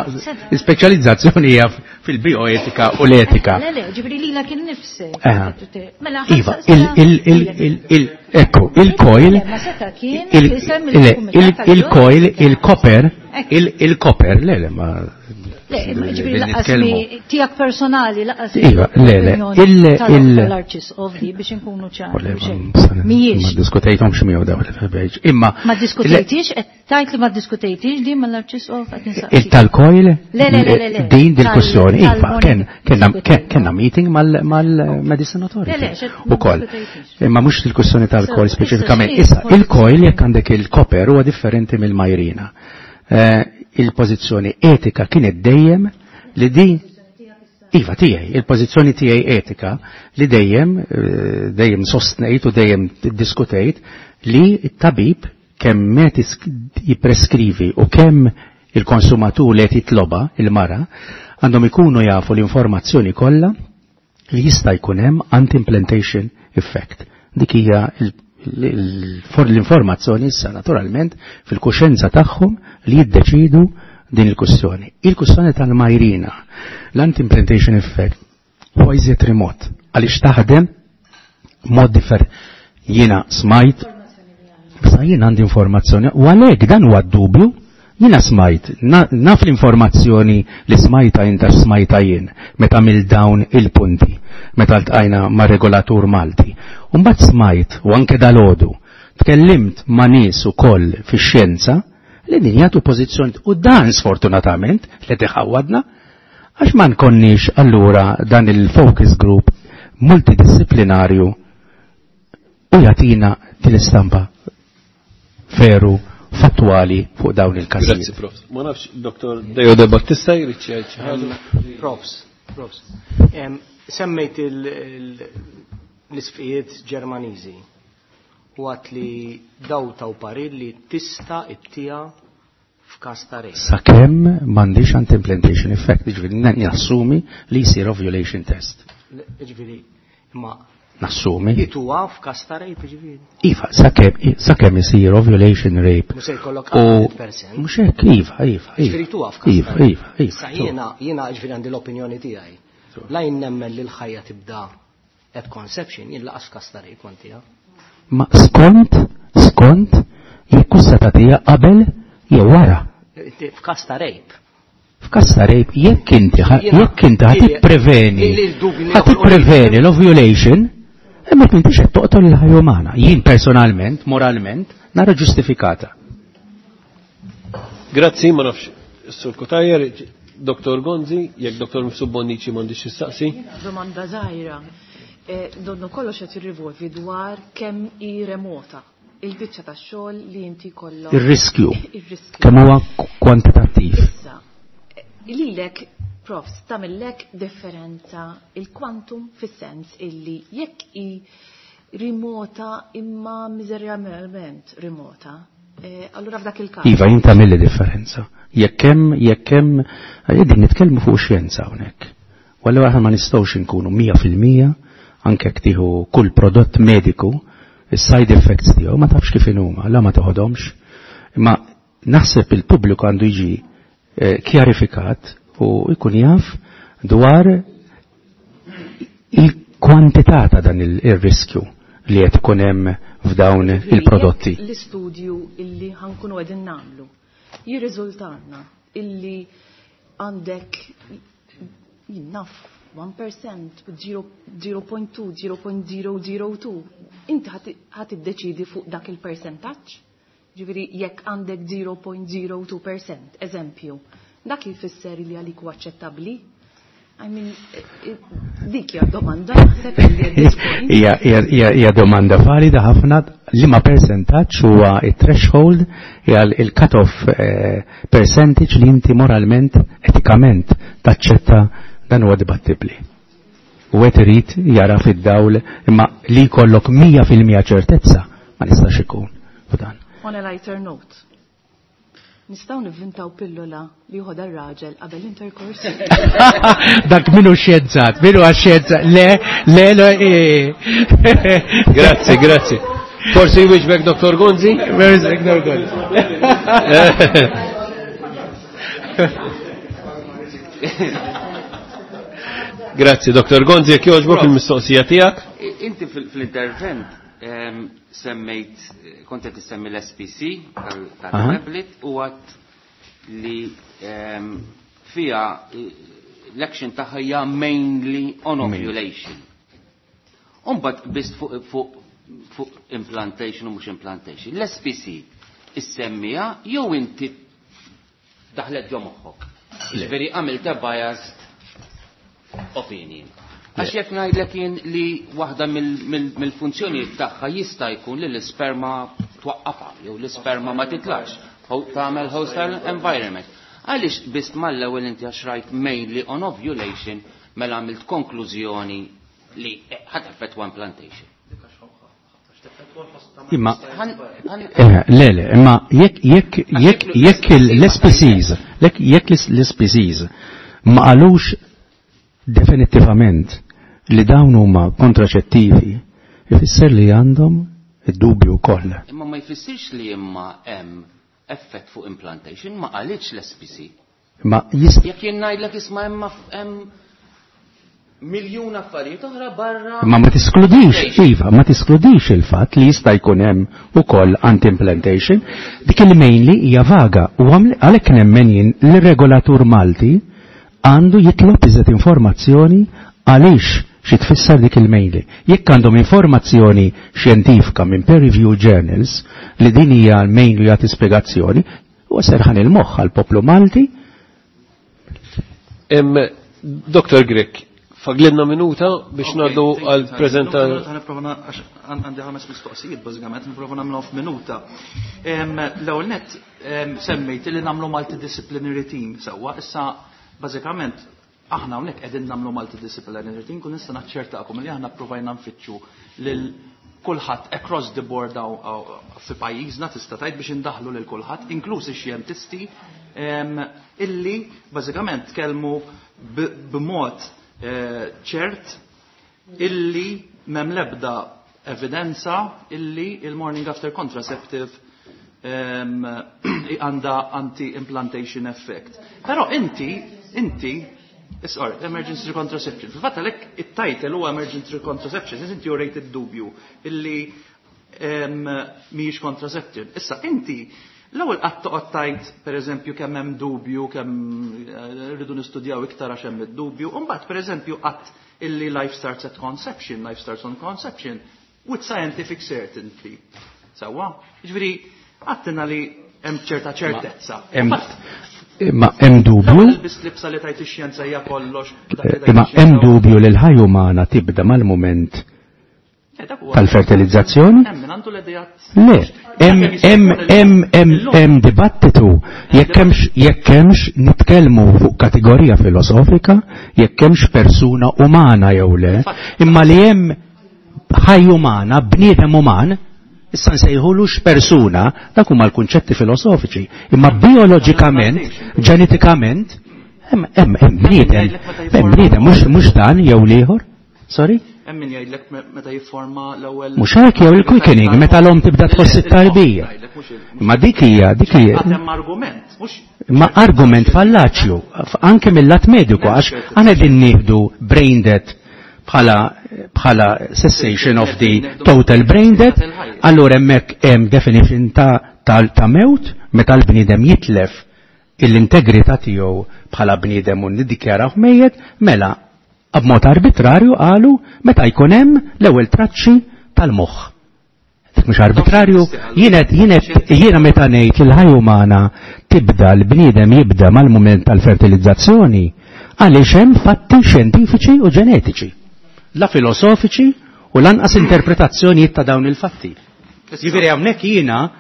Speaker 15: speċjalizzazzjoni hija fil-bioetika u l-etika.
Speaker 12: Le, le, ġifieri lila kien nifsek.
Speaker 15: Iva, il il il ekku, il-coil il-coil, il-copper, il-copper, le le ma
Speaker 12: Le, ġifieri lanqas tiegħek personali, lanqas
Speaker 15: Iva, le, le, il il
Speaker 12: l-Arċisqof di biex inkunu ċari.
Speaker 15: Mhijiex. Ma diskutejthomx miegħu daw il Imma
Speaker 12: Ma diskutejtix, qed tgħid li ma diskutejtix di mal-Arċisqof qed
Speaker 15: insaqsi. Il tal-coil? Le, le, le, le. Din dil-kwestjoni, iva, kellna meeting mal-Medicine Authority. Ukoll. Imma mhux il-kwestjoni tal-coil speċifikament. Issa, il-coil jekk għandek il-copper huwa differenti mill-Mirena. Il-pożizzjoni etika kienet dejjem li di iva tiegħi, il-pożizzjoni tiegħi etika li dejjem dejjem sostnejt u dejjem diskutejt li t-tabib kemm met jippreskrivi u kemm il-konsumatur li qed jitloba il-mara għandhom ikunu jafu l-informazzjoni kollha li jista' jkun hemm anti-implantation effect. Dik hija l-informazzjoni issa naturalment fil-kuxenza tagħhom li jiddeċidu din il-kwestjoni. Il-kwestjoni tal-Mirena, l-anti-implantation effect huwa iżjed remot għaliex taħdem mod differ. Jiena smajt, sa jiena għandi informazzjoni, u għalhekk dan huwa d-dubju, jiena smajt, naf l-informazzjoni li smajta inta smajta jien meta mill dawn il-punti, meta ltqajna ma' regolatur Malti. Umbagħad smajt, u anke dalodu, tkellimt ma' nies ukoll fix-xjenza li din jagħtu pożizzjoni u dan sfortunatament li tiħawadna għax ma nkonniex allura dan il-focus group multidisciplinarju u jagħtina din istampa veru fattuali fuq dawn il-każijiet.
Speaker 1: Grazzi, Profs. Ma nafx, Dottor Deo De Battista jrid xi ħaġa.
Speaker 13: Profs, Profs. Semmejt l-isfijiet Ġermaniżi u għat li daw taw parir li tista' ittija f'każ ta' rape.
Speaker 15: Sakemm m'għandix anti-implantation effect, jiġifieri nassumi li jsir ovulation test.
Speaker 13: Jiġifieri, imma
Speaker 15: Nassumi.
Speaker 13: Ituha f'każ ta' rape, jiġifieri.
Speaker 15: Iva, sakemm sakemm isir ovulation rape.
Speaker 13: Mhux se jkollok cent percent.
Speaker 15: Mhux hekk, iva, iva.
Speaker 13: Jiġifieri tuha f'każ
Speaker 15: Iva, iva, iva.
Speaker 13: Sa jiena jiena jiġifieri għandi l-opinjoni tiegħi. La jien nemmen li l-ħajja tibda at conception, jien lanqas f'każ ta' rape kontiha.
Speaker 15: Ma skont, skont, jekk se tagħtiha qabel jew wara.
Speaker 13: F'każ ta' rape.
Speaker 15: F'każ ta' rape, jekk inti jekk inti ħa tippreveni, ħa tippreveni l-ovulation, imma m'intix qed toqtol il-ħajja umana. Jien personalment, moralment, nara ġustifikata.
Speaker 1: Grazzi, ma nafx, Sur Cutajar, Dottor Gonzi, jekk Dottor Mifsud Bonnici m'għandix jistaqsi.
Speaker 3: Domanda żgħira. Donnu kollox qed jirrivolvi dwar kemm hi remota il-biċċa tax-xogħol li inti kollok.
Speaker 15: Ir-riskju.
Speaker 3: Ir-riskju.
Speaker 15: Kemm huwa kwantitattiv.
Speaker 3: Issa, lilek, Profs, tagħmillek differenza il-kwantum fis-sens illi jekk hi remota imma miżerjament remota, allura f'dak il-każ.
Speaker 15: Iva, jien tagħmilli differenza. Jekk hemm, jekk hemm, qegħdin nitkellmu fuq xjenza hawnhekk. U allura aħna ma nistgħux inkunu mija fil-mija anke jekk tieħu kull prodott mediku, is-side effects tiegħu ma tafx kif inhuma, la ma toħodhomx. Imma naħseb il-pubbliku għandu jiġi kjarifikat u jkun jaf dwar il-kwantità ta' dan il-riskju li qed ikun hemm f'dawn il-prodotti.
Speaker 3: L-istudju illi ħankunu qegħdin nagħmlu jirriżultanna illi għandek naf one percent, zero point two, zero point zero zero two, inti ħat iddeċidi fuq dak il-percentaġġ? Ġifieri jekk għandek zero point zero two percent, eżempju, dak jfisser li għalik huwa aċċettabbli? I mean, dik hija domanda naħseb li at this point.
Speaker 15: Hija domanda valida ħafna li ma percentaġġ huwa it-threshold, hija il-cut-off percentage li inti moralment, etikament taċċetta, dan huwa dibattibbli. U qed irid jara fid-dawl imma li jkollok mija fil-mija ċertezza ma nistax ikun f'dan.
Speaker 3: On a lighter note, nistgħu nivvintaw pillola li joħodha r-raġel qabel intercourse?
Speaker 15: Dak minu xjenzat, minu għax-xjenzat, le, le, le, e.
Speaker 1: Grazzi, grazzi. Forsi jwieġbek Doktor Gonzi?
Speaker 15: Where is Doktor Gonzi?
Speaker 1: Grazzi, Doktor Gonzi, jekk jogħġbok il-mistoqsija tiegħek.
Speaker 10: Inti fil-intervent semmejt, kont qed issemmi l-S P C tal-tablet u għat li fija l-action tagħha hija mainly on ovulation. Umbagħad biss fuq, fuq, fuq implantation u mhux implantation. L-S P C issemmija jew inti daħlet ġo moħħok. Ġifieri għamilt biased opinion. Għax jekk ngħidlek jien li waħda mill-funzjonijiet tagħha jista' jkun li l-isperma twaqqafha jew l-isperma ma titlax, tagħmel hostile environment. Għaliex biss mal-ewwel inti għax rajt mainly on ovulation mela għamilt konklużjoni li ħadd effettwa implantation.
Speaker 15: Imma, eh, le, le, imma jekk, jekk, jekk, jekk l-S P Cs, jekk, jekk l-S P Cs ma qalux definitivament li dawn huma kontraċettivi, ifisser li għandhom id-dubju wkoll.
Speaker 10: Imma ma jfissirx li imma hemm effett fuq implantation, ma qalitx l-S P C.
Speaker 15: Ma jist-
Speaker 10: Jekk jien ngħidlek isma' hemm hemm miljun affarijiet oħra barra.
Speaker 15: Ma ma tiskludix, iva, ma tiskludix il-fatt li jista' jkun hemm ukoll anti-implantation, dik il mainly hija vaga u għalhekk nemmen jien li regolatur Malti għandu jitlob iżjed informazzjoni għaliex xi tfisser dik il-mainly. Jekk għandhom informazzjoni xjentifika minn peer review journals li din hija l-mainly jagħti spjegazzjoni, huwa serħan il-moħħ għall-poplu Malti.
Speaker 1: Em, Doktor Grech, faglinna minuta biex
Speaker 14: Okay,
Speaker 1: ngħaddu
Speaker 14: thank you,
Speaker 1: għal
Speaker 14: Simon.
Speaker 1: preżenta-
Speaker 14: Minuta, nipprova na-, għax għandi ħames mistoqsijiet, bażikament, nipprova nagħmluhom f'minuta. Em, l-ewwel nett, em, semmejt li nagħmlu multidisciplinary team sewwa, issa bażikament aħna hawnhekk qegħdin nagħmlu multidisciplinary team, kun nista' naċċertakom li aħna ppruvajna nfittxu lil kulħadd across the board hawn, hawn, fi pajjiżna tista' tgħid biex indaħlu lil kulħadd, inkluż ix-xjentisti, em, illi bażikament tkellmu b-, b'mod, eh, ċert illi m'hemm l-ebda evidenza illi il-morning after contraceptive, em, għandha anti-implantation effect. Però inti, inti, sorry, emergency contraception. Fil-fatt għalhekk it-title huwa emergency contraception, inti urejt id-dubju illi, em, mhijiex contraceptive. Issa inti l-ewwel qatt toqgħod tgħid pereżempju kemm hemm dubju, kemm, eh, rridu nistudjaw iktar għax hemm id-dubju, u mbagħad pereżempju qatt illi life starts at conception, life starts on conception, with scientific certainty. Sewwa? Jiġifieri għattina li hemm ċerta ċertezza.
Speaker 15: Hemm Imma hemm dubju.
Speaker 14: L-ewwel biss libsa li tajt ix-xjenza hija kollox, dak li tajt
Speaker 15: Imma
Speaker 14: ix-xjenza
Speaker 15: hemm
Speaker 14: huwa
Speaker 15: dubju li l-ħajja umana tibda mal-mument
Speaker 14: Eh, dak huwa
Speaker 15: tal-fertilizzazzjoni?
Speaker 14: Hemm min għandu l-idejat.
Speaker 15: Le, hemm,
Speaker 14: Dak jista'
Speaker 15: hemm,
Speaker 14: jkun il-
Speaker 15: hemm, hemm,
Speaker 14: illum.
Speaker 15: hemm dibattitu jekk hemmx, jekk hemmx nitkellmu fuq kategorija filosofika, jekk hemmx persuna umana jew le, imma li hemm ħaj umana, bniedem uman, issa nsejħulux persuna, dak huma l-kunċetti filosofiċi, imma bioloġikament, ġenetikament, hemm, hemm, hemm bniedem, hemm bniedem, mhux, mhux dan jew l-ieħor. Sorry?
Speaker 14: Hemm min jgħidlek me-, meta jifforma l-ewwel
Speaker 15: Mhux hekk jew il-quickening, meta l-omm tibda tħoss it-tarbija. Ma dik hija, dik hija.
Speaker 14: Għad hemm argument, mhux
Speaker 15: Ma argument fallaċju, anke mill-lat mediku, għax aħna qegħdin nieħdu brain death Bħala bħala cessation of the total brain death, allura hemmhekk hemm definition ta' ta' mewt meta l-bniedem jitlef l-integrità tiegħu bħala bniedem u niddikjaraw mejjet, mela b'mod arbitrarju qalu meta jkun hemm l-ewwel traċċi tal-moħħ. Dik mhux arbitrarju, jienet jienet jiena meta ngħid li l-ħajja umana tibda l-bniedem jibda mal-mument tal-fertilizzazzjoni għaliex hemm fatti xjentifiċi u ġenetiċi, la filosofiċi u lanqas interpretazzjonijiet ta' dawn il-fatti. Jiġifieri hawnhekk jiena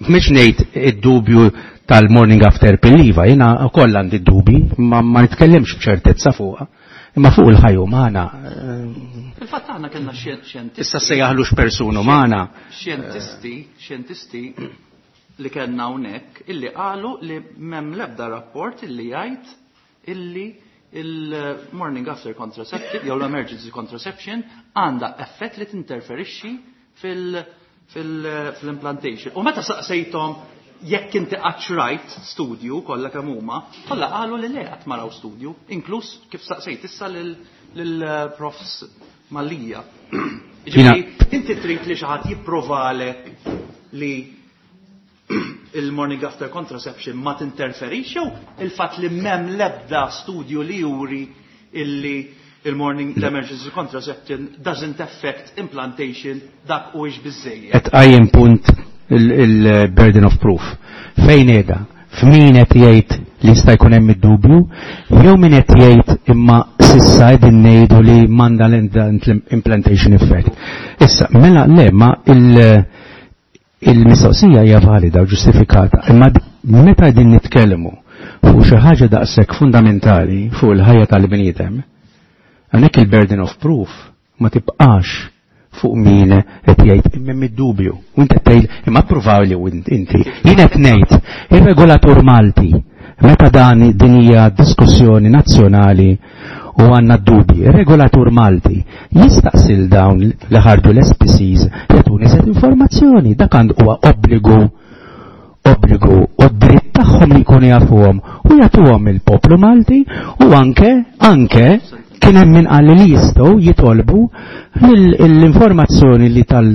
Speaker 15: mhux ngħid id-dubju tal-morning after pill iva, jiena wkoll għandi dubji, ma, ma nitkellimx b'ċertezza fuqha, imma fuq il-ħajja umana.
Speaker 14: Fil-fatt aħna kellna xjentisti.
Speaker 15: Issa se jaħlux persuna umana.
Speaker 14: Xjentisti, xjentisti li kellna hawnhekk illi qalu li m'hemm l-ebda rapport illi jgħid illi il-morning after contraceptive jew l-emergency contraception għandha effett li tinterferixxi fil-implantation. U meta saqsejthom jekk inti qatt rajt studju kollha kemm huma, kollha qalu li le qatt ma raw studju, inkluż kif saqsejt issa lil-profs Malija. Ġifieri inti trid li xi ħadd jipprovalek li il-morning after contraception ma tinterferix jew il-fatt li m'hemm l-ebda studju li juri illi il-morning l-emergency contraception doesn't affect implantation dak u ix biżejjed.
Speaker 15: Qed qajjem punt il-burden of proof. Fejn qiegħda? F'min qed jgħid li jista' jkun hemm id-dubju, jew min qed jgħid imma s'issa qegħdin ngħidu li m'għandha l-implantation effect. Issa, mela le, ma il- il-mistoqsija hija valida u ġustifikata, imma meta qegħdin nitkellmu fuq xi ħaġa daqshekk fundamentali fuq il-ħajja tal-bniedem, hawnhekk il-burden of proof ma tibqax fuq min qed jgħid imma hemm id-dubju. U inti qed tgħid imma ppruvaw li inti. Jien qed ngħid ir-regolatur Malti meta dan din hija diskussjoni nazzjonali u għandna d-dubji, ir-regolatur Malti jistaqsil dawn li ħarġu l-S P Cs jagħtuni set informazzjoni, dak għandu huwa obbligu obbligu u dritt tagħhom li jkunu jafuhom u jagħtuhom il-poplu Malti u anke anke kien hemm min qal li jistgħu jitolbu l-informazzjoni li tal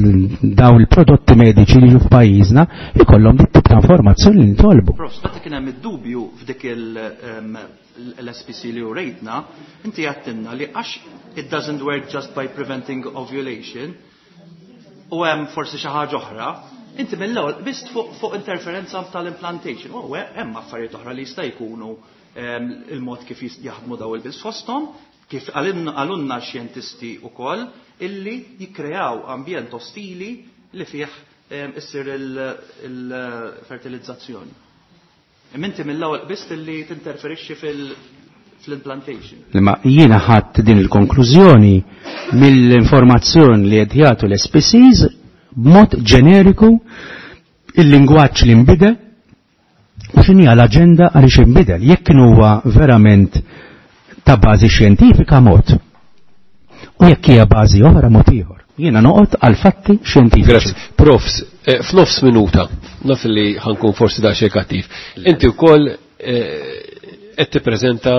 Speaker 15: daw il-prodotti mediċi li ġu f'pajjiżna jkollhom dit tip ta' informazzjoni li nitolbu.
Speaker 14: Prof, meta kien hemm id-dubju f'dik l-S P C li urejtna, inti għedtilna li għax it doesn't work just by preventing ovulation u hemm forsi xi ħaġa oħra, inti mill-ewwel biss fuq fuq interferenza tal-implantation. U hemm affarijiet oħra li jista' jkunu il-mod kif jaħdmu daw il-pills fosthom, kif qalulna xjentisti wkoll illi jikkreaw ambjent ostili li fih issir il-fertilizzazzjoni. Inti mill-ewwel biss illi tinterferixxi fil-implantation.
Speaker 15: Ma jiena ħadd din il-konklużjoni mill-informazzjoni li qed jagħtu l-S P Cs b'mod ġeneriku, il-lingwaġġ li nbidel u x'inhi l-aġenda għaliex inbidel. Jekk huwa verament ta' bażi xjentifika mod. U jekk hija bażi oħra mod ieħor. Jiena noqgħod għal fatti xjentifiċi.
Speaker 1: Grazzi. Profs, eh, f'nofs minuta, naf li ħa nkun forsi daqsxejn kattiv. Inti wkoll eh, qed tippreżenta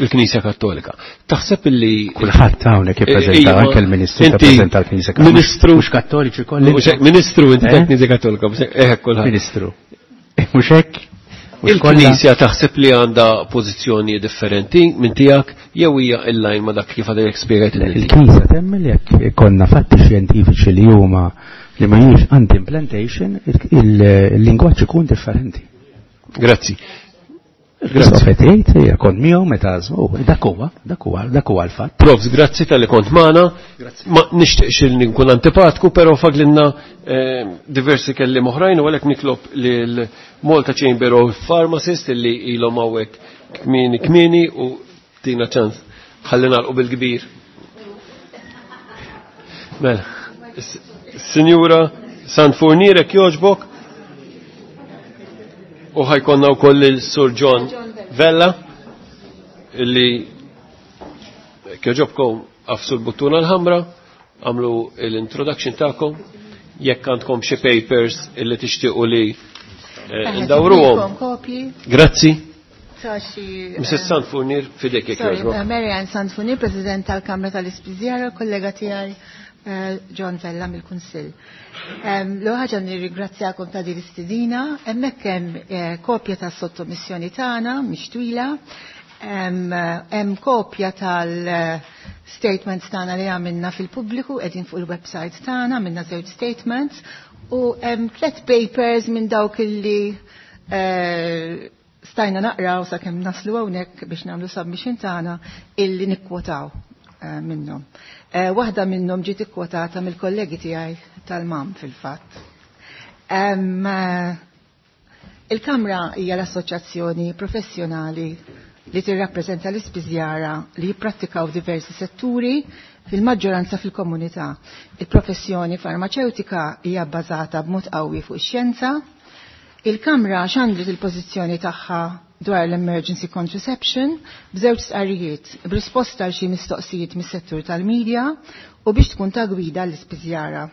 Speaker 1: il-Knisja Kattolika. Taħseb illi
Speaker 15: Kulħadd hawnhekk jippreżenta,
Speaker 1: eh,
Speaker 15: anke l-Ministru tippreżenta l-Knisja Kattolika.
Speaker 1: Ministru
Speaker 15: mhux Kattoliċi kollha.
Speaker 1: Ministru inti tal-Knisja Kattolika, eh kulħadd.
Speaker 15: Ministru. Mhux hekk?
Speaker 1: Il-Knisja taħseb li għandha pożizzjoni differenti minn tiegħek jew hija in-line ma' dak kif għadek spjegajt?
Speaker 15: Il-Knisja temmen jekk ikollna fatti xjentifiċi li huma li ma jiex anti-implantation, il-lingwaġġ ikun differenti.
Speaker 1: Grazzi.
Speaker 15: Grazzi. Jgħid kont miegħu meta dak huwa, dak huwa, dak huwa l-fatt.
Speaker 1: Profs, grazzi talli kont magħna. Ma nixtieqx li nkun antipatku, però fadlilna eh, diversi kelliem oħrajn u għalhekk nitlob lil Malta Chamber of Pharmacists illi ilhom hawnhekk kmieni kmieni u tina ċans ħalli nagħlqu bil-kbir. Mela, Sinjura Sanfurnier, jogħġbok, u ħa jkollna wkoll il-Sur John Vella illi jogħġobkom agħfsu l-buttuna l-ħamra, għamlu l-introduction tagħkom, jekk għandkom xi papers illi tixtiequ li eh, ndawruhom. Grazzi.
Speaker 16: nindirizza xi
Speaker 1: Missus Sanfurnier, fidejk jekk jogħġbok.
Speaker 16: Eh, Marianne Sanfurnier, President tal-Kamra tal-Ispiżjara, kollega tiegħi eh, John Vella mill-Kunsill. L-ewwel ħaġa nirringrazzjakom ta' din l-istedina, hemmhekk hemm eh, kopja tas-sottomissjoni tagħna mhix twila, hemm kopja tal-statements tagħna li għamilna fil-pubbliku qegħdin fuq il-website tagħna, għamilna żewġ statements u hemm tliet papers minn dawk illi eh, stajna naqraw sakemm naslu hawnhekk biex nagħmlu submission tagħna illi nikkwotaw eh, minnhom. Eh, waħda minnhom ġiet ikkwotata mill-kollegi tiegħi tal-M A M fil-fatt. Il-Kamra hija l-assoċjazzjoni professjonali li tirrappreżenta l-ispiżjara li jipprattikaw diversi setturi fil-maġġoranza fil-komunità. Il-professjoni farmaceutika hija bbażata b'mod qawwi fuq ix-xjenza. Il-Kamra xandret il-pożizzjoni tagħha dwar l-emergency contraception b'żewġ stqarrijiet, b'risposta għal xi mistoqsijiet mis-settur tal-medja u biex tkun ta' gwida l-ispiżjara.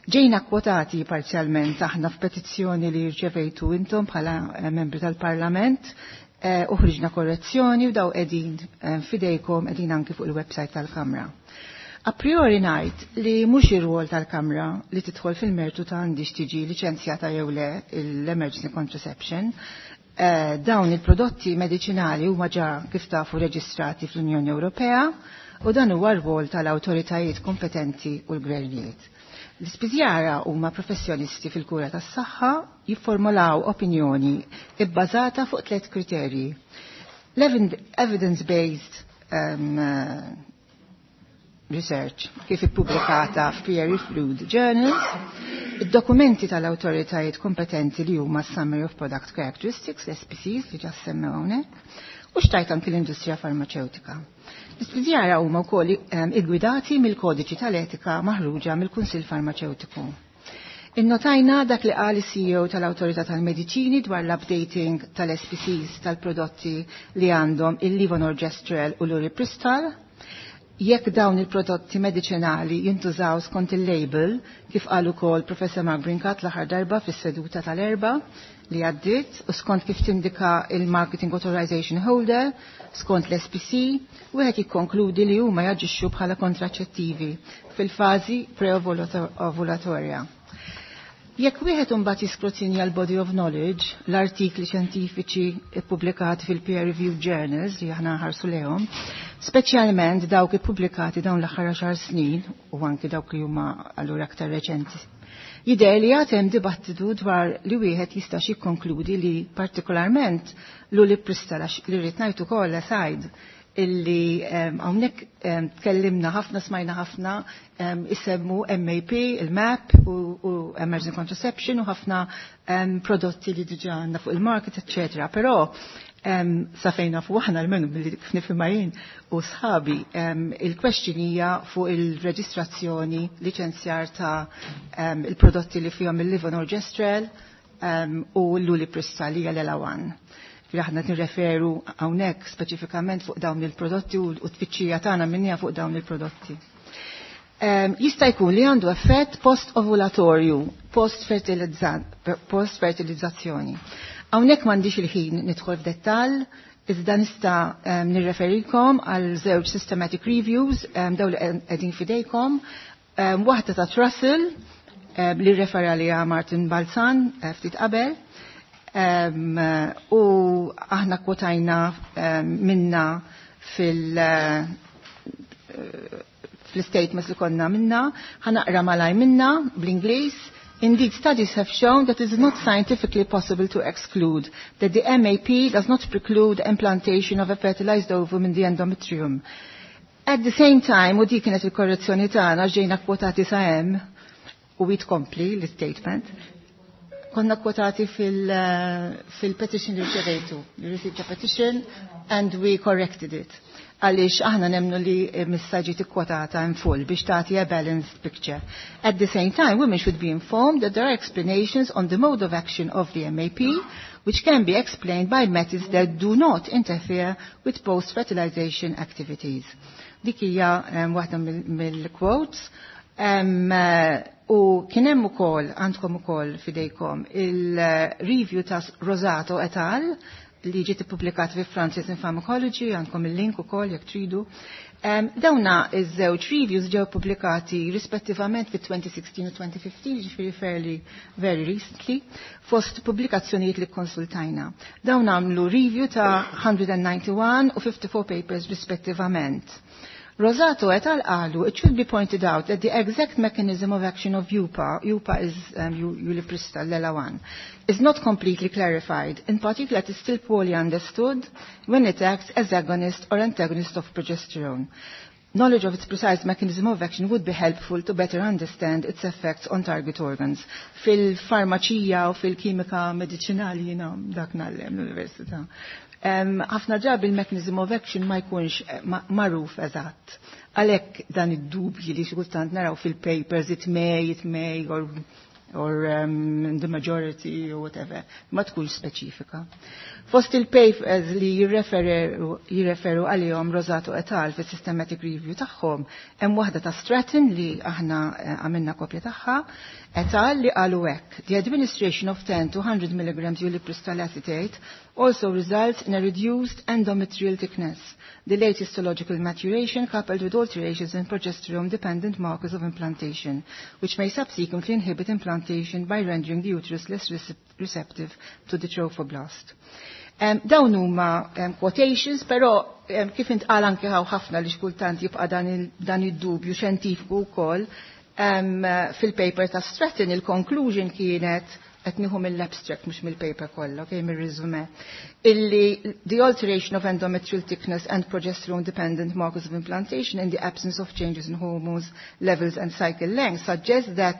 Speaker 16: Ġejna kwotati parzjalment aħna f'petizzjoni li rċevejtu intom bħala eh, membri tal-Parlament eh, uħriġna korrezzjoni u daw qegħdin eh, fidejkom, qegħdin anki fuq il-website tal-Kamra. A priori ngħid li mhux ir-rwol tal-Kamra li tidħol fil-mertu ta' għandix tiġi liċenzjata jew le l-emergency contraception. Eh, dawn il-prodotti medicinali huma ġa kif tafu reġistrati fl-Unjoni Ewropea u dan huwa r-rwol tal-awtoritajiet kompetenti u l-gvernijiet. L-ispiżjara huma professjonisti fil-kura tas-saħħa jifformulaw opinjoni ibbażata fuq tliet kriterji. L-evidence-based um, research kif ippubblikata f'peer-reviewed journals, id-dokumenti tal-awtoritajiet kompetenti li huma Summary of Product Characteristics, S P Cs, li ġa semmew hawnhekk, u x'tgħid anki l-industrija farmaceutika. L-ispiżjara huma wkoll iggwidati mill-kodiċi tal-etika maħruġa mill-Kunsill Farmaceutiku. Innotajna dak li qal C E O tal-Awtorità tal-Mediċini dwar l-updating tal-S P Cs tal-prodotti li għandhom il-levonorgestrel u l-ulipristal. Jekk dawn il-prodotti medicinali jintużaw skont il-label, kif qal ukoll Professor Mark Brincat l-aħħar darba fis-seduta tal-Erbgħa li għaddit, u skont kif tindika il-Marketing Authorization Holder, skont l-S P C, wieħed jikkonkludi li huma jaġixxu bħala kontraċettivi fil-fażi preovulatorja. Jekk wieħed imbagħad jiskrutinja l-body of knowledge, l-artikli xjentifiċi ippubblikati fil-peer reviewed journals li aħna nħarsu lehom, speċjalment dawk ippubblikati dawn l-aħħar għaxar snin u anki dawk li huma allura aktar reċenti. Jidher li għad hemm dibattitu dwar li wieħed jistax jikkonkludi li partikolarment l-ulipristal, li rrid ngħid ukoll aside illi hawnhekk tkellimna ħafna, smajna ħafna isemmu M A P, il-M A P u, u Emergency Contraception u ħafna prodotti li diġa għandna fuq il-market, eccetera. Però sa fejn nafu aħna, almenu billi kif nifhimha jien u sħabi, il-question hija fuq il-reġistrazzjoni, liċenzjar ta' il-prodotti li fihom il-levonorgestrel u l-ulipristal li hija l-EllaOne. Aħna nirreferu hawnhekk speċifikament fuq dawn il-prodotti u t-tfittxija tagħna minnija fuq dawn il-prodotti. Um, jista' jkun li għandu effett post-ovulatorju, post-fertilizzazzjoni. Hawnhekk m'għandix il-ħin nidħol f'dettall, iżda nista' um, nirreferikom għal żewġ systematic reviews um, dawn li qegħdin fidejkom. Um, waħda ta' Trussell um, li refera li Martin Balzan uh, ftit qabel, um, u aħna kwotajna um, minna fil- uh, fl-statements li konna minna, ħa naqra malajr minna bl-Ingliż. "Indeed, studies have shown that it is not scientifically possible to exclude that the M A P does not preclude implantation of a fertilized ovum in the endometrium." At the same time, u dik kienet il-korrezzjoni tagħna, ġejna kwotati sa hemm u jitkompli l-statement, konna kwotati fil-petition li rċevejtu. We received a petition and we corrected it. Għaliex aħna nemnu li messha ġiet ikkwotata in full biex tagħti a balanced picture. "At the same time, women should be informed that there are explanations on the mode of action of the M A P, which can be explained by methods that do not interfere with post-fertilization activities." Dik hija um, waħda mill-quotes. Um, u kien hemm ukoll, għandkom ukoll fidejkom il-review ta' Rosato et al. li ġiet ippubblikata fi Frontiers in Pharmacology, għandkom il-link ukoll jekk tridu. Um, dawna iż-żewġ reviews ġew pubblikati rispettivament fi twenty sixteen u twenty fifteen, ġifieri fairly very recently, fost pubblikazzjonijiet li konsultajna. Dawn għamlu review ta' one hundred ninety-one u fifty-four papers rispettivament. Rosato et al. Qalu, "It should be pointed out that the exact mechanism of action of U P A," U P A is um, ulipristal, L E L A one, "is not completely clarified. In particular, it is still poorly understood when it acts as agonist or antagonist of progesterone. Knowledge of its precise mechanism of action would be helpful to better understand its effects on target organs." Fil-farmaċija u fil-kimika medicinali, jina dak ngħallem l-università. Ħafna drabi il-mechanism of action ma jkunx eh, magħruf eżatt. Għalhekk dan id-dubji li xi kultant naraw fil-papers, it may, it may, or or um, the majority or whatever, ma tkunx speċifika. Fost il-papers li jirreferu għalihom Rosato et al fis systematic review tagħhom, hemm waħda ta' Stratton li aħna eh, għamilna kopja tagħha, et al li qalu hekk: "The administration of ten to one hundred milligrams ulipristal acetate also results in a reduced endometrial thickness, delayed histological maturation coupled with alterations in progesterone-dependent markers of implantation, which may subsequently inhibit implantation by rendering the uterus less receptive to the trophoblast." Um, dawn huma um, quotations, però um, kif intqal anke hawn ħafna li xkultant jibqa' dan id-dubju xjentifiku wkoll, um, fil-paper ta' Stratton il-conclusion kienet, qed nieħu mill-abstract mhux mill-paper kollha, okay, mir-resume, illi the alteration of endometrial thickness and progesterone dependent markers of implantation in the absence of changes in hormones levels and cycle length suggests that,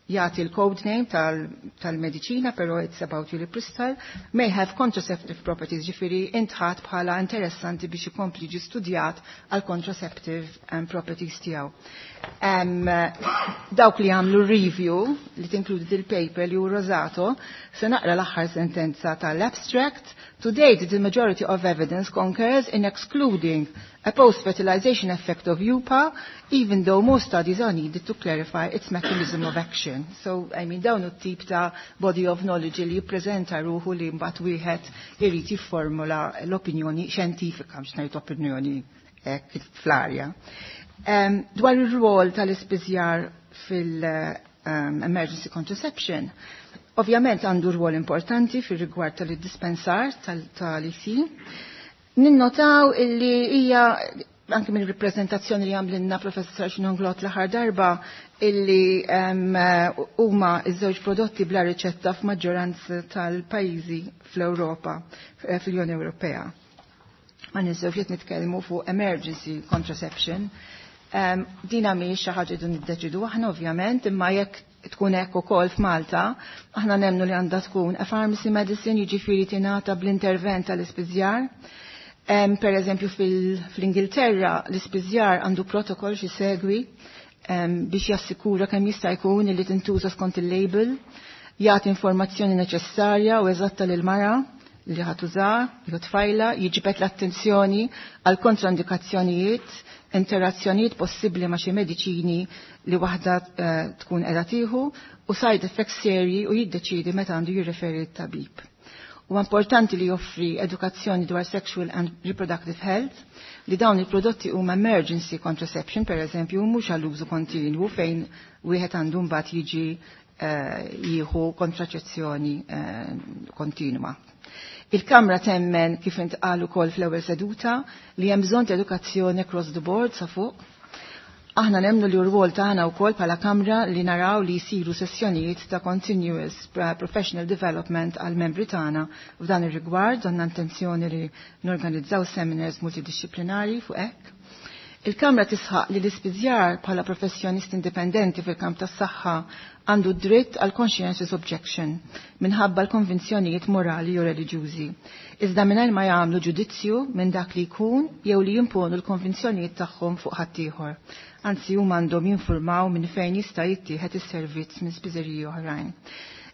Speaker 16: jagħti l-code name tal-mediċina, tal però it's about ulipristal, may have contraceptive properties, ġifieri intħat bħala interessanti biex ikompli ġi studjat għal contraceptive um, properties tiegħu. Um, dawk li għamlu review li tinkludi il-paper li hu Rosato, se naqra l-aħħar sentenza tal-abstract: "To date, the majority of evidence concurs in excluding a post-fertilization effect of U P A, even though more studies are needed to clarify its mechanism of action." So, I mean, dawn tip ta' body of knowledge li jippreżenta ruħu li mbagħad wieħed irid jifformula l-opinjoni xjentifika, mhux ngħid opinjoni hekk fl-arja. Um, dwar ir-rwol tal-ispiżjar fil-emergency contraception, ovvjament għandu rwol importanti fil-rigward tal-dispensar tal-E C. Ninnotaw illi hija anke minn rappresentazzjoni li għamlinna professor Xinonglot l-aħħar darba illi huma iż-żewġ prodotti bla riċetta f'maġġoranza tal-pajjiżi fl-Ewropa, fl-Unjoni Ewropea. Ma ninsewx qed nitkellmu fuq emergency contraception. Um, dina mhijiex xi ħaġa dun niddeċidu aħna ovvjament, imma jekk tkun hekk ukoll f'Malta, aħna nemmnu li għandha tkun a pharmacy medicine, jiġifieri tingħata bl-intervent tal-ispiżjar. Um, per eżempju fil-Ingilterra l-ispiżjar għandu protokoll xi segwi um, biex jassikura kemm jista' jkun li tintuża skont il-label, jagħti informazzjoni neċessarja u eżatta lil mara li ħa tuża, jew tfajla, jiġbed l-attenzjoni għal kontraindikazzjonijiet, interazzjonijiet possibbli ma' xi mediċini li waħda uh, tkun qiegħda tieħu u side effects serji u jiddeċidi meta għandu jirreferi t-tabib. U importanti li joffri edukazzjoni dwar sexual and reproductive health, li dawn il-prodotti huma emergency contraception, per eżempju, mhux għall-użu kontinwu fejn wieħed għandu mbagħad jiġi uh, jieħu kontraċezzjoni uh, kontinwa. Il-Kamra temmen, kif intqal ukoll fl-ewwel seduta, li hemm bżonn ta' edukazzjoni across the board sa fuq. Aħna nemmnu li r-rwol tagħna wkoll bħala Kamra li naraw li jsiru sessjonijiet ta' continuous professional development għal membri tagħna f'dan ir-rigward, għandna intenzjoni li norganizzaw seminars multidisciplinari fuq hekk. Il-Kamra tisħaq li l-ispiżjar bħala professjonist indipendenti fil-kamp tas-saħħa għandu dritt għal conscientious objection minħabba l-konvinzjonijiet morali jew reliġjużi. Iżda mingħajr ma jagħmlu ġudizzju minn dak li jkun jew li jimponu l-konvinzjonijiet tagħhom fuq ħaddieħor. Anzi, huma għandhom jinformaw minn fejn jista' jittieħed is-servizz minn spiżeriji oħrajn.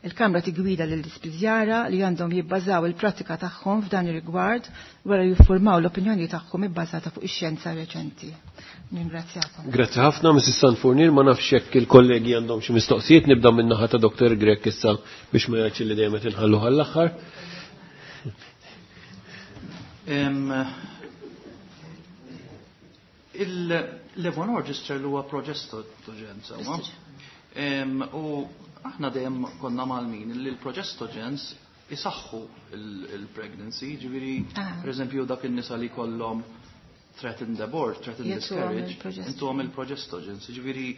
Speaker 16: Il-Kamra tigwida lill-ispiżjara li għandhom jibbażaw il-pratika tagħhom f'dan ir-rigward wara jiffurmaw l-opinjoni tagħhom ibbażata fuq ix-xjenza reċenti. Ningrazzjakom.
Speaker 1: Grazzi ħafna, Missus Sanfurnir, ma nafx jekk il-kollegi għandhom xi mistoqsijiet, nibda minn naħa ta' Doktor Grech issa biex ma jgħidx li dejjem qed inħallu għall-aħħar.
Speaker 14: Il-levonorgestrel huwa progestogen sewwa. U aħna dejjem konna malmin li l-progestogens isaħħu il-pregnancy, ġifieri
Speaker 16: Ah.
Speaker 14: pereżempju dak in-nisa li kollhom threatened abort, threatened miscarriage, intuhom il-progestogens, ġifieri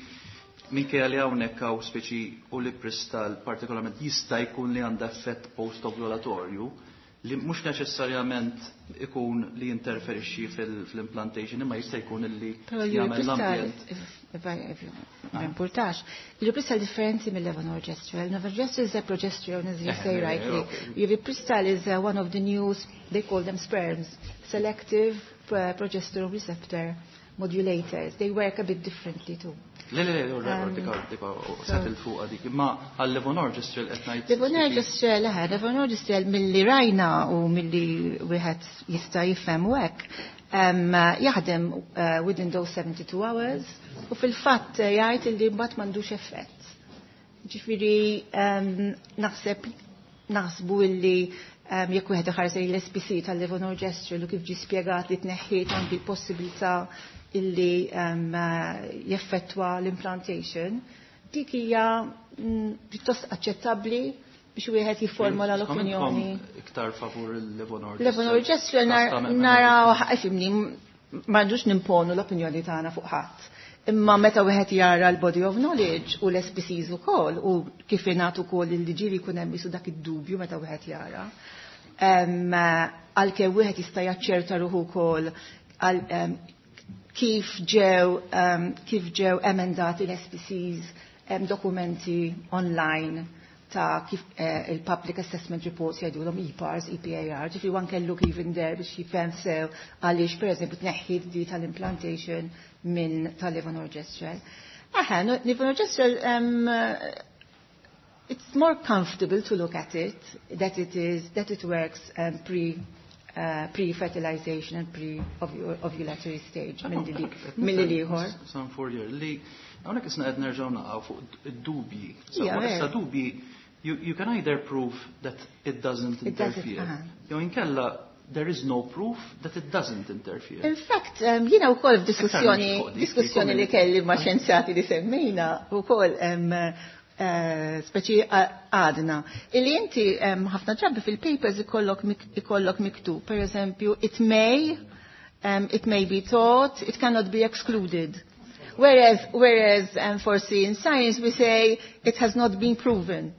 Speaker 14: minkejja li hawnhekk hawn speċi u li pristal partikolarment jista' jkun li għandha effett post-ovulatorju li mhux neċessarjament ikun li jinterferixxi fil-implantation imma jista' jkun li jagħmel l-ambjent.
Speaker 16: Ma importax. Il-Ulipristal differenti mill-levonorgestrel. Levonorgestrel is a progesterone, as you say rightly. Ulipristal is uh, one of the new, they call them sperms, selective uh, progesterone receptor modulators. They work a bit differently too.
Speaker 14: Le, le, le, dika, dika, settled fuq dik. Imma għal-levonorgestrel qed ngħid.
Speaker 16: Levonorgestrel, eħe, levonorgestrel milli rajna u milli wieħed jista' jifhem u hekk, jaħdem uh, within those seventy-two hours u fil-fatt jgħid li mbagħad m'għandux effett. Ġifieri naħseb naħsbu illi jekk wieħed iħares lejn l-S P C tal-levonorgestrel u kif ġie spjegat li tneħħiet anki l-possibilità illi um, jeffettwa l-implantation, dik hija pjuttost aċċettabbli biex wieħed jifformola l-opinjoni.
Speaker 14: Iktar favur il-levonorgestrel.
Speaker 16: Levonorgestrel naraw, ifimni, m'għandux nimponu l-opinjoni tagħna fuq ħadd. Imma meta wieħed jara l-body of knowledge u l-S P Cs ukoll u kif ingħad ukoll il-liġieri jkun hemm isu dak id-dubju meta wieħed jara. Għalkemm wieħed jista' jaċċerta ruħu wkoll għal kif ġew um, kif ġew emendati l-S P Cs, um, dokumenti online ta' kif eh, il-Public Assessment Reports jgħidulhom E P A Rs, E P A R, ġifieri one can look even there biex jifhem sew għaliex pereżempju tneħħiet di tal-implantation minn tal-levonorgestrel. Aha, levonorgestrel um, it's more comfortable to look at it, that it is, that it works um, pre Uh, pre-fertilization and pre-ovulatory stage mill-li liħor.
Speaker 14: San Fourier, li hawnhekk isna qed nerġgħu naqgħu fuq id-dubji. Issa dubji, you, you can either prove that it doesn't interfere. Jew inkella there is no proof that it doesn't interfere.
Speaker 16: In fact, um, jiena wkoll f'diskussjoni diskussjoni li kelli ma' xjenzjati li semmejna wkoll um, Uh, speċi għadna. Illi inti ħafna um, drabi fil-papers ikollok ikollok miktub, per eżempju, it may, um, it may be thought, it cannot be excluded. Whereas, whereas um, forsi in science we say it has not been proven.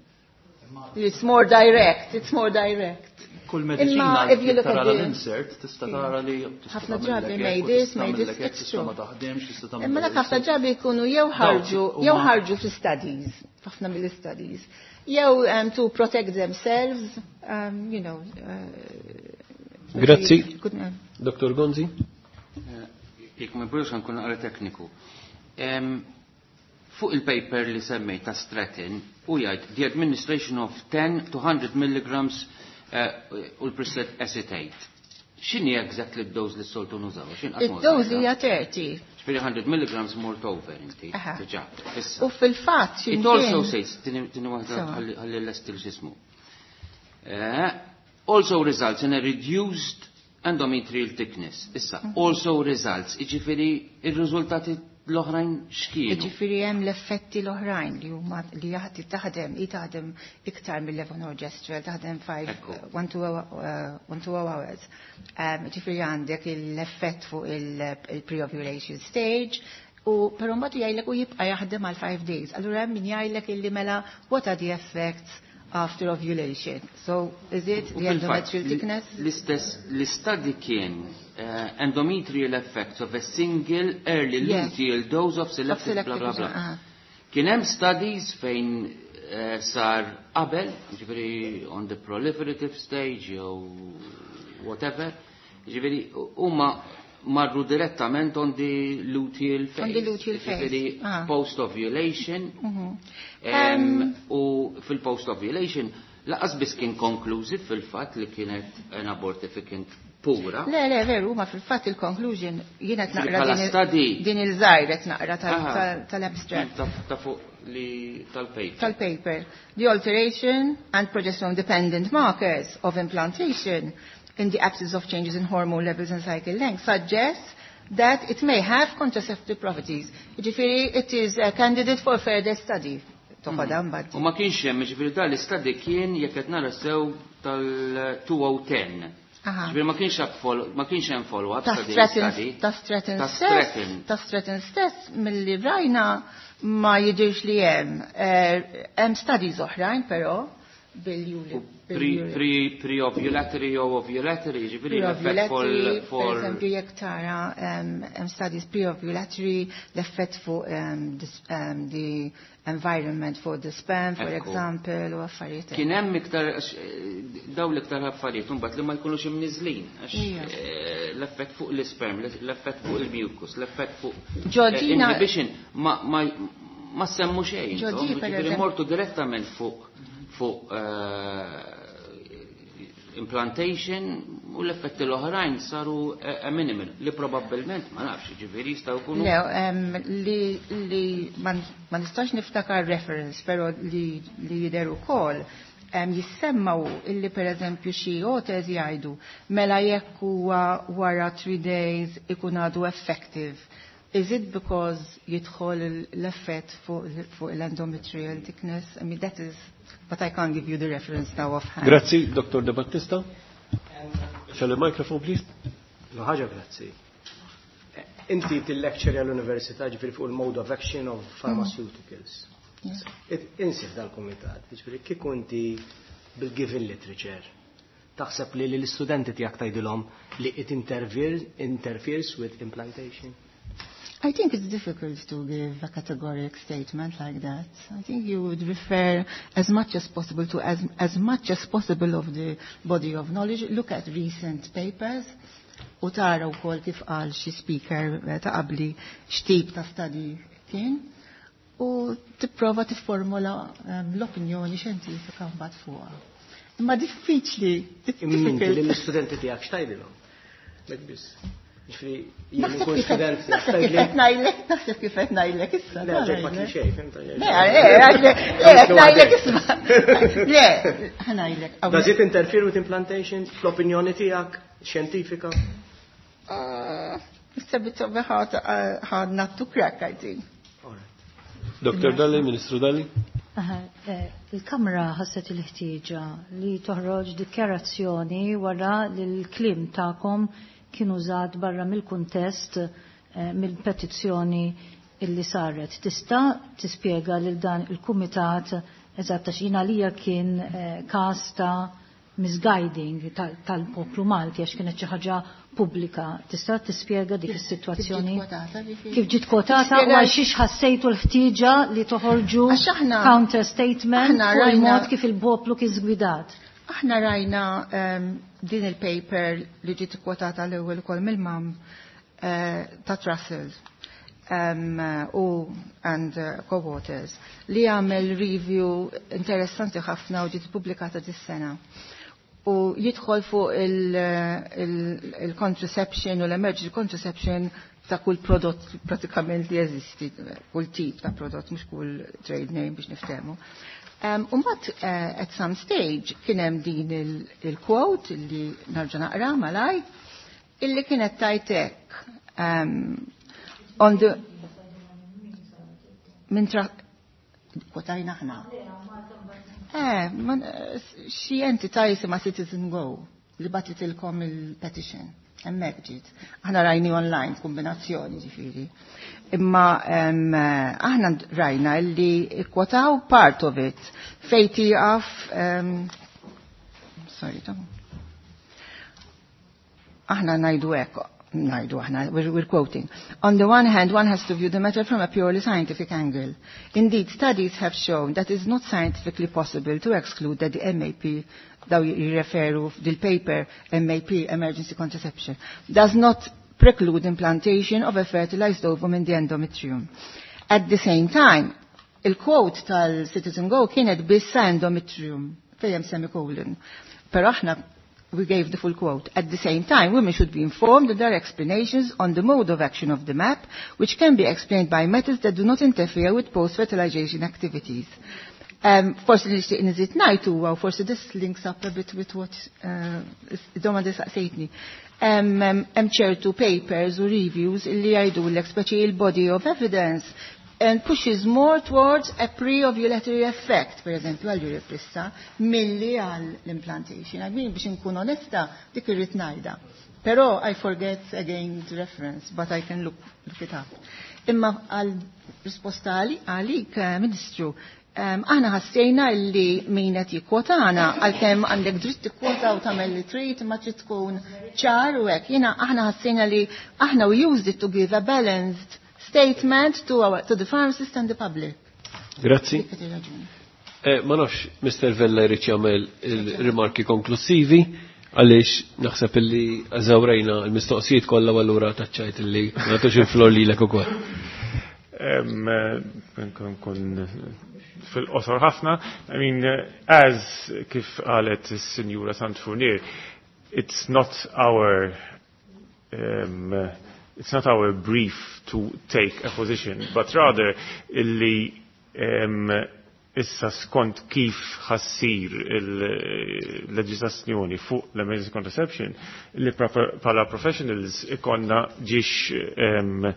Speaker 16: It's more direct, it's more direct.
Speaker 14: Kull medicina li tara l-insert tista' tara li
Speaker 16: ħafna drabi may this, may this, it's true. Imma dak ħafna drabi jkunu jew ħarġu, jew ħarġu fi studies, ħafna mill-studies, jew um, to protect themselves, um, you know. Uh,
Speaker 1: Grazzi. Doktor Gonzi.
Speaker 10: Jekk ma jburux nkun naqra tekniku. Fuq il-paper li semmejt ta' Stratton u jgħid the administration of ten to hundred milligrams u l-preset acetate. X'inhi exactly d-dose li s-soltu nużaw?
Speaker 16: Id-dose hija thirty.
Speaker 10: Ġifieri hundred milligrams more over inti. Diġà.
Speaker 16: U fil-fatt x'inhi.
Speaker 10: It also says, tini waħda ħalli l-estil x'ismu. Also results in a reduced endometrial thickness. Issa, also results, jiġifieri ir-riżultati l-oħrajn x'kienu?
Speaker 16: Jiġifieri hemm l-effetti l-oħrajn li huma li jaħdi taħdem, hi taħdem iktar mill-levonorgestrel, taħdem five, one to one to hours. Jiġifieri għandek l-effett fuq il-pre-ovulation stage, u però mbagħad jgħidlek u jibqa' jaħdem għal five days. Allura hemm min jgħidlek illi mela what are the effects after ovulation? So is it the endometrial thickness?
Speaker 10: L-istess l-istadi kien uh, endometrial effects of a single early yes. luteal dose of selected, of selected bla bla bla. Uh-huh. Kien hemm studies fejn uh, sar qabel, ġifieri on the proliferative stage jew whatever, ġifieri huma marru direttament on the luteal phase.
Speaker 16: On the luteal phase.
Speaker 10: Ġifieri
Speaker 16: ah.
Speaker 10: post-ovulation.
Speaker 16: Mm-hmm.
Speaker 10: Um, u fil-post-ovulation laqas biss kien conclusive fil-fatt li kienet an abortificant pura.
Speaker 16: Le, le, veru, ma fil-fatt il-conclusion jiena qed naqra din il-żgħir qed naqra tal-abstract.
Speaker 10: Ta' fuq li tal-paper.
Speaker 16: Tal-paper. The alteration and progesterone dependent markers of implantation in the absence of changes in hormone levels and cycle length suggests that it may have contraceptive properties. Ġifieri, it is a candidate for further study. Toħodha mbagħad.
Speaker 10: U ma kienx hemm, ġifieri dan l-istadi kien jekk qed nara sew tal-elfejn u għaxra.
Speaker 16: Aha.
Speaker 10: Ġifieri ma kienx hemm follow- ma kienx hemm follow-up
Speaker 16: Ta'
Speaker 10: ta' din
Speaker 16: Stratton
Speaker 10: l-istadi.
Speaker 16: Ta' Stratton
Speaker 10: Ta'
Speaker 16: stess,
Speaker 10: Stratton.
Speaker 16: Ta' Stratton stess milli rajna ma jidirx li hemm. Eh, Hemm studies oħrajn però bil-juli.
Speaker 10: Pre- pre- Pre-ovulatory jew ovulatory, ġifieri l-effett
Speaker 16: Pre-ovulatory,
Speaker 10: for
Speaker 16: per eżempju, jekk tara um, hemm studies pre-ovulatory, l-effett fuq um, this, um, the environment for the sperm, for
Speaker 10: Ekku.
Speaker 16: example, u affarijiet.
Speaker 10: Kien hemm iktar għax, eh, daw l-iktar affarijiet imbagħad li ma jkunux imniżlin għax
Speaker 16: Ija.
Speaker 10: eh, l-effett fuq l-isperm, l-effett fuq il-mucus, l-effett fuq eh,
Speaker 16: Georgina-
Speaker 10: inhibition ma ma ma semmu xejn.
Speaker 16: Ġoġi,
Speaker 10: intom,
Speaker 16: per
Speaker 10: ġifieri
Speaker 16: eżempju-
Speaker 10: mortu direttament fuq fuq eh, implantation u l-effetti l-oħrajn saru eh, minimal li probabbilment ma nafx, ġifieri jistgħu jkunu
Speaker 16: Le, um, li, li ma ma nistax niftakar reference, pero li, li jidher ukoll um, jissemmaw illi per eżempju xi authors jgħidu mela jekk huwa wara three days ikun għadu effective. Is it because jidħol l-effett fuq fuq l-endometrial thickness? I mean, that is, but I can't give you the reference now offhand.
Speaker 1: Grazzi, Dottor De Battista. Shall the microphone, please?
Speaker 13: No ħaġa grazzi. Eh, Inti til-lecture għall-università ġifieri fuq il-mode of action of pharmaceuticals. It- Insif dal-komitat, ġifieri kieku inti bil-given literature taħseb li l-istudenti tiegħek tgħidilhom li it interferes, interferes with implantation?
Speaker 16: I think it's difficult to give a categoric statement like that. I think you would refer as much as possible to as, as much as possible of the body of knowledge. Look at recent papers u tara wkoll kif qal xi speaker eh, ta' qabli x'tip ta' study kien u tipprova tifformula um, l-opinjoni xjentifika mbagħad fuqha. Imma diffiċli, it's
Speaker 13: Imma inti
Speaker 16: difficult.
Speaker 13: lill-istudenti tiegħek x'tgħidilhom? Mek biss. Ġifieri jien
Speaker 16: Naħseb
Speaker 13: nkun
Speaker 16: kif
Speaker 13: student
Speaker 16: naħseb kif qed ngħidlek, naħseb kif qed ngħidlek issa.
Speaker 13: Le, ġek ma kien xejn, fhimt?
Speaker 16: Le, le, le, qed ngħidlek isma'. Le, ħa ngħidlek.
Speaker 13: Does it interfere with implantation fl-opinjoni tiegħek xjentifika?
Speaker 16: Uh, It's a bit of a hard, uh, hard nut to crack, I think.
Speaker 1: Dottor Dalli, Ministru Dalli.
Speaker 12: Aha, eh, Il-Kamra ħasset il-ħtieġa li toħroġ dikjarazzjoni wara li l-kliem tagħkom kien użat barra mill-kuntest eh, mill-petizzjoni illi saret. Tista' tispjega lil dan il-kumitat eżatt għax jien għalija kien eh, każ ta' misguiding tal- tal-poplu Malti għax kienet xi ħaġa pubblika. Tista' tispjega dik is-sitwazzjoni? Kif ġiet kwotata u għal xiex ħassejtu l-ħtieġa li toħorġu
Speaker 16: Għax aħna-
Speaker 12: counter statement
Speaker 16: aħna
Speaker 12: fuq
Speaker 16: rajna-
Speaker 12: il-mod kif il-poplu kien żgwidat.
Speaker 16: Aħna rajna um, din il-paper li ġiet kwotata l-ewwel ukoll mill-M A M uh, ta' Trussell um, u and uh, co-authors li għamel review interessanti ħafna u ġiet pubblikata dis-sena. U jidħol fuq il-contraception u l-emergency contraception ta' kull prodott pratikament li jeżisti, kull tip ta' prodott, mhux kull trade name biex niftehmu. Um, u mbagħad uh, at some stage kien hemm din il-quote il li nerġa' naqra malaj illi kienet tajtek um, on the minn tra kwotajna aħna. Eh, man, xi entità jisimha Citizen Go li bagħtitilkom il-petition. Hemmhekk ġiet. Aħna rajni online kombinazzjoni ġifieri. Imma um, aħna rajna li kwotaw part of it fej tieqaf um, sorry, tom. Aħna ngħidu hekk, ngħidu aħna, we're, we're quoting. "On the one hand, one has to view the matter from a purely scientific angle. Indeed, studies have shown that it is not scientifically possible to exclude that the M A P" daw jirreferu dil-paper M A P, Emergency Contraception, "does not preclude implantation of a fertilized ovum in the endometrium. At the same time," il-quote tal-Citizen Go kienet biss endometrium, fejn hemm semicolon. Pero aħna we gave the full quote. "At the same time, women should be informed that there are explanations on the mode of action of the M A P, which can be explained by methods that do not interfere with post-fertilization activities." Um, forsi li nixtieq niżid ngħid huwa u forsi this links up a bit with what uh, domanda saqsejtni. Hemm ċertu papers u reviews li jgħidulek speċi il-body of evidence and pushes more towards a pre-ovulatory effect, per eżempju, għal Europrissa, milli għal l-implantation. Għal biex nkun onesta, dik irrid ngħidha. Però I forget again the reference, but I can look, look it up. Imma għal risposta għalik, eh, Ministru, aħna ħassejna li min qed jikkwotana għalkemm għandek dritt tikkwota u tagħmel li trid imma trid tkun ċar u hekk. Jiena aħna ħassejna li aħna we used it to give a balanced statement to, our, to the pharmacist and the public.
Speaker 1: Grazzi. Eh, ma nafx Mister Vella jrid jagħmel il-rimarki konklusivi għaliex naħseb illi eżawrejna l-mistoqsijiet kollha u allura taċċajt illi ma nagħtux il-flor lilek ukoll.
Speaker 17: Nkun fil-qosor ħafna. I mean, as kif qalet is-Sinjura Sant Fournier, it's not our um, it's not our brief to take a position, but rather illi um, issa skont kif ħassir il-leġislazzjoni fuq l-emergency contraception li pala professionals ikonna ġiex um,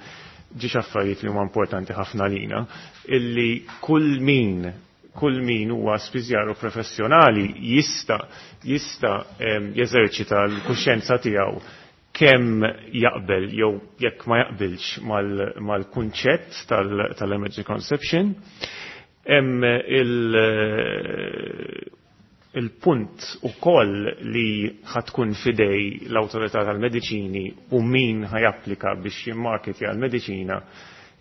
Speaker 17: ġiex affarijiet li huma importanti ħafna lina, illi kull min kull min huwa spiżjaru professjonali jista' jista' jeżerċita l-kuxjenza tiegħu kemm jaqbel jew jekk ma jaqbilx mal-kunċett tal-emergency conception. Hemm il-punt ukoll li ħatkun fidej l-awtorità tal-mediċini u min ħajapplika biex jimmarketja l-mediċina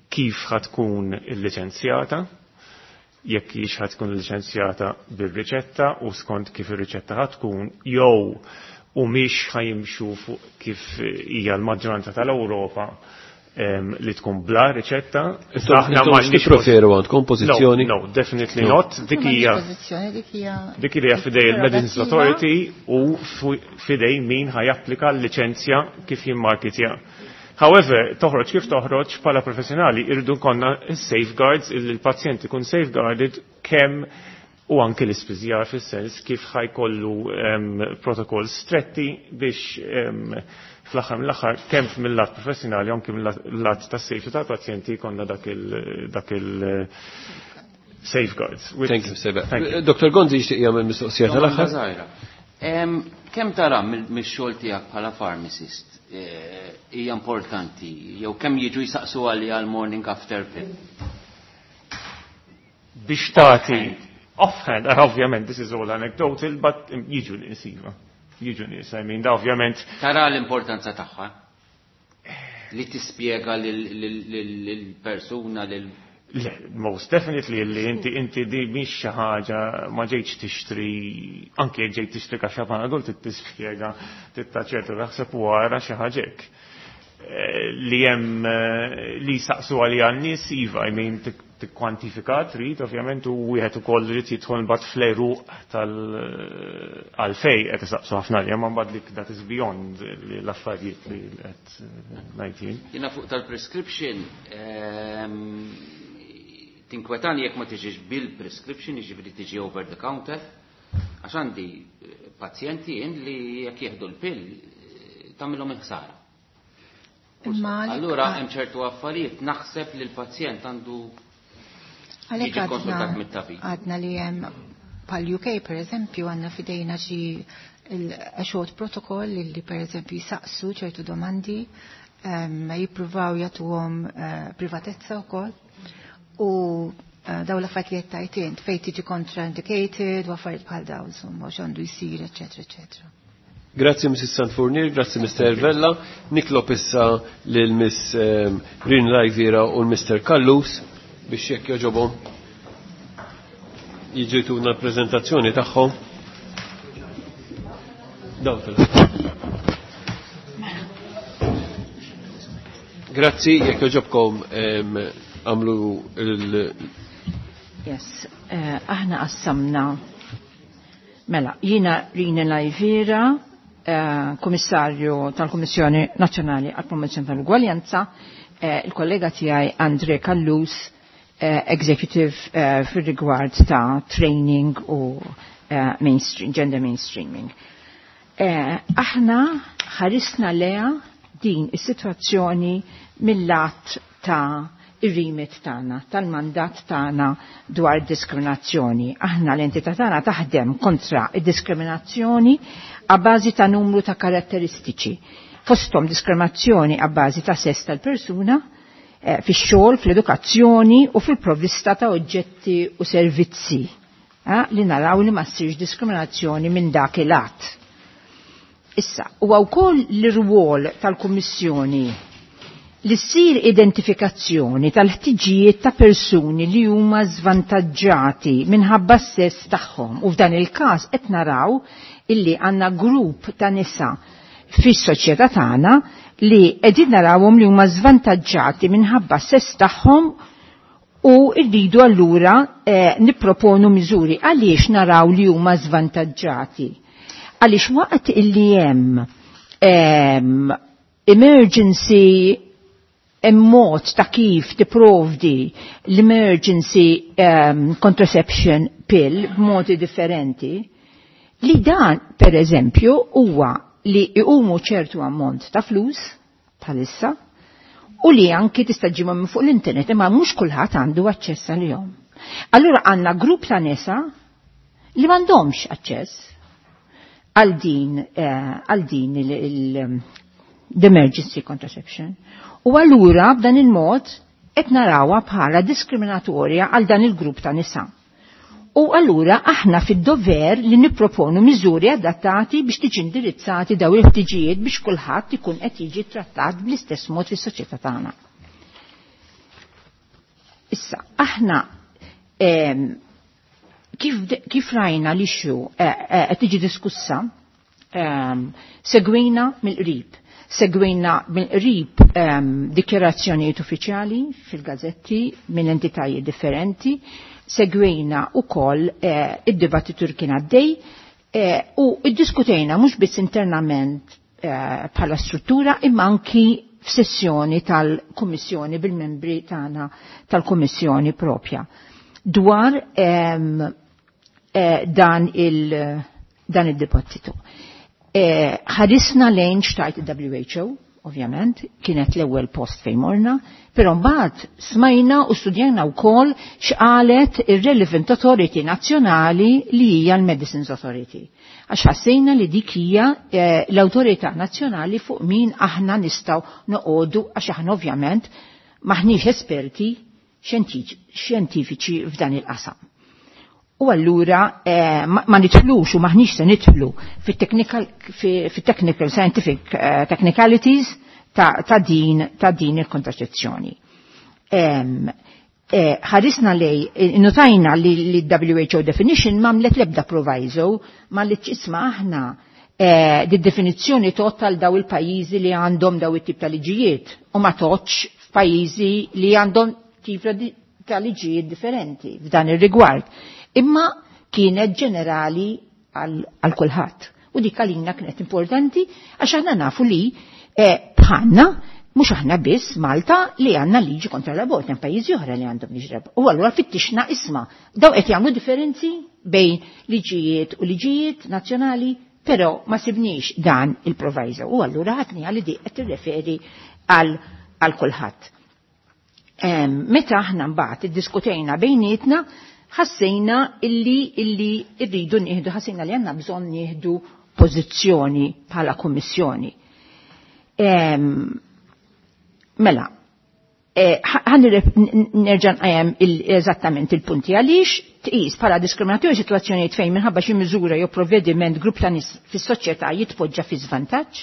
Speaker 17: kif ħatkun il-liċenzjata, jekk hix ħatkun il-liċenzjata bir-riċetta u skont kif ir-riċetta ħatkun, jew u mhix ħajimxu fuq kif hija l-maġġoranza tal-Ewropa li tkun bla riċetta.
Speaker 1: Aħna ma tippreferu għandkom pożizzjoni?
Speaker 17: No, no, definitely no. Not. Dik hija dik hija fidej il-Medicines Authority u fidej min ħajapplika l-liċenzja kif jimmarketja. However, toħroġ kif toħroġ bħala professjonali irridu konna safeguards il-pazjent ikun safeguarded kemm u anke l-ispiżjar fis-sens kif ħajkollu um, protokoll stretti biex um, fl-aħħar mill-aħħar kemm mill-lat professjonali anke mill-lat tas-safety tal-pazjenti jkollna dak il dak il safeguards.
Speaker 1: Thank you, Seba. Doktor Gonzi jixtieq jagħmel mistoqsija tal-aħħar.
Speaker 10: Kemm tara mix-xogħol tiegħek bħala pharmacist hija importanti jew kemm jiġu jsaqsu għalli għal morning after pill?
Speaker 17: Biex tagħti offhand, ovvjament this is all anecdotal, but jiġu nies iva. Jiġu nies, I mean, da ovvjament.
Speaker 10: Tara l-importanza tagħha li tispjega lill-persuna lil
Speaker 17: Le, most definitely li inti inti di mhix xi ħaġa ma ġejtx tixtri, anke jekk ġejt tixtri kaxxa Panadol tispjega titta ċertu naħseb u wara xi ħaġa hekk. Li hemm li saqsu għalija n-nies iva, I mean, tikkwantifika trid ovvjament u wieħed ukoll irid jidħol mbagħad fl-għeruq tal għalfej qed isaqsu ħafna li hemm mbagħad dik that is beyond l-affarijiet li qed ngħid jien.
Speaker 10: Jiena fuq tal-prescription tinkwetani jekk ma tiġix bil-prescription, jiġifieri tiġi over the counter, għax għandi pazjenti jien li jekk jieħdu l-pill tagħmilhom il-ħsara. Allura hemm ċertu affarijiet naħseb li l-pazjent għandu
Speaker 16: jiġi konsultat
Speaker 10: mit-tabib.
Speaker 16: Għadna li hemm pal U K per eżempju għandna fidejna xi short protocol li per eżempju jisaqsu ċertu domandi, jippruvaw jagħtuhom privatezza wkoll u daw l-affarijiet li qed tgħid int fejn tiġi contraindicated u affarijiet bħal dawn insomma x'għandu jsir, eċetera, eċetera.
Speaker 1: Grazzi Missus Sanfurnier, grazzi Mister Vella. Nitlob issa lil Miss Rin Lajvira u l-Mister Callus biex jekk joġobhom jiġu jtuna l-preżentazzjoni tagħhom. Daw tal. Grazzi, jekk joġobkom għamlu il-
Speaker 18: Yes, eh, aħna qassamna. Mela, jiena Rina Lajvira, eh, Kummissarju tal-Kummissjoni Nazzjonali għall-Promozzjoni tal-Ugwaljanza, eh, il-kollega tiegħi Andre Callus, eh, executive eh, fir-rigward ta' training u eh, mainstream, gender mainstreaming. Eh, aħna ħarisna leha din is-sitwazzjoni mill-lat ta' ir-remit tagħna, tal-mandat tagħna dwar diskriminazzjoni. Aħna l-entità tagħna taħdem kontra id-diskriminazzjoni a bażi ta' numru ta' karatteristiċi. Fosthom diskriminazzjoni a bażi ta' sess tal-persuna, eh, fix-xogħol, fl-edukazzjoni u fil-provvista ta' oġġetti u servizzi. Eh, li naraw li ma ssirx diskriminazzjoni minn dak il-att. Issa, huwa wkoll l-irwol tal-Kummissjoni li ssir identifikazzjoni tal-ħtiġijiet ta' persuni li huma żvantaġġati minħabba s-sess tagħhom u f'dan il-każ qed naraw illi għandna grupp ta' nisa fis-soċjetà tagħna li qegħdin narawhom li huma żvantaġġati minħabba s-sess tagħhom u rridu allura eh, nipproponu miżuri għaliex naraw li huma żvantaġġati. Għaliex waqt illi hemm ehm, emergency hemm mod ta' kif tipprovdi l-emergency um, contraception pill b'modi differenti, li dan, per eżempju, huwa li iqumu ċertu ammont ta' flus bħalissa u li anki tista' ġimgħa minn fuq l-internet imma mhux kulħadd għandu aċċess għalihom. Allura għandna grupp ta' nisa li m'għandhomx aċċess għal din eh, għal din l-emergency contraception. U allura b'dan il-mod qed narawha bħala diskriminatorja għal dan il-grupp ta' nisa. U allura aħna fid-dover li nipproponu miżuri adattati biex tiġi indirizzati daw il-ħtiġijiet biex kulħadd ikun qed jiġi trattat bl-istess mod fis-soċjetà tagħna. Issa, aħna ehm, kif, kif rajna li xu qed tiġi diskussa, ehm, segwejna mill-qrib. Segwejna mill-qrib ehm, dikjarazzjonijiet uffiċjali fil-gazzetti minn entitajiet differenti, segwejna wkoll eh, id-dibattitu li kien għaddej eh, u iddiskutejna mhux biss internament eh, bħala struttura imma anki f'sessjoni tal-Kummissjoni bil-membri tagħna tal-Kummissjoni propja dwar ehm, eh, dan il dan id-dibattitu. Eh, ħarisna lejn xtajt il-W H O, ovvjament, kienet l-ewwel post fejn morna, però mbagħad smajna u studjajna wkoll x'qalet ir-Relevant Authority Nazzjonali li hija l-Medicines Authority. Għax ħassejna li dik hija eh, l-awtorità nazzjonali fuq min aħna nistgħu noqogħdu għax aħna ovvjament maħniex esperti xjentifiċi f'dan il-qasam. U allura eh, ma, ma nidħlux u maħniex se nidħlu fit-technical fit-technical scientific eh, technicalities ta', ta' din ta' din il-kontraċezzjoni. Eh, ħarisna lej, notajna li, li W H O definition m'għamlet lebda proviso, ma li ċisma aħna eh, di definizzjoni total daw il-pajjiżi li għandhom daw it-tip ta' liġijiet u ma toċ f'pajjiżi li għandhom tip ta' liġijiet differenti f'dan ir-rigward. Imma kienet ġenerali għal kulħadd. U dik għalina kienet importanti għax aħna nafu li eh, bħalna mhux aħna biss Malta li għandna liġi kontra l-abort, hemm pajjiżi oħra li għandhom liġi l-abort. U allura fittixna isma' daw qed jagħmlu differenzi bejn liġijiet u liġijiet nazzjonali, però ma sibniex dan il-proviso. U allura ħadni għal di qed tirreferi għal għal kulħadd. Meta aħna mbagħad iddiskutejna bejnietna, ħassejna illi illi rridu nieħdu, ħassejna li għandna bżonn nieħdu pożizzjoni bħala kummissjoni. Mela, ħan nerġa' nqajjem eżattament il-punti għaliex tqis bħala diskriminatorju sitwazzjonijiet fejn minħabba xi miżura jew provvediment grupp ta' nies fis-soċjetà jitpoġġa fi żvantaġġ.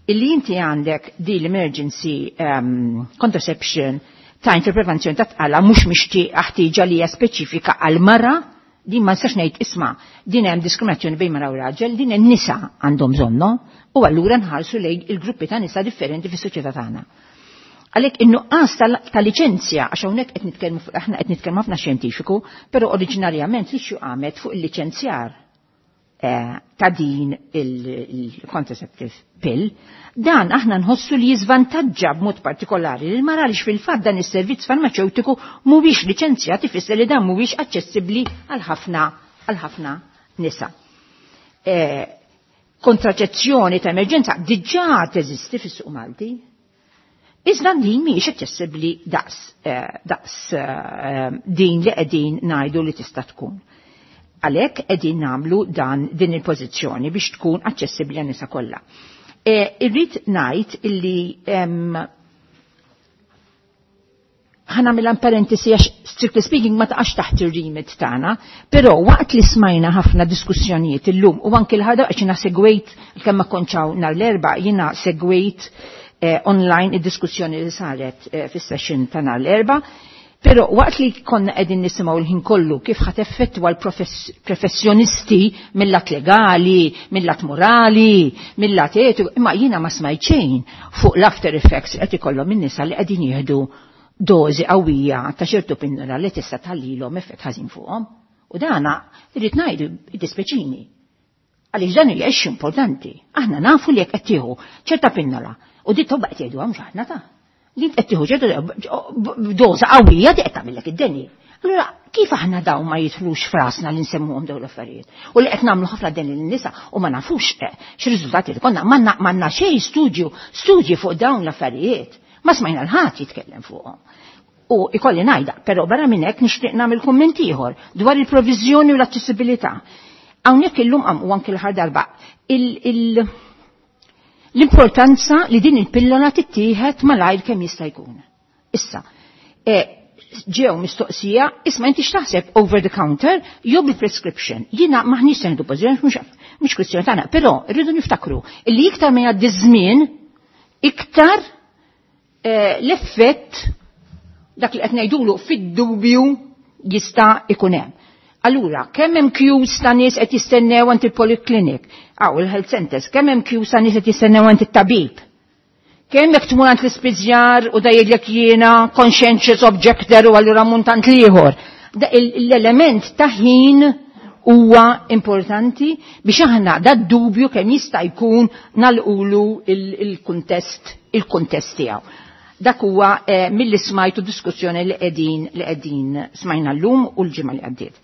Speaker 18: Illi inti għandek di l-emergency um, contraception ta' interprevenzjoni ta' tqala mhux mixtieqa ħtieġa li hija speċifika għal mara, din ma nistax ngħid isma' din hemm diskriminazzjoni bejn mara u raġel, din in-nisa għandhom bżonno u allura nħarsu lejn il-gruppi ta' nisa differenti fis-soċjetà tagħna. Għalhekk in-nuqqas ta' liċenzja, għax hawnhekk qed nitkellmu aħna qed nitkellmu ħafna xjentifiku, però oriġinarjament li qamet fuq il-liċenzjar. eh, ta' din il-contraceptive pill, dan aħna nħossu li jiżvantaġġa b'mod partikolari lil mara għaliex fil-fatt dan is-servizz farmaceutiku mhuwiex liċenzjat, ifisser li dan mhuwiex aċċessibbli għal ħafna għal ħafna nisa. Eh, kontraċezzjoni ta' emerġenza diġà teżisti fis-suq Malti. Iżda din mhijiex aċċessibbli daqs, eh, daqs eh, din li qegħdin ngħidu li tista' tkun. Għalhekk qegħdin nagħmlu dan din il-pożizzjoni biex tkun aċċessibbli għan-nisa kollha. E, irrid ngħid illi ħa nagħmilha parentesi għax strictly speaking ma taqax taħt ir-remit tagħna, però waqt li smajna ħafna diskussjonijiet illum u anke l-ħada għax jiena segwejt kemm ma kontx hawn nhar l-Erbgħa, jiena segwejt eh, online id-diskussjoni li saret eh, fis-session ta' nhar l-Erbgħa. Però waqt li konna qegħdin nisimgħu l-ħin kollu kif ħa teffettwa l-professjonisti mill-lat legali, mill-lat morali, mill-lat etiku, imma jiena ma smajt xejn fuq l-after effects qed ikollhom in-nisa li qegħdin jieħdu dożi qawwija ta' ċertu pinnola li tista' tħallilhom effett ħażin fuqhom. U dana irrid ngħidu id-dispeċini. Għaliex dan hija importanti. Aħna nafu li jekk qed tieħu ċerta pinnola u di tobba qed jgħidu mhux aħna ta' li qed tieħu ċertu doża qawwija di qed tagħmellek id-deni. Allura kif aħna dawn ma jidħlux frasna li nsemmuhom dawn l-affarijiet? U li qed nagħmlu ħafna deni lin-nisa u ma nafux eh, x'riżultati li konna m'għandna xejn studju studji fuq dawn l-affarijiet. Ma smajna l-ħadd jitkellem fuqhom. U ikolli ngħidha, però barra minn hekk nixtieq nagħmel kumment ieħor dwar il-proviżjoni u l-aċċessibilità. Hawnhekk illum qam u anke l-aħħar darba il- l-importanza li din il-pillola tittieħed malajr kemm jista' jkun. Issa, e, ġew mistoqsija, isma' inti x'taħseb over the counter jew bil-prescription. Jiena maħniex se nieħdu pożizzjoni mhux mhux kwistjoni tagħna, però rridu niftakru li iktar ma jgħaddi żmien, iktar eh, l-effett dak li qed ngħidulu fid-dubju jista' ikun hemm. Allura, kemm hemm queues ta' nies qed jistennew għand il-polyclinic, aw il-health centers, kemm hemm queues ta' nies qed jistennew għand it-tabib. Kemm jekk tmur għand l-ispiżjar u da jgħidlek jiena conscientious objector u allura munt għand l-ieħor. L-element ta' ħin huwa importanti biex aħna da dubju kemm jista' jkun nalqulu il-kuntest il-kuntest tiegħu. Dak huwa eh, milli smajtu diskussjoni li qegħdin li qegħdin smajna llum u l-ġimgħa li għaddiet.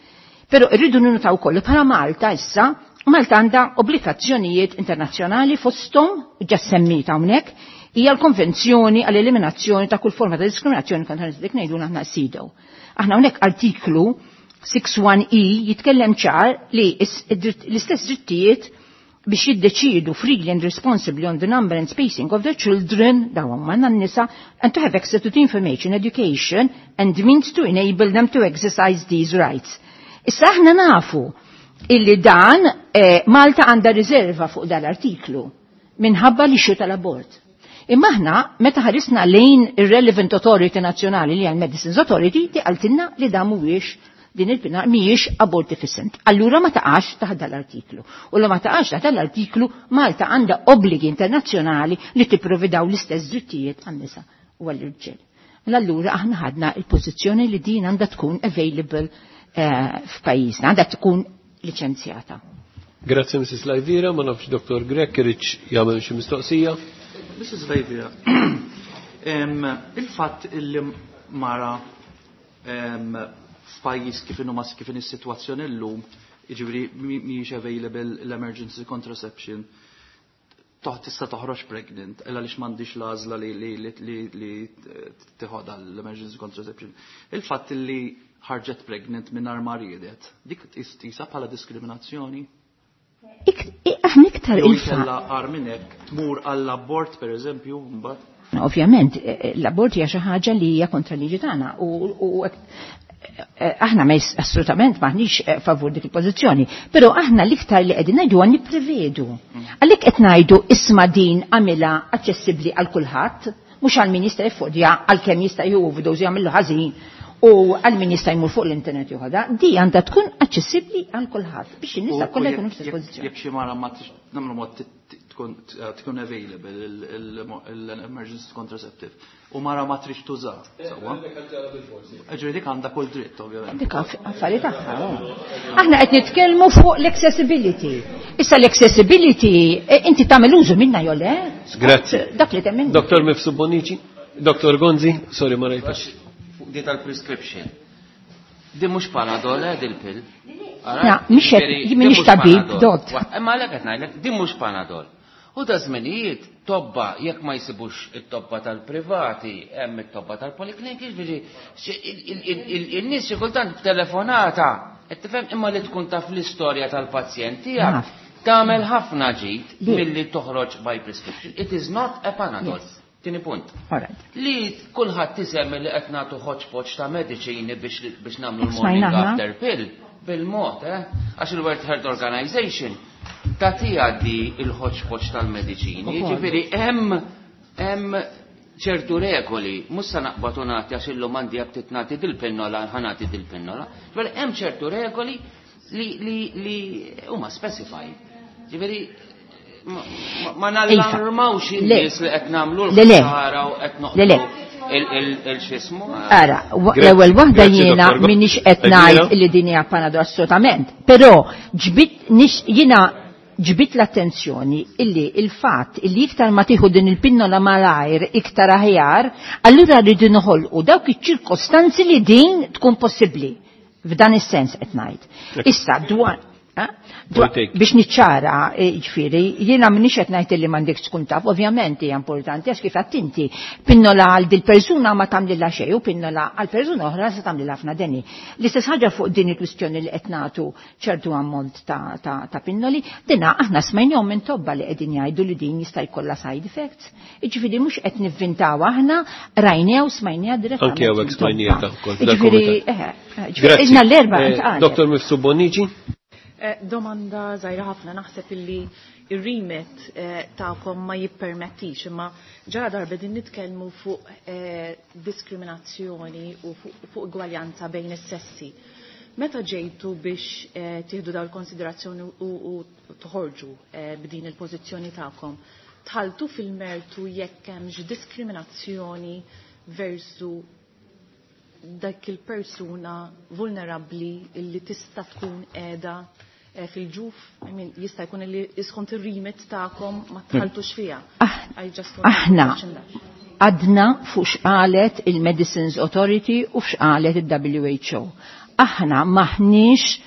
Speaker 18: Però rridu ninnotaw ukoll bħala Malta issa, Malta għandha obbligazzjonijiet internazzjonali fosthom ġa semmita hawnhekk hija l-Konvenzjoni għall-eliminazzjoni ta' kull forma ta' diskriminazzjoni kontra dik ngħidu aħna CEDAW. Aħna hawnhekk artiklu sitta E jitkellem ċar li l-istess drittijiet biex jiddeċidu freely and responsibly on the number and spacing of their children, dawn huma n-nisa, and to have access to the information, education and means to enable them to exercise these rights. Issa aħna nafu illi dan eh, Malta għandha riserva fuq dal-artiklu minħabba li xu tal-abort. Imma aħna meta ħarisna lejn ir-relevant authority nazzjonali li għal Medicines Authority di qaltilna li dan mhuwiex din il-pina mhijiex abortifacient. Allura ma taqax taħt dal-artiklu. U la ma taqax taħt dal-artiklu Malta għandha obbligi internazzjonali li tipprovidaw l-istess drittijiet għan-nisa u għall-irġiel. Allura aħna ħadna il-pożizzjoni li din għandha tkun available eh, f'pajjiżna, għandha tkun liċenzjata.
Speaker 1: Grazie Missus Lajvira, ma nafx Doktor Grech iridx jagħmel xi mistoqsija.
Speaker 14: Missus Lajvira, il-fatt illi mara f'pajjiż kif inhu mas kif is-sitwazzjoni llum, jiġifieri mhijiex available l-emergency contraception, tista' toħroġ pregnant, illa għaliex m'għandix l-għażla li li li li tieħodha l-emergency contraception. Il-fatt illi ħarġet pregnant mingħajr ma riedet, dik tqisha bħala diskriminazzjoni?
Speaker 18: Aħna iktar
Speaker 14: Jew
Speaker 18: il-fatt.
Speaker 14: inkella agħar minn hekk tmur għall-abort pereżempju mbagħad.
Speaker 18: Ovvjament, l-abort hija xi ħaġa li hija kontra liġi tagħna u, u aħna ma assolutament maħniex favur dik il-pożizzjoni, però aħna l-iktar li qegħdin ngħidu għan nipprevedu. Għalhekk qed ngħidu isma' din għamilha aċċessibbli għal kulħadd, mhux għal min jista' jiffordja għal kemm jista' jieħu overdose jagħmillu ħażin u għal min jista' jmur fuq l-internet joħodha, di għandha tkun aċċessibbli għal kulħadd biex in-nisa kollha jkunu fl-istess pożizzjoni.
Speaker 14: Jekk xi mara ma nagħmlu mod tkun tkun available l-emergency contraceptive u mara ma trix tuża. Sewwa. Ġifieri dik għandha kull dritt ovvjament.
Speaker 18: Dik affari tagħha. Aħna qed nitkellmu fuq l-accessibility. Issa l-accessibility inti tagħmel użu minnha jew le?
Speaker 1: Grazzi.
Speaker 18: Dak li temmen.
Speaker 1: Dottor Mifsud Bonnici, Dottor Gonzi, sorry ma rajtax.
Speaker 10: Fuq di tal-prescription. Di mhux Panadol eh dil-pill.
Speaker 18: Na, mhix qed m'iniex tabib, dot.
Speaker 10: Imma għalhekk qed ngħidlek, din mhux Panadol. U da żminijiet tobba jekk ma jsibux it-tobba tal-privati, hemm it-tobba tal-polikliniki, jiġifieri in-nies xi kultant b'telefonata, qed tifhem imma li tkun taf l-istorja tal-pazjent tiegħek tagħmel ħafna ġid milli toħroġ by prescription. It is not a Panadol. Tieni punt. Li kulħadd isemmi li qed nagħtu hodgepodge ta' mediċini biex nagħmlu l-morning after pill bil-mod, eh? Għax il-World Health Organization tagħtiha di il-hodgepodge tal-mediċini. Jiġifieri hemm hemm ċertu regoli, mhux se naqbad u nagħti għax illum għandi aptit nagħti dil-pinnola, ħa nagħti dil-pinnola. Ġifieri hemm ċertu regoli li li li huma specified. Ġifieri ma nallarmawx in-nies li qed nagħmlu l-ħsara u qed noqogħdu il-xismu.
Speaker 18: Ara, l-ewwel waħda jiena m'iniex qed ngħid li din hija Panadol assolutament, però ġbit jiena ġbit l-attenzjoni illi il-fatt illi iktar ma tieħu din il-pinnola malajr iktar aħjar, allura rridu noħolqu dawk iċ-ċirkostanzi li din tkun possibbli. F'dan is-sens qed ngħid. Issa dwar biex niċċara, ġifieri, jiena m'iniex qed ngħid li m'għandekx tkun taf, ovvjament hija importanti għax kif għedt inti, pinnola għal dil persuna ma tagħmlilha xejn u pinnola għal persuna oħra se tagħmlilha ħafna deni. L-istess ħaġa fuq din il-kwistjoni li qed nagħtu ċertu ammont ta', ta, ta' pinnoli, dina aħna smajnihom minn tobba li qegħdin jgħidu li din jista' jkollha side effects. Jiġifieri mhux qed nivvintaw aħna, rajniha u smajniha direttament.
Speaker 1: Anke hawnhekk smajniha wkoll.
Speaker 18: Ġifieri,
Speaker 1: Grazzi.
Speaker 18: L-erba' ntqal.
Speaker 1: Dottor Mifsud Bonnici.
Speaker 3: Domanda żgħira ħafna, naħseb illi ir-remit tagħkom ma jippermettix, imma ġara darba din nitkellmu fuq diskriminazzjoni u fuq igwaljanza bejn is-sessi. Meta ġejtu biex tieħdu dawn il-konsiderazzjoni u toħorġu b'din il-pożizzjoni tagħkom, tħaltu fil-mertu jekk hemmx diskriminazzjoni versu dak il-persuna vulnerabbli illi tista' tkun qiegħda fil-ġuf, I mean, jista' jkun li iskont ir-remit tagħkom ma tħaltux fiha.
Speaker 18: Aħna għadna fuq x'qalet il-Medicines Authority u x'qalet il-W H O. Aħna maħniex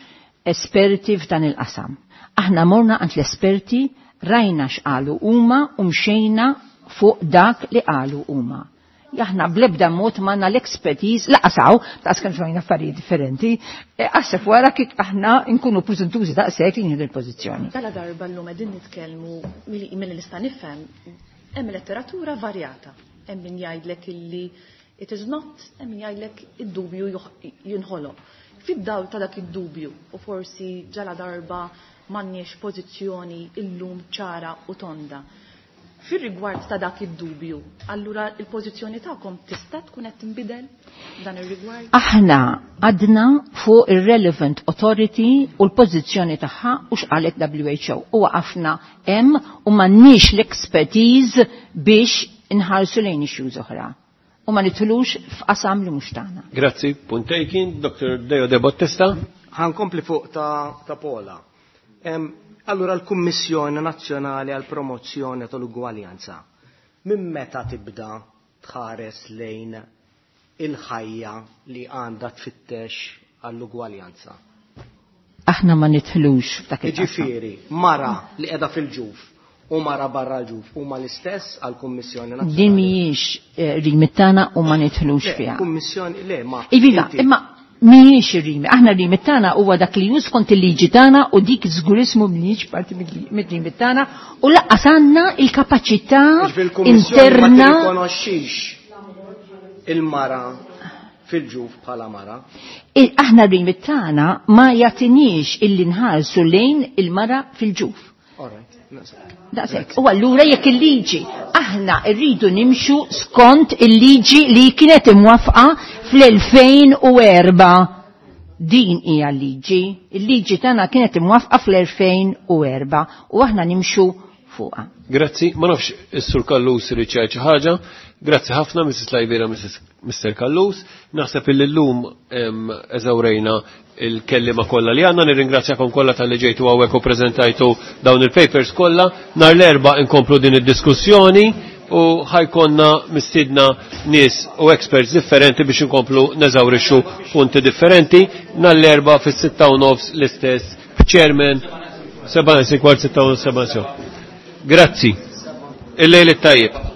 Speaker 18: esperti f'dan il-qasam. Aħna morna għand l-esperti, rajna x'qalu huma u mxejna fuq dak li qalu huma. Aħna blebda mod manna l-expertise, laqasaw, ta' kemm xejn affarijiet differenti, għasef wara kif aħna nkunu preżentużi daqshekk li nieħdu l-pożizzjoni.
Speaker 3: Dala darba llum qegħdin nitkellmu milli nista' nifhem hemm letteratura varjata. Hemm min jgħidlek illi it is not, hemm min jgħidlek id-dubju jinħoloq. Fid-dawl ta' dak id-dubju u forsi ġala darba m'għandniex pożizzjoni illum ċara u tonda. Fir-rigward ta' dak id-dubju, allura il-pożizzjoni tagħkom tista' tkun qed tinbidel dan ir-rigward?
Speaker 18: Aħna għadna fuq ir-relevant authority u l-pożizzjoni tagħha u x'qalet W H O. U waqafna hemm u m'għandniex l-expertise biex inħarsu lejn issues oħra. U ma nidħlux f'qasam li mhux tagħna.
Speaker 1: Grazzi, punt taken, Doctor Deo De Battista.
Speaker 13: Ħankompli fuq ta', ta Pola. Um, Allura l-Kummissjoni Nazzjonali għal Promozzjoni tal-Ugwaljanza minn meta tibda tħares lejn il-ħajja li għandha tfittex għall-ugwaljanza?
Speaker 18: Aħna ma nidħlux f'dak il-qasam.
Speaker 13: Jiġifieri, mara li qiegħda fil-ġuf u mara barra l-ġuf huma l-istess għall-Kummissjoni Nazzjonali.
Speaker 18: Din mhijiex remit tagħna u ma nidħlux fiha.
Speaker 13: Kummissjoni le ma.
Speaker 18: Iva, imma mhijiex ir-rimi. Aħna r-remit tagħna huwa dak li jus kont il-liġi tagħna u dik żgurismu mhijiex parti mid-remit tagħna u laqqas għandna il-kapaċità interna.
Speaker 13: Ma tirrikonoxxix il-mara fil-ġuf bħala mara.
Speaker 18: Aħna r-remit tagħna ma jagħtinix illi nħarsu lejn il-mara fil-ġuf.
Speaker 13: All right.
Speaker 18: Daqshekk. U allura jekk il-liġi aħna rridu nimxu skont il-liġi li kienet imwafqa fl-elfejn u erba'. Din hija l-liġi. Il-liġi tagħna kienet imwafqa fl-elfejn u erba' u aħna nimxu fuqha.
Speaker 1: Grazzi, ma nafx is-Sur Kallus irid xi ħaġa. Grazzi ħafna Missus Lajvira, Mister Kallus. Naħseb illi llum eżawrejna il-kellima kollha li għandna, nirringrazzjakom kollha talli ġejtu hawnhekk u preżentajtu dawn il-papers kollha. Nhar l-Erbgħa inkomplu din id-diskussjoni u ħajkonna mistiedna nies u experts differenti biex inkomplu neżawrixxu punti differenti. Nhar l-Erbgħa fis-sitta u nofs l-istess chairman seba' kwart sitta u seba'. Grazzi. Il-lejl it-tajjeb.